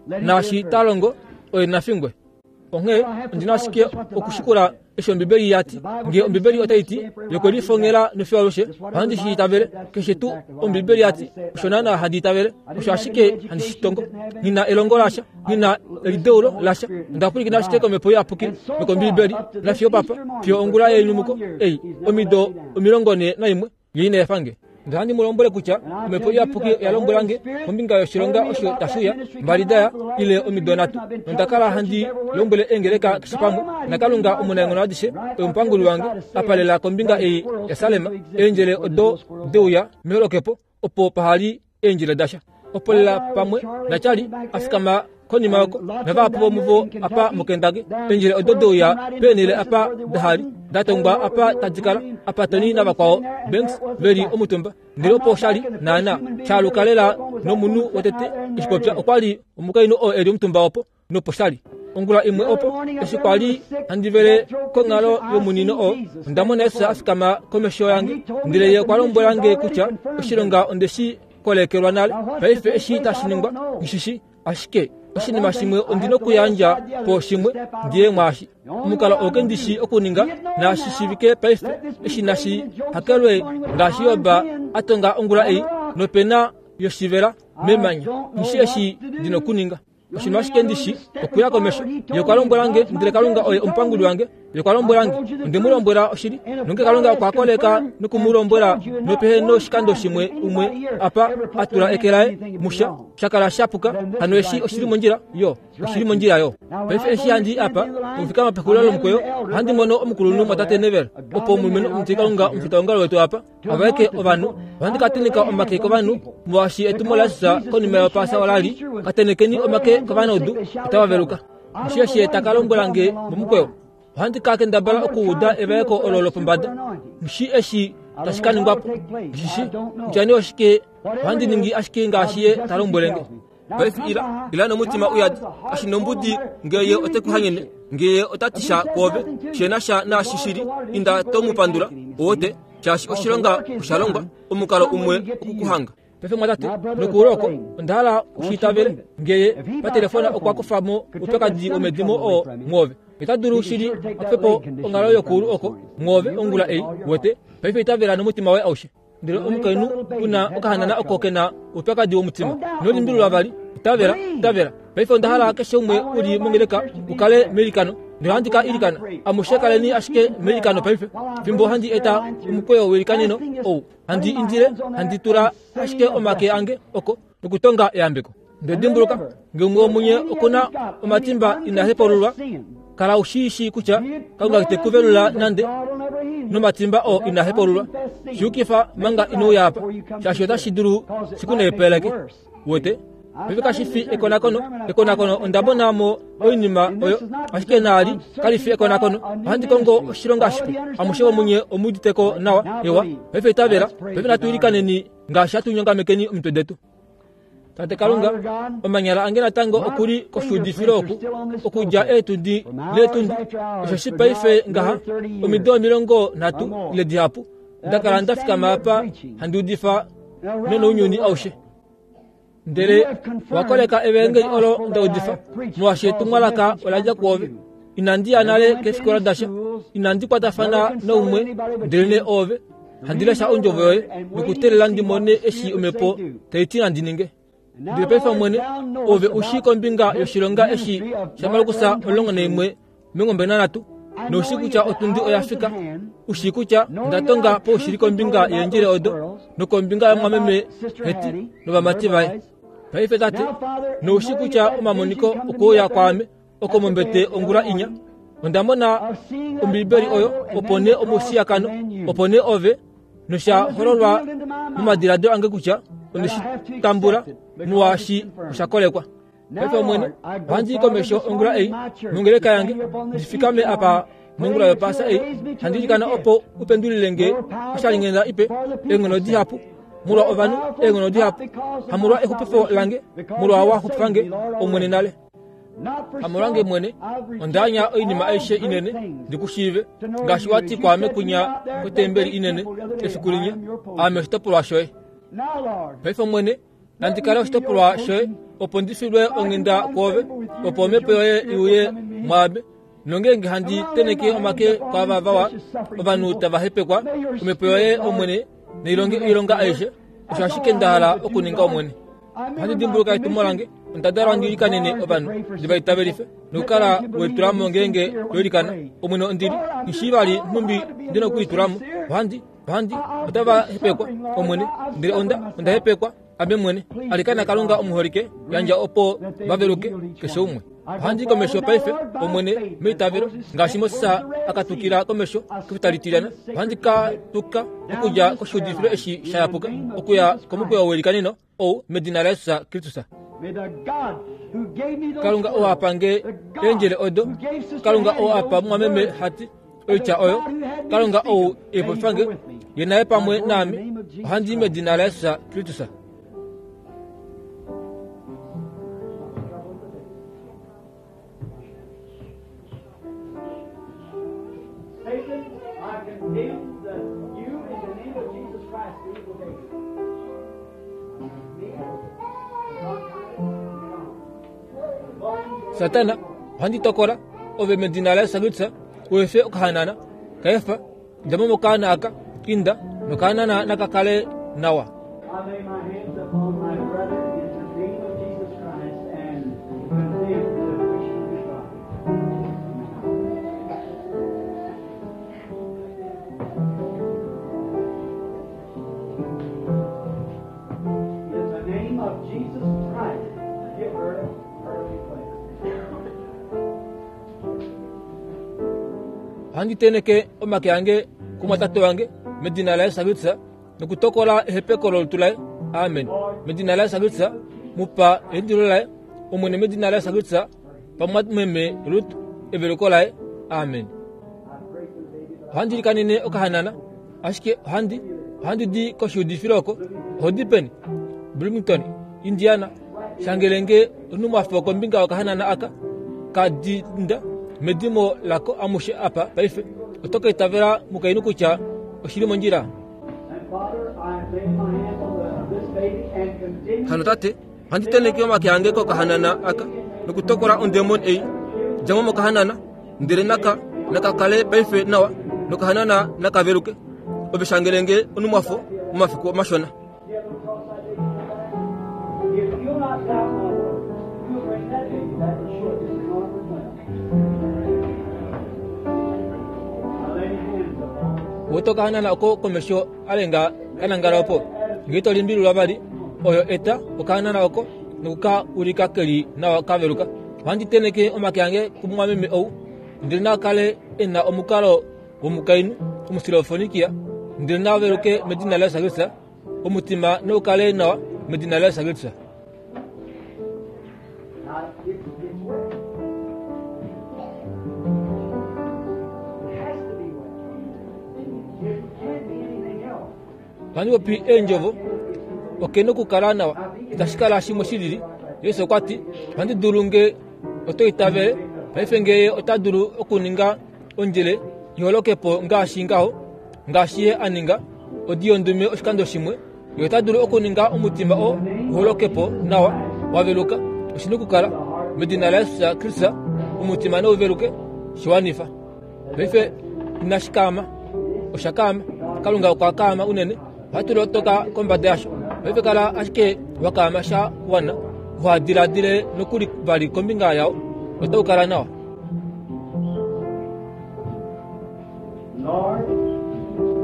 naashi ta longo oye na fingwe. Onghee ondi na ashike okushikula eshi Ombibeli ya ti. Ngee Ombibeli otai ti, Ye okwe lifongela nofiyo alushe, ohandi shi itavele. Keshe tuu Ombibeli ya ti, osho naanaa handi itavele. Osho ashike handi shi tongo. Nghi na elongo lasha, nghi na elideulo lasha. Onda pwilikina ashike kOmhepo Iyapuki nokOmbibeli, nafiyo opapa, fiyo ongula yenyumuko ei, omido 41. Ye ina efa nge. Ndele ohandi mu lombwele kutya Omhepo Iyapuki oya lombwela nge kombinga yoshilonga osho tashi uya, mbali da ya, ile omido nhatu, nonda kala handi lombwele eengeleka keshe pamwe, naKalunga Omunaenghono adishe oye omupanguli wange, a palela kombinga ei yaSalem, eendjele odo de uya meholokepo, opo paha li eendjila dasha. Opo lela pamwe naCharlie a fikama konima oko, navahapu vomuvo apa muKentucky, eendjila odo de uya peenhele apa daha li da tongwa apa tadi kala, apa Tony navakwao Banks ve li omutumba. Ndele opo sha li naana sha aluka lela nomunhu wotete eshi popya okwa li omukainhu oo e li omutumba opo. nopo sha li. Ongula imwe opo, eshi kwa li handi vele konghalo yomunino oo, onda mona Jesus a fikama komesho yange, ndele ye okwa lombwela nge kutya oshilonga onde shi kolekelwa nale. Paife eshi tashi ningwa, nghi shi ashike oshinima shimwe ondi nokuyandja po shimwe ndi ye mwaashi. Omukalo oo ke ndi shi okuninga naashi shivike paife eshi nashi hakelwe ngaashi Job a tonga ongula ei, nopena yoshivela memanya. Nghi shi eshi ndi nokuninga. Oshinima ashike ndi shi okuya komesho. Ye okwa lombwela nge, ndele Kalunga oye omupanguli wange. Ye okwa lombwela nge, onde mu lombwela oshili. Nonge Kalunga okwa koleka noku mu lombwela nopehe noshikando shimwe umwe apa a tula eke laye musha, sha kala sha puka, hano eshi oshi li mondjila yo, oshi li mondjila yo. Paife eshi handi i apa, okufikama pexulilo lomukweyo, ohandi mono omukulunhu mwatate Neville, opo omulumenhu omutilikalunga omufitaongalo wetu apa, Aveke ovanhu ohandi ka teneka omake kovanhu molwaashi etumo laJesus konima yOpaasa ola li, Ka tenekeni omake kovanaudu, otava veluka. Osho eshi ta ka lombwela nge momukweyo, ohandi ka kendabala okuuda evaeko olo lopombada. Nghi eshi tashi ka ningwa po. Nghi shi kutya nee oshike, ohandi ningi ashike ngaashi ye ta lombwele nge. Paife ila, ila nomutima uyadi, kashi nombudi nge ye ote ku hanyene, nge ye ota ti sha kwoove she na sha naashi shi li, inda to mu pandula, owote, shaashi oshilonga osha longwa, omukalo umwe oku ku hanga. Paife mwatate, nokuula oko, onda hala u shi itavele, nge ye patelefona okwa kufa mo oupyakadi womedimo oo mwoove. Ota dulu shili a kufe po onghalo yokuulu oko mwoove ongula ei, wete. Paife itavela nomutima woye aushe. Ndele omukainhu u na okahanana oko ke na oupyakadi womutima. Ino limbililwa vali. Itavela, itavela. Paife onda hala keshe umwe u li mongeleka u kale meilikano. Ndele ohandi ka ilikana. Amushe kaleni ashike meilikano paife, fimbo handi eta omukweyo weilikaneno ou. Handi indile, handi tula ashike omake ange oko nokutonga eyambeko. Ndele dimbuluka, nge umwe womunye oku na omatimba ina hepaululwa, kala u shii shii kutya Kalunga ite ku velula nande nomatimba oo ina hepaululwa. Shi yukifa manga ino uya apa, shaashi otashi dulu shi ku naipaleke. Uwete? Paife kashi fi ekonakono. Ekonakono onda mona mo oinima oyo, ashike naali kali fi ekonakono. Ohandi kongo oshilonga shipe. Amushe vomunye omu udite ko nawa? Ewa. Paife itavela. Paife natu ilikaneni ngaashi hatu nyongamekeni omitwe detu. Tate Kalunga, omanyala ange natango oku li koshuudifilo oku, okudja eetundi neetundi, osheshi paife ngaha omido 30 ile dihapu nda kala nda fikama apa handi udifa nonounyuni aushe. Ndele wa koleka evaengeli olo nda udifa, molwaashi etumwalaka ola dja kwoove. Inandi ya nale keefikola dasha, inandi kwatafana naumwe, ndelenee oove. Handi lesha ondjovo yoye nokuteelela ndi mone eshi omhepo tai ti nandi ninge. Ndele paife Omwene, ove u shii kombinga yoshilonga eshi shaMarkus 11 23, nou shii kutya otundi oya fika, u shii kutya nda tonga poushili kombinga yeendjele odo nokombinga yomwameme Heti novamati vaye. Paife Tate, nou shii kutya omamoniko okwe uya kwaame oko mombete ongula inya, onda mona Ombibeli oyo, opo nee omushiyakano, opo nee ove, nosha hololwa momadiladilo ange kutya onde shi tambula molwaashi osha kolekwa. Paife Omwene, ohandi i komesho ongula ei mongeleka yange, ndi fikame apa mongula yopaasa ei, handi ilikana opo u pendulile nge oshalinghenda ipe, eenghono dihapu molwa ovanhu, eenghono dihapu, hamolwa exupifo lange, molwa wa xupifa nge, Omwene nale. Hamolwange mwene, onda anya oinima aishe inene ndi ku shiive, ngaashi wa ti kwaame kunya kotembeli inene efiku linya, aame oshitopolwa shoye. Paife Omwene, nandi kale oshitopolwa shoye, opo ndi filwe onghenda kwoove, opo omhepo yoye i uye mwaame, nongeenge handi tenheke omake kwaava vawa, ovanhu tava hepekwa, omhepo yoye, Omwene, nai longe oilonga aishe, osho ashike nda hala okuninga, Omwene. Ohandi dimbuluka etumo lange, onda dalwa ndi ilikanene ovanhu, ndi va itavelife, nokukala we litula mo ngeenge to ilikana. Omwene ondi li, nghi shii vali nhumbi ndi na okulitula mo. Ohandi, ohandi, otava hepekwa, Omwene, ndele onda, onda hepekwa, ame mwene. Alikana Kalunga omuholike, yandja opo va veluke, keshe umwe. Ohandi i komesho paife, Omwene, meitavelo, ngaashi Moses a katukila komesho kefuta litilyana. Ohandi ka tuka okudja koshiudifilo eshi sha yapuka okuya komukweyo welikaneno ou medina laJesus Kristus. Kalunga oo a pa nge eendjele odo, Kalunga oo a pa mumwameme Hati oitya oyo, Kalunga ou e popifa nge, ye naye pamwe naame, ohandi i medina laJesus Kristus. Satan, I condemn the, you in the name of Jesus Christ, the evil day. Satana, ohandi tokola ove medina laYesus Kristus u efe okahanana ka efa Dja mo mokaana aka, inda, nokaana naka kale nawa. I lay my hands upon my brother in the name of Jesus Christ and condemn the affliction of his body. In the name of Jesus Christ, give her her request. Ohandi tenheke omake ange kumwatate wange medina laYesus Kristus nokutokola ehepeko lolutu laye. Amen. Medina laYesus Kristus, mu pa eindilo laye, Omwene medina laYesus Kristus, pa mumwameme Rut eveluko laye. Amen. Ohandi likanene okahanana, ashike ohandi ohandi di koshiudifilo oko. Oho di peni? Bloomington, Indiana. Shangele nge onhumwafo kombinga yokahanana aka ka dinda medimo lako amushe apa paife. Oto ka itavela mukainhu kutya oshi li mondjila? And Father, I lay my hands on the, this baby and continue Hano tate, ohandi tenheke omake ange kokahanana aka nokutokola ondemoni ei. Dja mo mokahanana. Ndele naka naka kale paife nawa nokahanana naka veluke. Ove shangele nge onumwafo momafiku mashona. Wete okahanana oko komesho a lenga ka nangala opo. Ngee to limbililwa vali, oyo eta okahanana oko noku ka ulika ke li nawa ka veluka. Ohandi tenheke omake ange kumumwameme ou, ndele na kale e na omukalo womukainhu Omusilofonikia, ndele na veluke medina laJesus Kristus, omutima nau kale nawa medina laJesus Kristus. Ohandi popi eendjovo, oke nokukala nawa, itashi kala shimwe shi lili. Jesus okwa ti, Ohandi dulu nge oto itavele. Paife nge Ye ota dulu okuninga ondjele i holoke po ngaashi ngaho, ngaashi Ye a ninga odi yondume oshikando shimwe, Ye ota dulu okuninga omutima oo u holoke po nawa, wa veluka. Oshi nokukala, medina laJesus Kristus, omutima nau veluke. Shi wanifa. Paife inashi kaama. Osha kaama. Kalunga okwa kaama unene. Ohatu lotoka kombada yasho. Paife kala ashike wa kaama sha wana uha diladile nokuli vali kombinga yao. Otau kala nawa. Lord,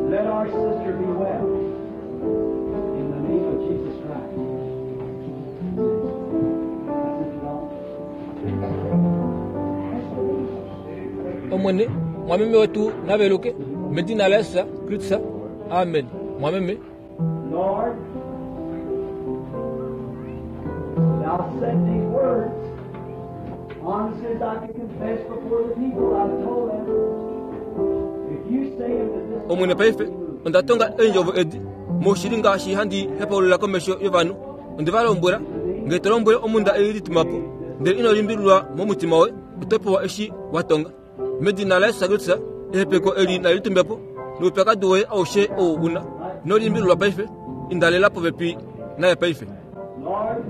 let our sister be well. In the name of Jesus Christ. That's it, Lord. Omwene, mwameme wetu na veluke, medina laJesus Kristus. Amen. Mwameme. Lord, thou said these words. Honestly as I can confess before the people, I've told them. If you say unto this Omwene paife, onda tonga eendjovo edi moushili ngaashi handi hepaulula komesho yovanhu. Onde va lombwela, Nge to lombwele omhunda ei lituma po, ndele ino limbililwa momutima woye, oto pewa eshi wa tonga. Medina laJesus Kristus, ehepeko eli nali tumbe po, noupyakadi woye aushe ou u na. Ino limbililwa paife, inda lela popepi naye paife. Lord,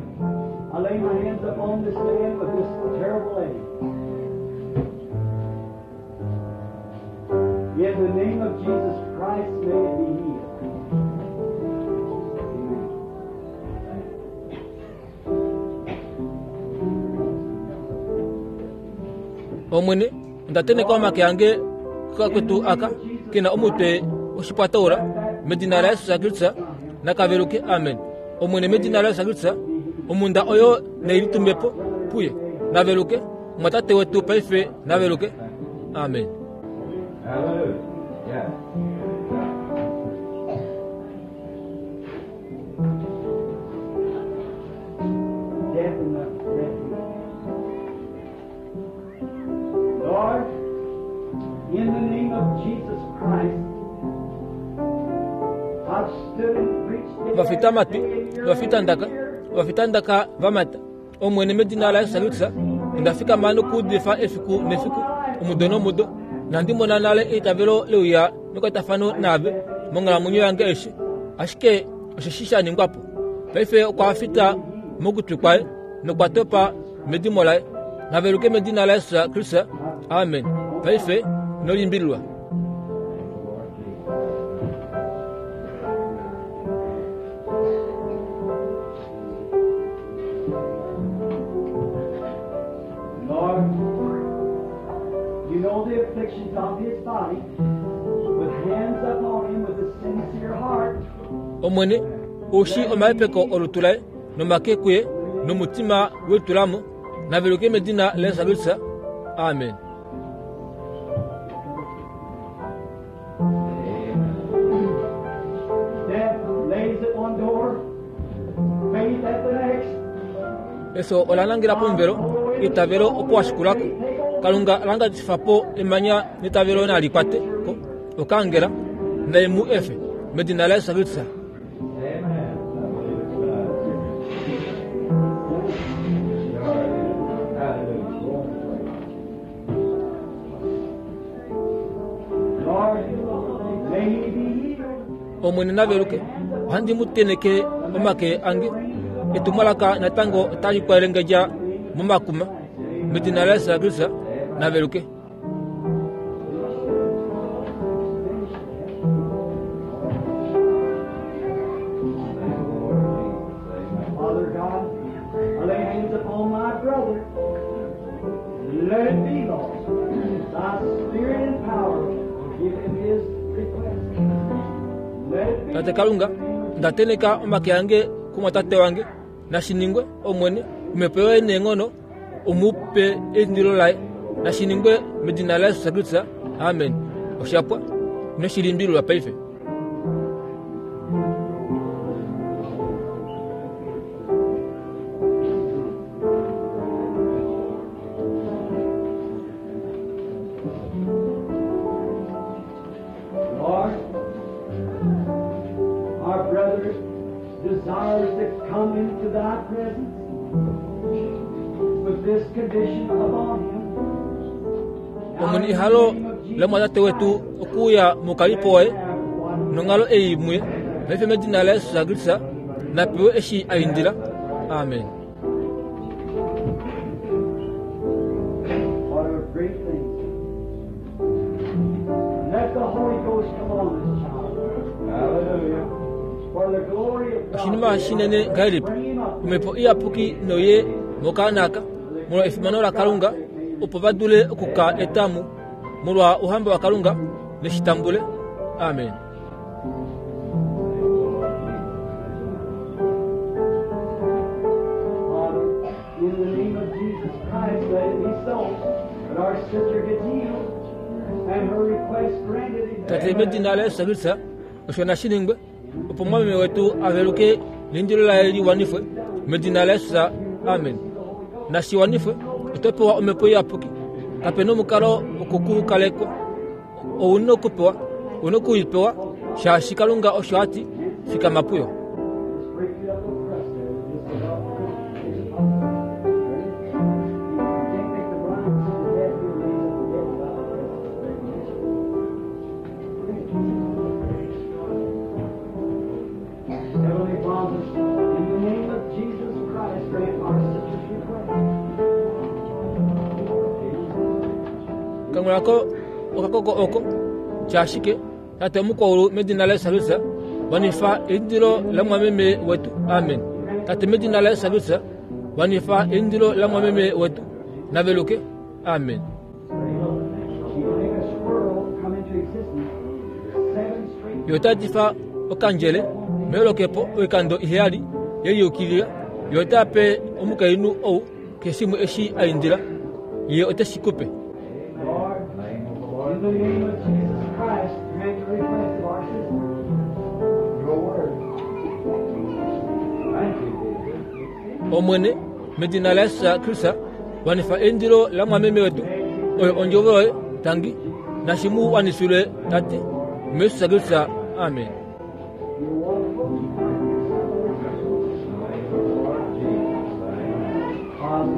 I lay my hands upon this man with this terrible ache. In the name of Jesus Christ, may it be healed. Omwene, onda tenheka omake ange kukakwetu aka ke na omutwe woshipwataula, medina laJesus Kristus, naka veluke. Amen. Omwene, medina laJesus Kristus, omhunda oyo nai litumbe po puye. Na veluke. Omwatate wetu paife na veluke. Amen. Hallelujah. Death in the refuge. Lord, in the name of Jesus Christ, I've stood and preached day Ovafitamatwi, after day, year ovafitandaka, after year. ovafitandaka va mata. Omwene medina laJesus Kristus, onda fikama nokuudifa efiku nefiku, omudo nomudo, nohandi mona nale eitavelo le uya mekwatafano naave monghalamwenyo yange aishe. Ashike osheshi sha ningwa po. Paife okwa fita mokutwi kwaye nokwa topa medimo laye. Na veluke medina laJesus Kristus. Amen. Paife ino limbililwa. Lord, you know the afflictions of his body. With hands upon him with a sincere heart, Omwene, ou shii omahepeko olutu laye nomake kuye nomutima we litula mo, na veluke medina laJesus Kristus. Amen. Death lays at one door, faith at the next. Efyo ola nangela pomuvelo, eitavelo opo wa shikula ko. Kalunga langatifa po emanya netavelo nali kwate ko okaangela, nai mu efe, medina laJesus Kristus. Amen. Lord, may he be healed. Omwene na veluke, ohandi mu tenheke omake ange. Etumwalaka natango otali kwelengedja momakuma. Medina laJesus Kristus, na veluke. Tate Kalunga, onda teneka omake ange kumwatate wange. Nashi ningwe, Omwene, Omhepo yoye neenghono, u mu pe eindilo laye. Nashi ningwe medina laJesus Kristus. Amen. Osha pwa. Ino shi limbililwa paife. Lord, our brother desires to come into thy presence with this condition upon him. Omwene ehalo lomwatate wetu okuuya mokalipo waye nonghalo ei muye paife medina laJesus Kristus na pewe eshi a indila. Amen. What a great thing. Let the Holy Ghost come on this child. Hallelujah. For the glory of God. Oshinima shinene ngahelipi omhepo iyapuki noye mokaana aka molwa efimano laKalunga opo va dule oku ka eta mu molwa ouhamba waKalunga neshi tambule. Amen. Father, in the name of Jesus Christ, let it be so that our sister gets healed and her request granted. Tate medina laJesus Kristus osho nashi ningwe opo mwameme wetu a veluke neindilo laye li wanifwe medina laJesus. Amen. Nashi wanifwe oto pewa omhepo iyapuki. Kape nomukalo wokukukalekwa. Ou na okupewa, ou na okuipewa, shaashi Kalunga osho a ti, fikama puyo. Just break it up little crust there. Just about you can't make the blind see the dead, you'll raise up the dead without the Heavenly Father, in the name of Jesus Christ, grant our sister's request. Kangula ko okakoko oko tya ashike Tate omukwaulu medina laJesus Kristus wanifa eindilo lamwameme wetu. Amen. Tate medina laJesus Kristus wanifa eindilo lamwameme wetu. Naveluke. Amen. She will make a squirrel come into existence seven straight Ye ota difa okandjele meholokepo oikando iheyali ye liyukilila. Ye ota pe omukainhu ou keshe shimwe eshi a indila. Ye ote shi ku pe. Lord, in the name of Jesus Christ, grant the request of our sister. Your word. Thank you, Jesus. Omwene, medina laJesus Kristus, wanifa eindilo lamwameme wetu. Oyo ondjovo yoye, tangi. Nashi mu wanifilwe, Tate, muJesus Kristus. Amen. Father,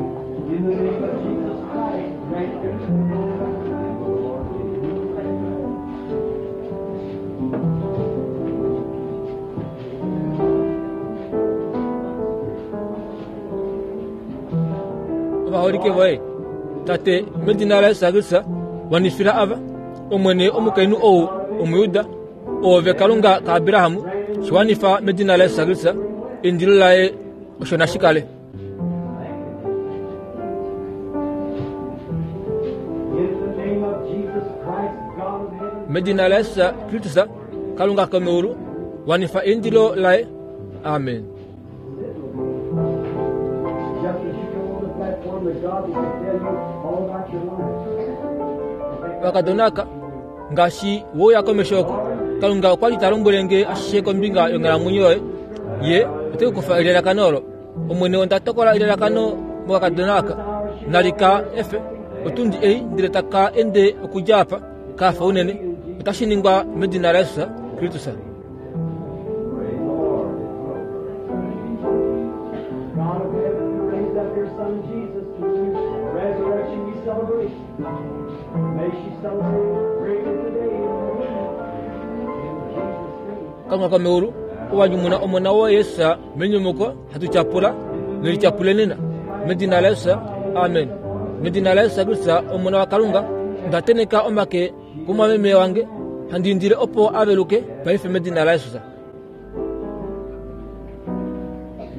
in the name of Jesus Christ, grant the Ovaholike voye, Tate, medina laJesus Kristus, wanifila ava, Omwene omukainhu ou Omujuda, Oove Kalunga kaAbraham, shi wanifa medina laJesus Kristus, eindilo laye osho nashi kale. In the name of Jesus Christ, God of heaven, Medina laJesus Kristus, Kalunga komeulu, wanifa eindilo laye. Amen. just as you come on the platform, the God will tell you all about your life. Okakadona aka, ngaashi we uya komesho oko, Kalunga okwa li ta lombwele nge ashishe kombinga yonghalamwenyo yoye. Ye ote ku kufa elalakano olo. Omwene onda tokola elalakano mokakadona aka. Nali ka efe otundi ei ndele taka ende okudja apa, ka fa unene. Otashi ningwa medina laJesus Kristus. God of heaven, who raised up your Son Jesus to resurrection we celebrate. May she celebrate greatly today in her womb. In Jesus' name. Kalunga komeulu, ou wa nyumuna Omona woye Jesus menyumuko, hatu tyapula nelityapule nena. Medina laJesus. Amen. Medina laJesus Kristus, Omona waKalunga, onda tenheka omake kumwameme wange, handi indile opo a veluke paife medina laJesus.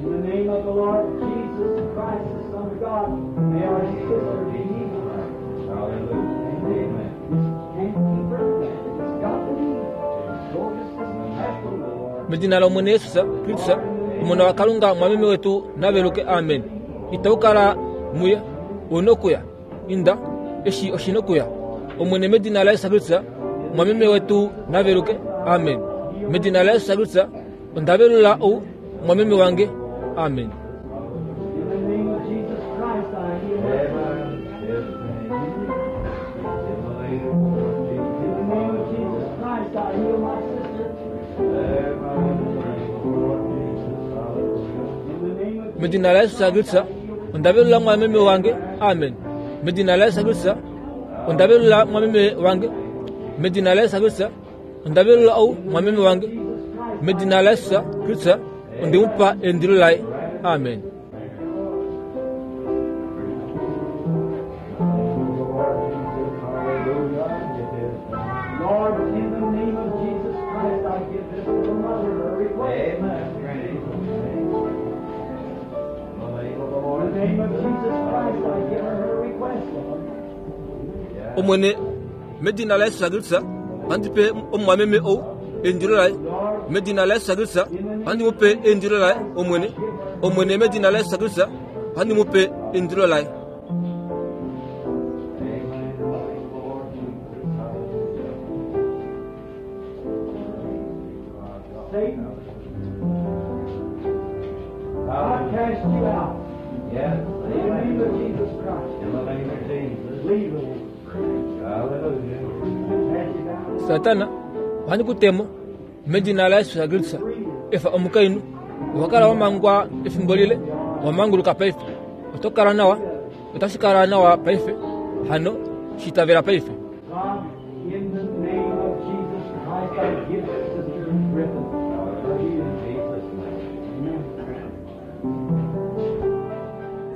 In the name of the Lord Jesus Christ, the Son of God, may our sister be healed. Amen. Can't keep her. It's got to be. So just as natural. Medina lOmwene Jesus Kristus, Omona waKalunga, omwameme wetu na veluke. Amen. Itau kala muye. Ou nokuya. Inda, eshi oshi nokuya. Omwene medina laJesus Kristus, omwameme wetu na veluke. Amen. Medina laJesus Kristus, onda velula ou omwameme wange. Amen. In the name of Jesus Christ, I heal my In the name of Jesus Christ, I heal my sister. In the name of Medina laJesus Kristus, onda velula mwameme wange. Amen. Medina laJesus Kristus, onda velula mwameme wange. Medina laJesus Kristus, onda velula ou mwameme wange. Medina laJesus Kristus, onde mu pa eindilo laye. Amen. Lord, in the name of Jesus Christ, I give this little mother her request. In the name of Jesus Christ, I give her her request, Lord. Omwene, medina laJesus Kristus, ohandi pe omumwameme ou eindilo laye. Medina laJesus Kristus, ohandi mu pe eindilo laye, Omwene. Omwene, medina laJesus Kristus, ohandi mu pe eindilo laye. Satan, I cast you out. Yes. In the name of Jesus Christ. In the name of Jesus. Leave her. Hallelujah. Cast you out. Satana, ohandi ku temo medina laJesus Kristus. Efa omukainhu, owa kala wa mangwa efimbo lile, owa manguluka paife. Oto kala nawa, otashi kala nawa paife. Hano, shi itavela paife. God, in the name of Jesus Christ, I give Sister Griffin her healing. Jesus' name. Amen.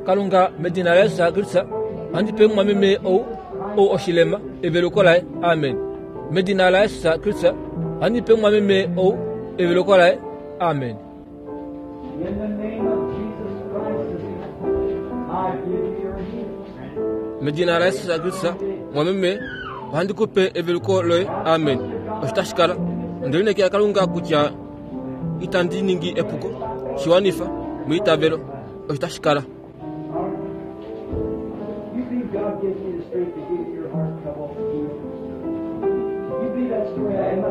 Kalunga medina laJesus Kristus, ohandi pe mumwameme ou ou oshilema eveluko laye. Amen. Medina laJesus Kristus, ohandi pe mumwameme ou eveluko laye. Amen. In the name of Jesus Christ, sister, I give you your healing. Medina laJesus Kristus, mwameme, ohandi ku pe eveluko loye. Amen. Osho tashi kala. Onde lineekela Kalunga kutya itandi ningi epuko. Shiwanifa meitavelo. Osho tashi kala. You believe God gives you the strength to give your heart trouble healed. You believe that story I have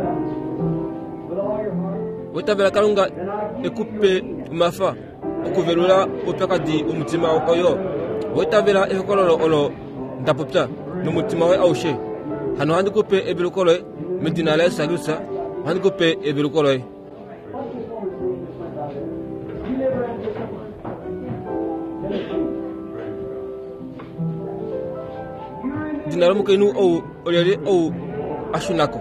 with all your heart. Oitavela Kalunga Then I give e ku you pe your healing. omafa okuvelula oupyakadi womutima oyo. Oitavela ehokololo olo nda popya nomutima woye aushe. Hano ohandi ku pe eveluko loye medina laJesus Kristus. Ohandi ku pe eveluko loye. What's this woman's name that went out there? You live around here somewhere? Tennessee. You're in Edina lomukainhu ou olyelye ou a shuna ko?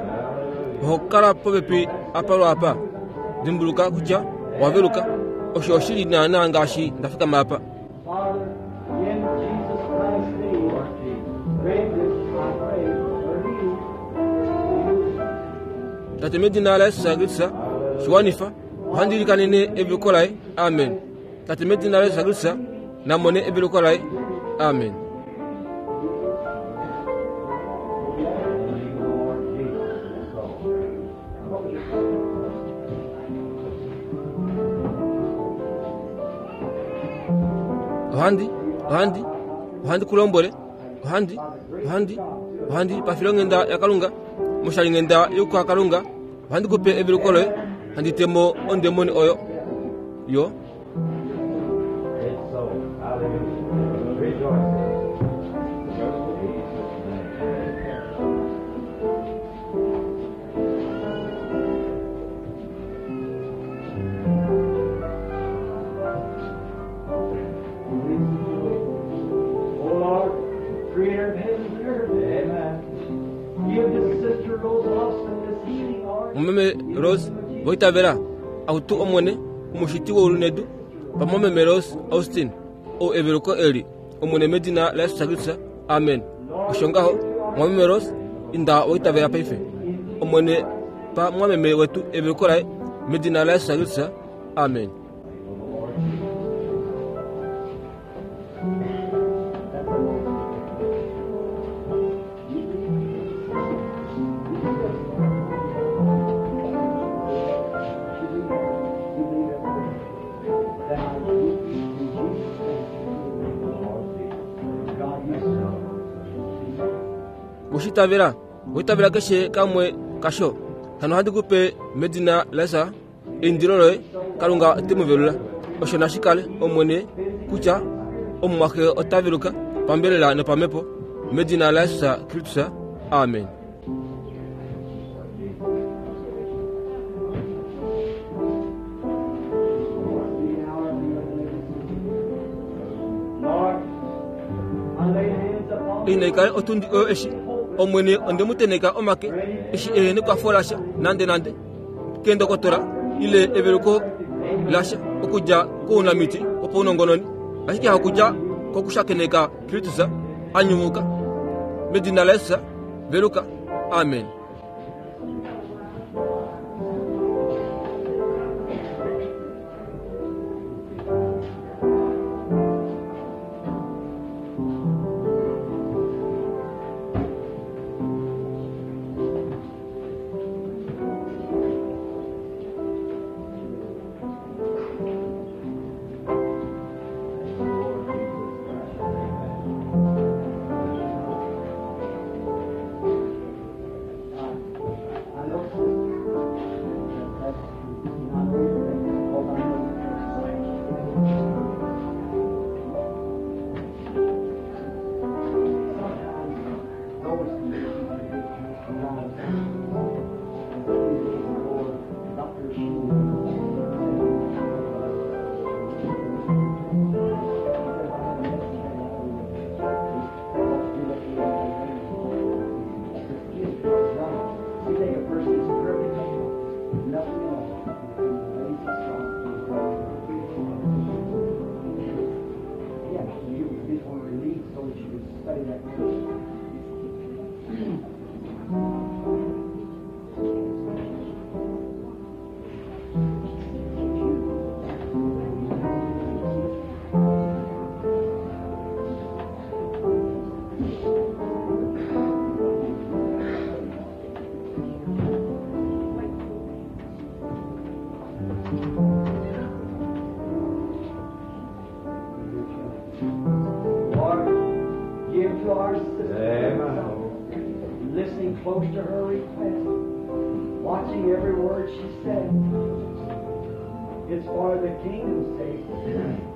Oho kala popepi apa lwaapa. Dimbuluka kutya owa veluka. Osho oshili naanaa ngaashi nda fikama apa. Father, in Jesus Christ's name, grant this, I pray, her healing. Tate medina laJesus Kristus, shiwanifa, ohandi ilikanene eveluko laye. Amen. Tate medina laJesus Kristus, namone eveluko laye. Amen. Ohandi, ohandi, ohandi ku lombwele, ohandi, ohandi, ohandi pafilonghenda yaKalunga, moshalinghenda yokuhakalunga, ohandi ku pe eveluko loye, handi temo ondemoni oyo. Yo, It's so. Hallelujah. Rejoice. In Jesus' name. O Lord, creator of heavens and earth, Amen. give this sister Rose Austin this healing, Lord. mumeme Rose voitavela, akutu Omwene, omushiti woulu nedu, pamwameme Rose Austin, ou eveluko eli, Omwene medina laJesus Kristus. Amen. Osho ngaho, mwameme Rose, inda woitavela paife. Omwene pa mwameme wetu eveluko laye, medina laJesus Kristus. Amen. Owe shi itavela? Owa itavela keshe kamwe kasho? Hano ohandi ku pe medina laJesus eindilo loye, Kalunga ote mu velula. Osho nashi kale, Omwene, kutya omumwaxe ota veluka pambelela nopamhepo, medina laJesus Kristus. Amen. Inai kale otundi oyo eshi Omwene onde mu teneka omake eshi ehe nekwafo lasha nande nande keendokotola ile eveluko lasha okudja kounamiti wopaunongononi ashike hakudja kokushakeneka Kristus a nyumuka medina laJesus veluka amen. Lord, give to our sister listening close to her request, watching every word she said. It's for the kingdom's sake.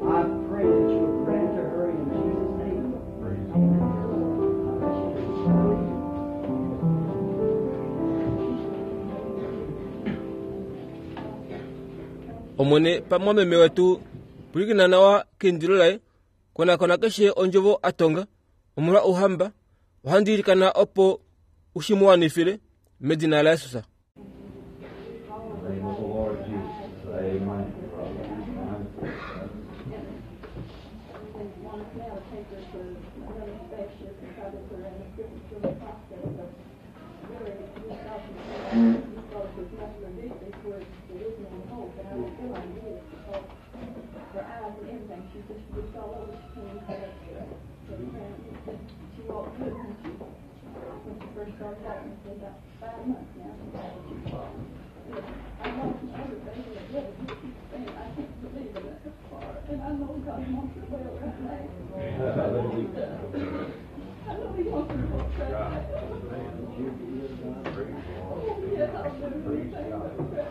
I pray that you will grant to her in Jesus' name. Amen. Bless you. Omwene pamwameme wetu pwilikina nawa keindilo laye Konakona keshe ondjovo a tonga omolwa Ouhamba. Ohandi ilikana opo u shi mu wanifile, medina laJesus. Her eyes and everything. She's just, just all over. She can't even get up to the ground. She walked good when she, when she first started walking. It's been about 5 months now. She walked. I lost my other baby that little. He keeps saying, I can't believe it. That's far. And I know God wants her well right now. I know he does. I know he wants her well right now. Oh, yes, I'll do anything but pray.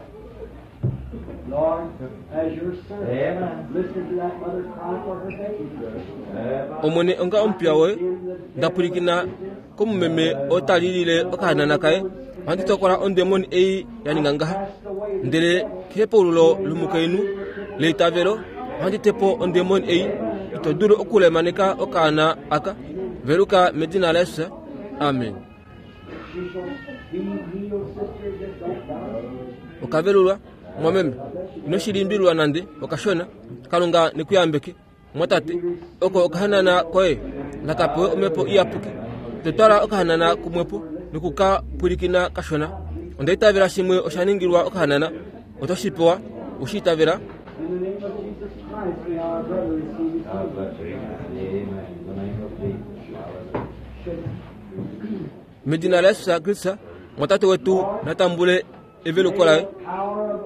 Lord, as your servant, listen to that mother cry for her baby. Omwene onga omupiya woye, nda pwilikina komumeme oo ta lilile okahanana kaye, ohandi tokola ondemoni ei ya ninga ngaha. Ndele kehepaululo lomukainhu leitavelo, ohandi te po ondemoni ei. Ito dulu okulemaneka okaana aka. Veluka medina laJesus. Amen. Okavelulwa, mwameme. Ino shi limbililwa nande okashona. Kalunga ne ku yambeke, mwatate. Oko okahanana koye naka pewe omhepo iyapuki. To twala okahanana kumwepo noku ka pwilikina kashona. Onda itavela shimwe osha ningilwa okahanana. Oto shi pewa, we shi itavela? Medina laJesus Kristus, mwatate wetu na tambule eveluko laye.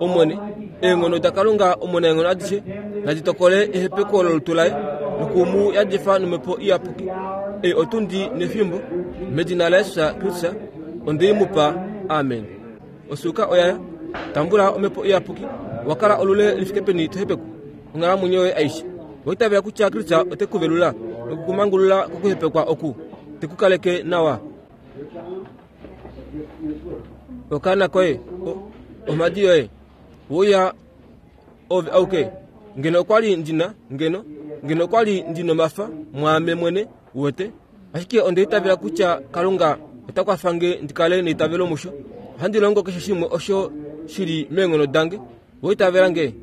Omwene, eenghono daKalunga Omunaenghono adishe nadi tokole ehepeko lolutu laye noku mu yadifa nomhepo iyapuki. Ei otundi nefimbo, medina laJesus Kristus, onde i mu pa. Amen. Osuuka oya ya. Tambula Omhepo Iyapuki. Owa kala olule li fike peni to hepekwa onghalamwenyo yoye aishe? Owa itavela kutya Kristus ote ku velula noku ku mangulula kokuhepekwa oku, te ku kaleke nawa? Okaana koye, omhadi yoye, we uya ove auke. Ngeno okwa li ndi na, ngeno, ngeno okwa li ndi nomafa mwaame mwene, uwete. Ashike onda itavela kutya Kalunga ota kwafa nge ndi kale neitavelo musho. Ohandi longo keshe shimwe osho shi li meenghono dange. Owa itavela nge?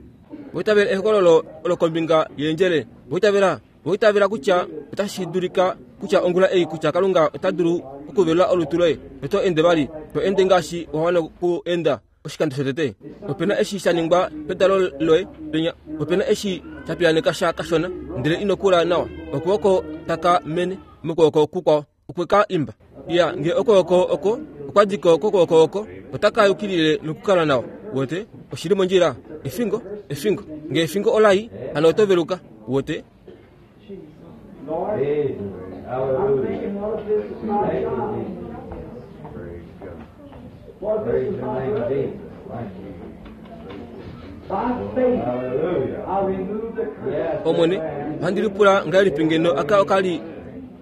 Owa itavela ehokololo olo kombinga yeendjele? Owa itavela? Owa itavela kutya otashi dulika kutya ongula ei kutya Kalunga ota dulu okuvelula olutu loye noto ende vali, to ende ngaashi wa wana oku enda? Oshikando shotete, ope na eshi sha ningwa pedalo loye penya. Ope na eshi sha piyaaneka sha kashona, ndele ino kula nawa. Okwooko taka mene mokwooko kukwao okwe ka imba. Iya, nge okwooko oko okwa di ko kokwooko oko, otaka yukilile nokukala nawa. Uwete? Oshi li mondjila. Efingo, efingo. Nge efingo ola i, hano oto veluka. Uwete? Omwene, ohandi lipula ngahelipi ngeno aka oka li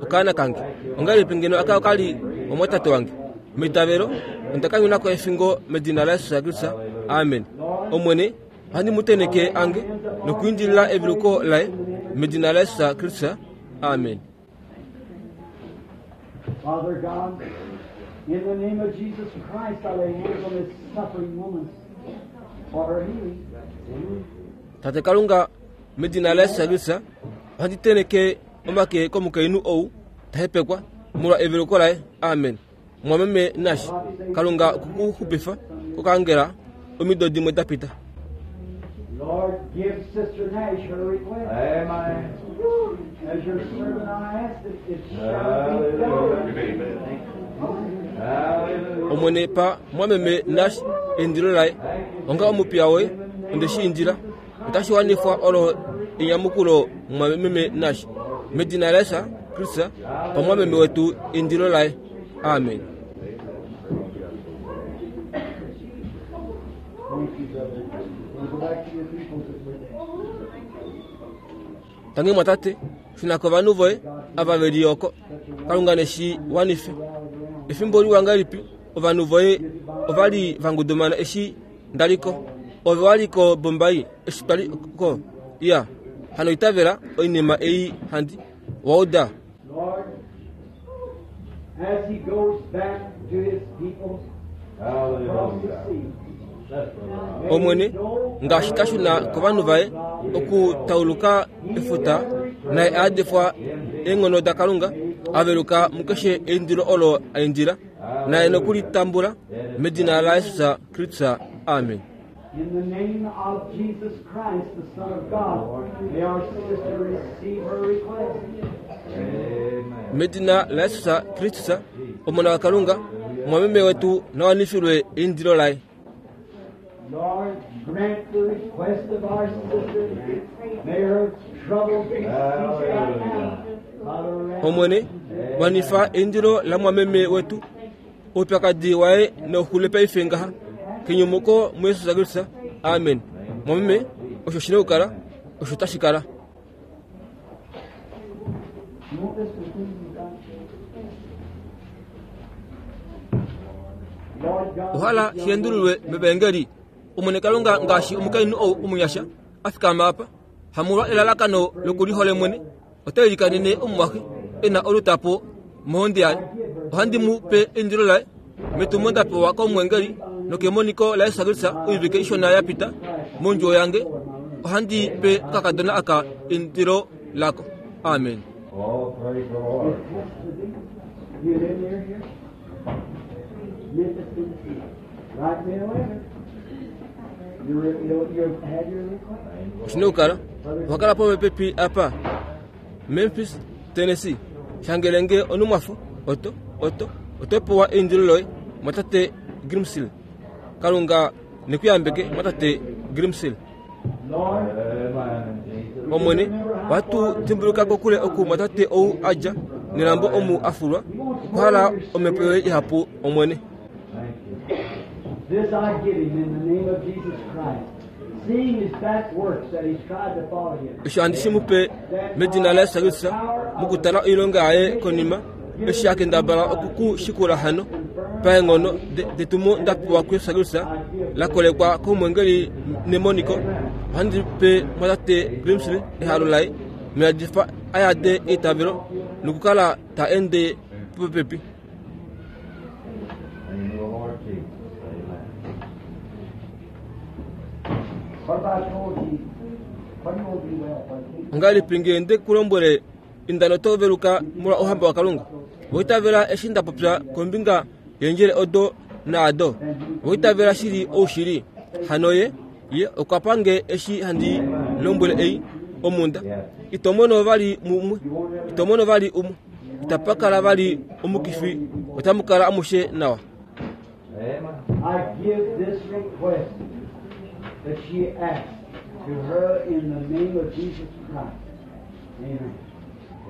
okaana kange? Ongahelipi ngeno aka oka li omwatate wange? Meitavelo, onda kanyuna ko efingo medina laJesus Kristus. Amen. Omwene, Ohandi mu teneke ange nokuindilila eveluko laye medina laJesus Kristus. Amen. Father God, in the name of Jesus Christ, I lay hands on this suffering woman for her healing. Tate Kalunga, medina laJesus Kristus, ohandi teneke omake komukainhu ou ta hepekwa molwa eveluko laye. Amen. Mwameme Nash, Kalunga oku ku xupifa kokaangela omido dimwe da pita. Lord, give Sister Nash her request. Amen. As your servant I ask it, it shall be done. Hallelujah. Omwene pa mwameme Nash eindilo laye. Onga omupiya woye, onde shi indila. Otashi wanifwa olo enyamukulo mwameme Nash. Medina laJesus Kristus, pa mwameme wetu eindilo laye. Amen. Tangi mwatate, shuna kovanhu voye ava ve li oko. Kalunga ne shi wanife. Efimbo liwa ngahelipi ovanhu voye ova li va ngudumana eshi nda li ko. Ove wa li ko Bombay eshi twa li ko. Iya, hano itavela oinima ei handi. Wa uda? Lord, as he goes back to his people across the sea, Omwene, ngaashi ta shuna kovanhu vaye okutauluka efuta, naye a yadifwa eenghono daKalunga, a veluka mukeshe eindilo olo a indila, naye noku li tambula medina laJesus Kristus. Amen. In the name of Jesus Christ, the Son of God, may our sister receive her request. Medina laJesus Kristus, Omona waKalunga, omwameme wetu na wanifilwe eindilo laye. Lord, grant the request of our sister. May her trouble be ceased right now. By the wrath Omwene, wanifa eindilo lamwameme wetu. Oupyakadi waye nauxule paife ngaha kenyumuko muJesus Kristus. Amen. Mwameme, osho shi na okukala, osho tashi kala. Ohala shi endululwe mevaengeli. Omwene Kalunga ngaashi omukainhu ou omunyasha a fikama apa, hamolwa elalakano lokulihole mwene, Ota ilikanene omumwaxe e na olutapo mohonde yaye. Ohandi mu pe eindilo laye metumo nda pewa komwengeli nokemoniko laJesus Kristus oivike ishona ya pita mondjuwo yange. Ohandi pe okakadona aka eindilo lako. Amen. Oh, praise the Lord. You live near here? Memphis, Tennessee. Write me a letter. You, you, you had your request? Oshi na okukala owa kala popepi apa, Memphis, Tennessee. Shangele nge onumwafo, oto, oto, oto pewa eindilo loye, mwatate Grimsil. Kalunga ne ku yambeke, mwatate Grimsil. Amen. Jesus. Omwene, ohatu dimbuluka kokule oku mwatate ou a dja. nelambo omu a fulwa, okwa hala omhepo yoye ihapu, Omwene. This I give him in the name of Jesus Christ, seeing his back works that he's tried to follow you. Osho handi shi mu pe medina laYesus Kristus, mokutala oilonga yaye konima, eshi a kendabala oku ku shikula hano, paenghono detumo nda pewa kuYesus Kristus, la kolekwa komwengeli nemoniko, ohandi pe mwatate Grimsley ehalo laye, noyadifa a yade eitavelo nokukala ta ende popepi. Ongahelipi ngee nde ku lombwele inda noto veluka molwa Ouhamba waKalunga? Owa itavela eshi nda popya kombinga yeendjele odo naado? Owa itavela shili oushili? Hano ye, ye okwa pa nge eshi handi lombwele ei, omhunda. Ito mono vali umwe, ito mono vali umwe. Itapa kala vali omukifi, otamu kala amushe nawa. I give this request that she asked to her in the name of Jesus Christ. Amen.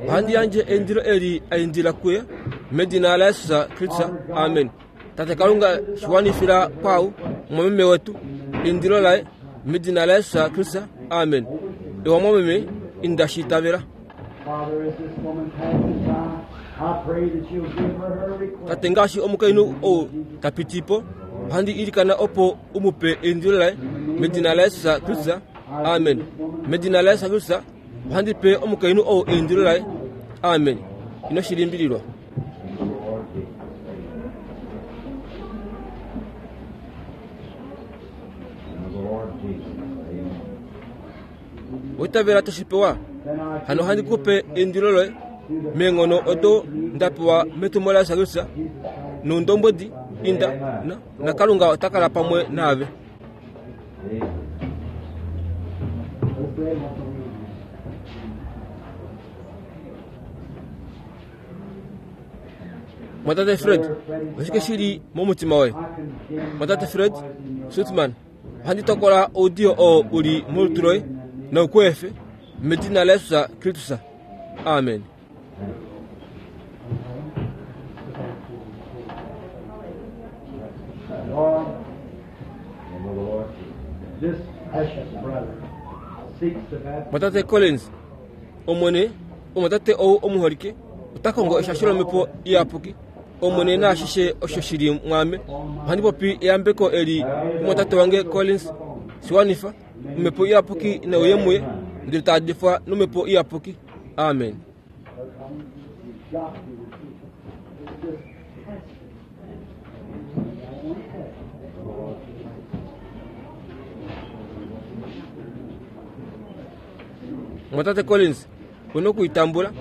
Ohandi yandje eindilo eli a indila kuye medina laJesus Kristus. Amen. Tate Kalunga, shi wanifila kwaau mwameme wetu eindilo laye medina laJesus Kristus. Amen. Ewa mwameme, inda shi itavela. Tate ngaashi omukainhu ou ta piti po, ohandi ilikana opo u mu pe eindilo laye medina laJesus Kristus. Amen. Medina laJesus Kristus, ohandi pe omukainhu ou eindilo laye. Amen. Ino shi limbililwa. Oitavela to shi pewa? Hano ohandi ku pe eindilo loye meenghono odo nda pewa metumo laJesus Kristus noundombwedi inda na, na Kalunga ota kala pamwe naave. Mwatate Fred, oshike shi li momutima woye? Mwatate Fred Sutman, Ohandi tokola oudiyo oo u li molutu loye nou ku efe, medina laJesus Kristus. Amen. Lord, this precious brother seeks the baptism. Mwatate Collins, Omwene, omwatate ou omuholike, ota kongo eshasho lOmhepo Iyapuki. Omwene naashishe osho shi li mwaame. Ohandi popi eyambeko eli kumwatate wange Collins. Shi wanifa. Omhepo Iyapuki ne uye muye, ndele ta adifwa nOmhepo Iyapuki. Amen. Mwatate Collins, u noku i tambula.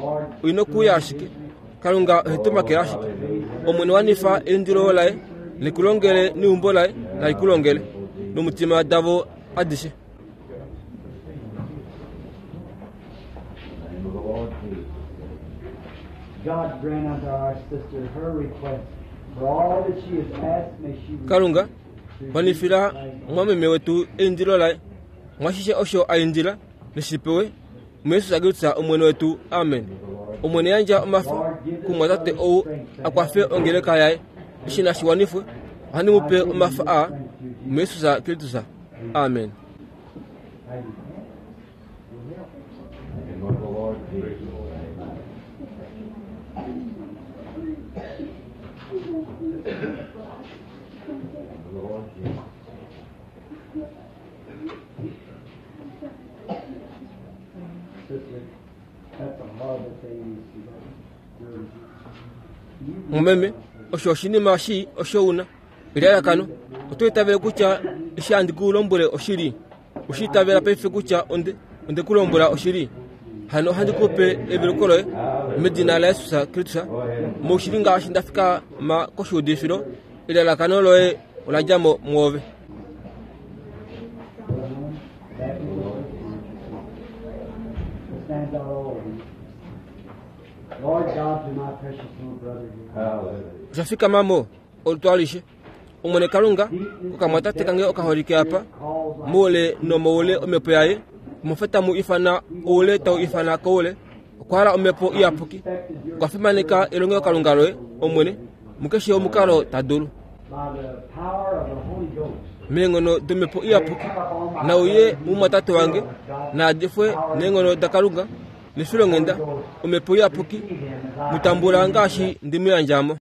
Oi nokuuya ashike. Kalunga ohe tu makele ashike. Omwene wanifa eindilo laye ne ku longele neumbo laye nali ku longele nomutima davo adishe. God grant unto our sister her request for all that she has asked may she Kalunga wanifila mwameme wetu eindilo laye mwashishe osho a indila neshi pewe muJesus Kristus Omwene wetu. Amen. Omwene yandja omafo kumwatate ou a kwafe ongeleka yaye. Eshi nashi wanifwe, ohandi mu pe omafo aa muJesus Kristus. Amen. Mumeme, osho oshinima shii osho u na. Elalakano, oto itavele kutya eshi handi ku lombwele oshili? Oshi itavela paife kutya onde, onde ku lombwela oshili? Hano ohandi ku pe eveluko loye medina laJesus Kristus, moushili ngaashi nda fikama koshuudifilo, elalakano loye ola dja mo mwoove. Osha fikama mo olutu alishe. Omwene Kalunga, kokamwatate kange okaholike apa, moule nomoule omhepo yaye, omofa tamu ifana oule tau ifana koule, Okwa hala Omhepo Iyapuki. Okwa fimaneka elongelokalunga loye, Omwene, mukeshe omukalo ta dulu. Meenghono dOmhepo Iyapuki, nauye mumwatate wange, naadifwe neenghono daKalunga, nefilonghenda, Omhepo Iyapuki, mu tambula ngaashi ndi mu yandja mo.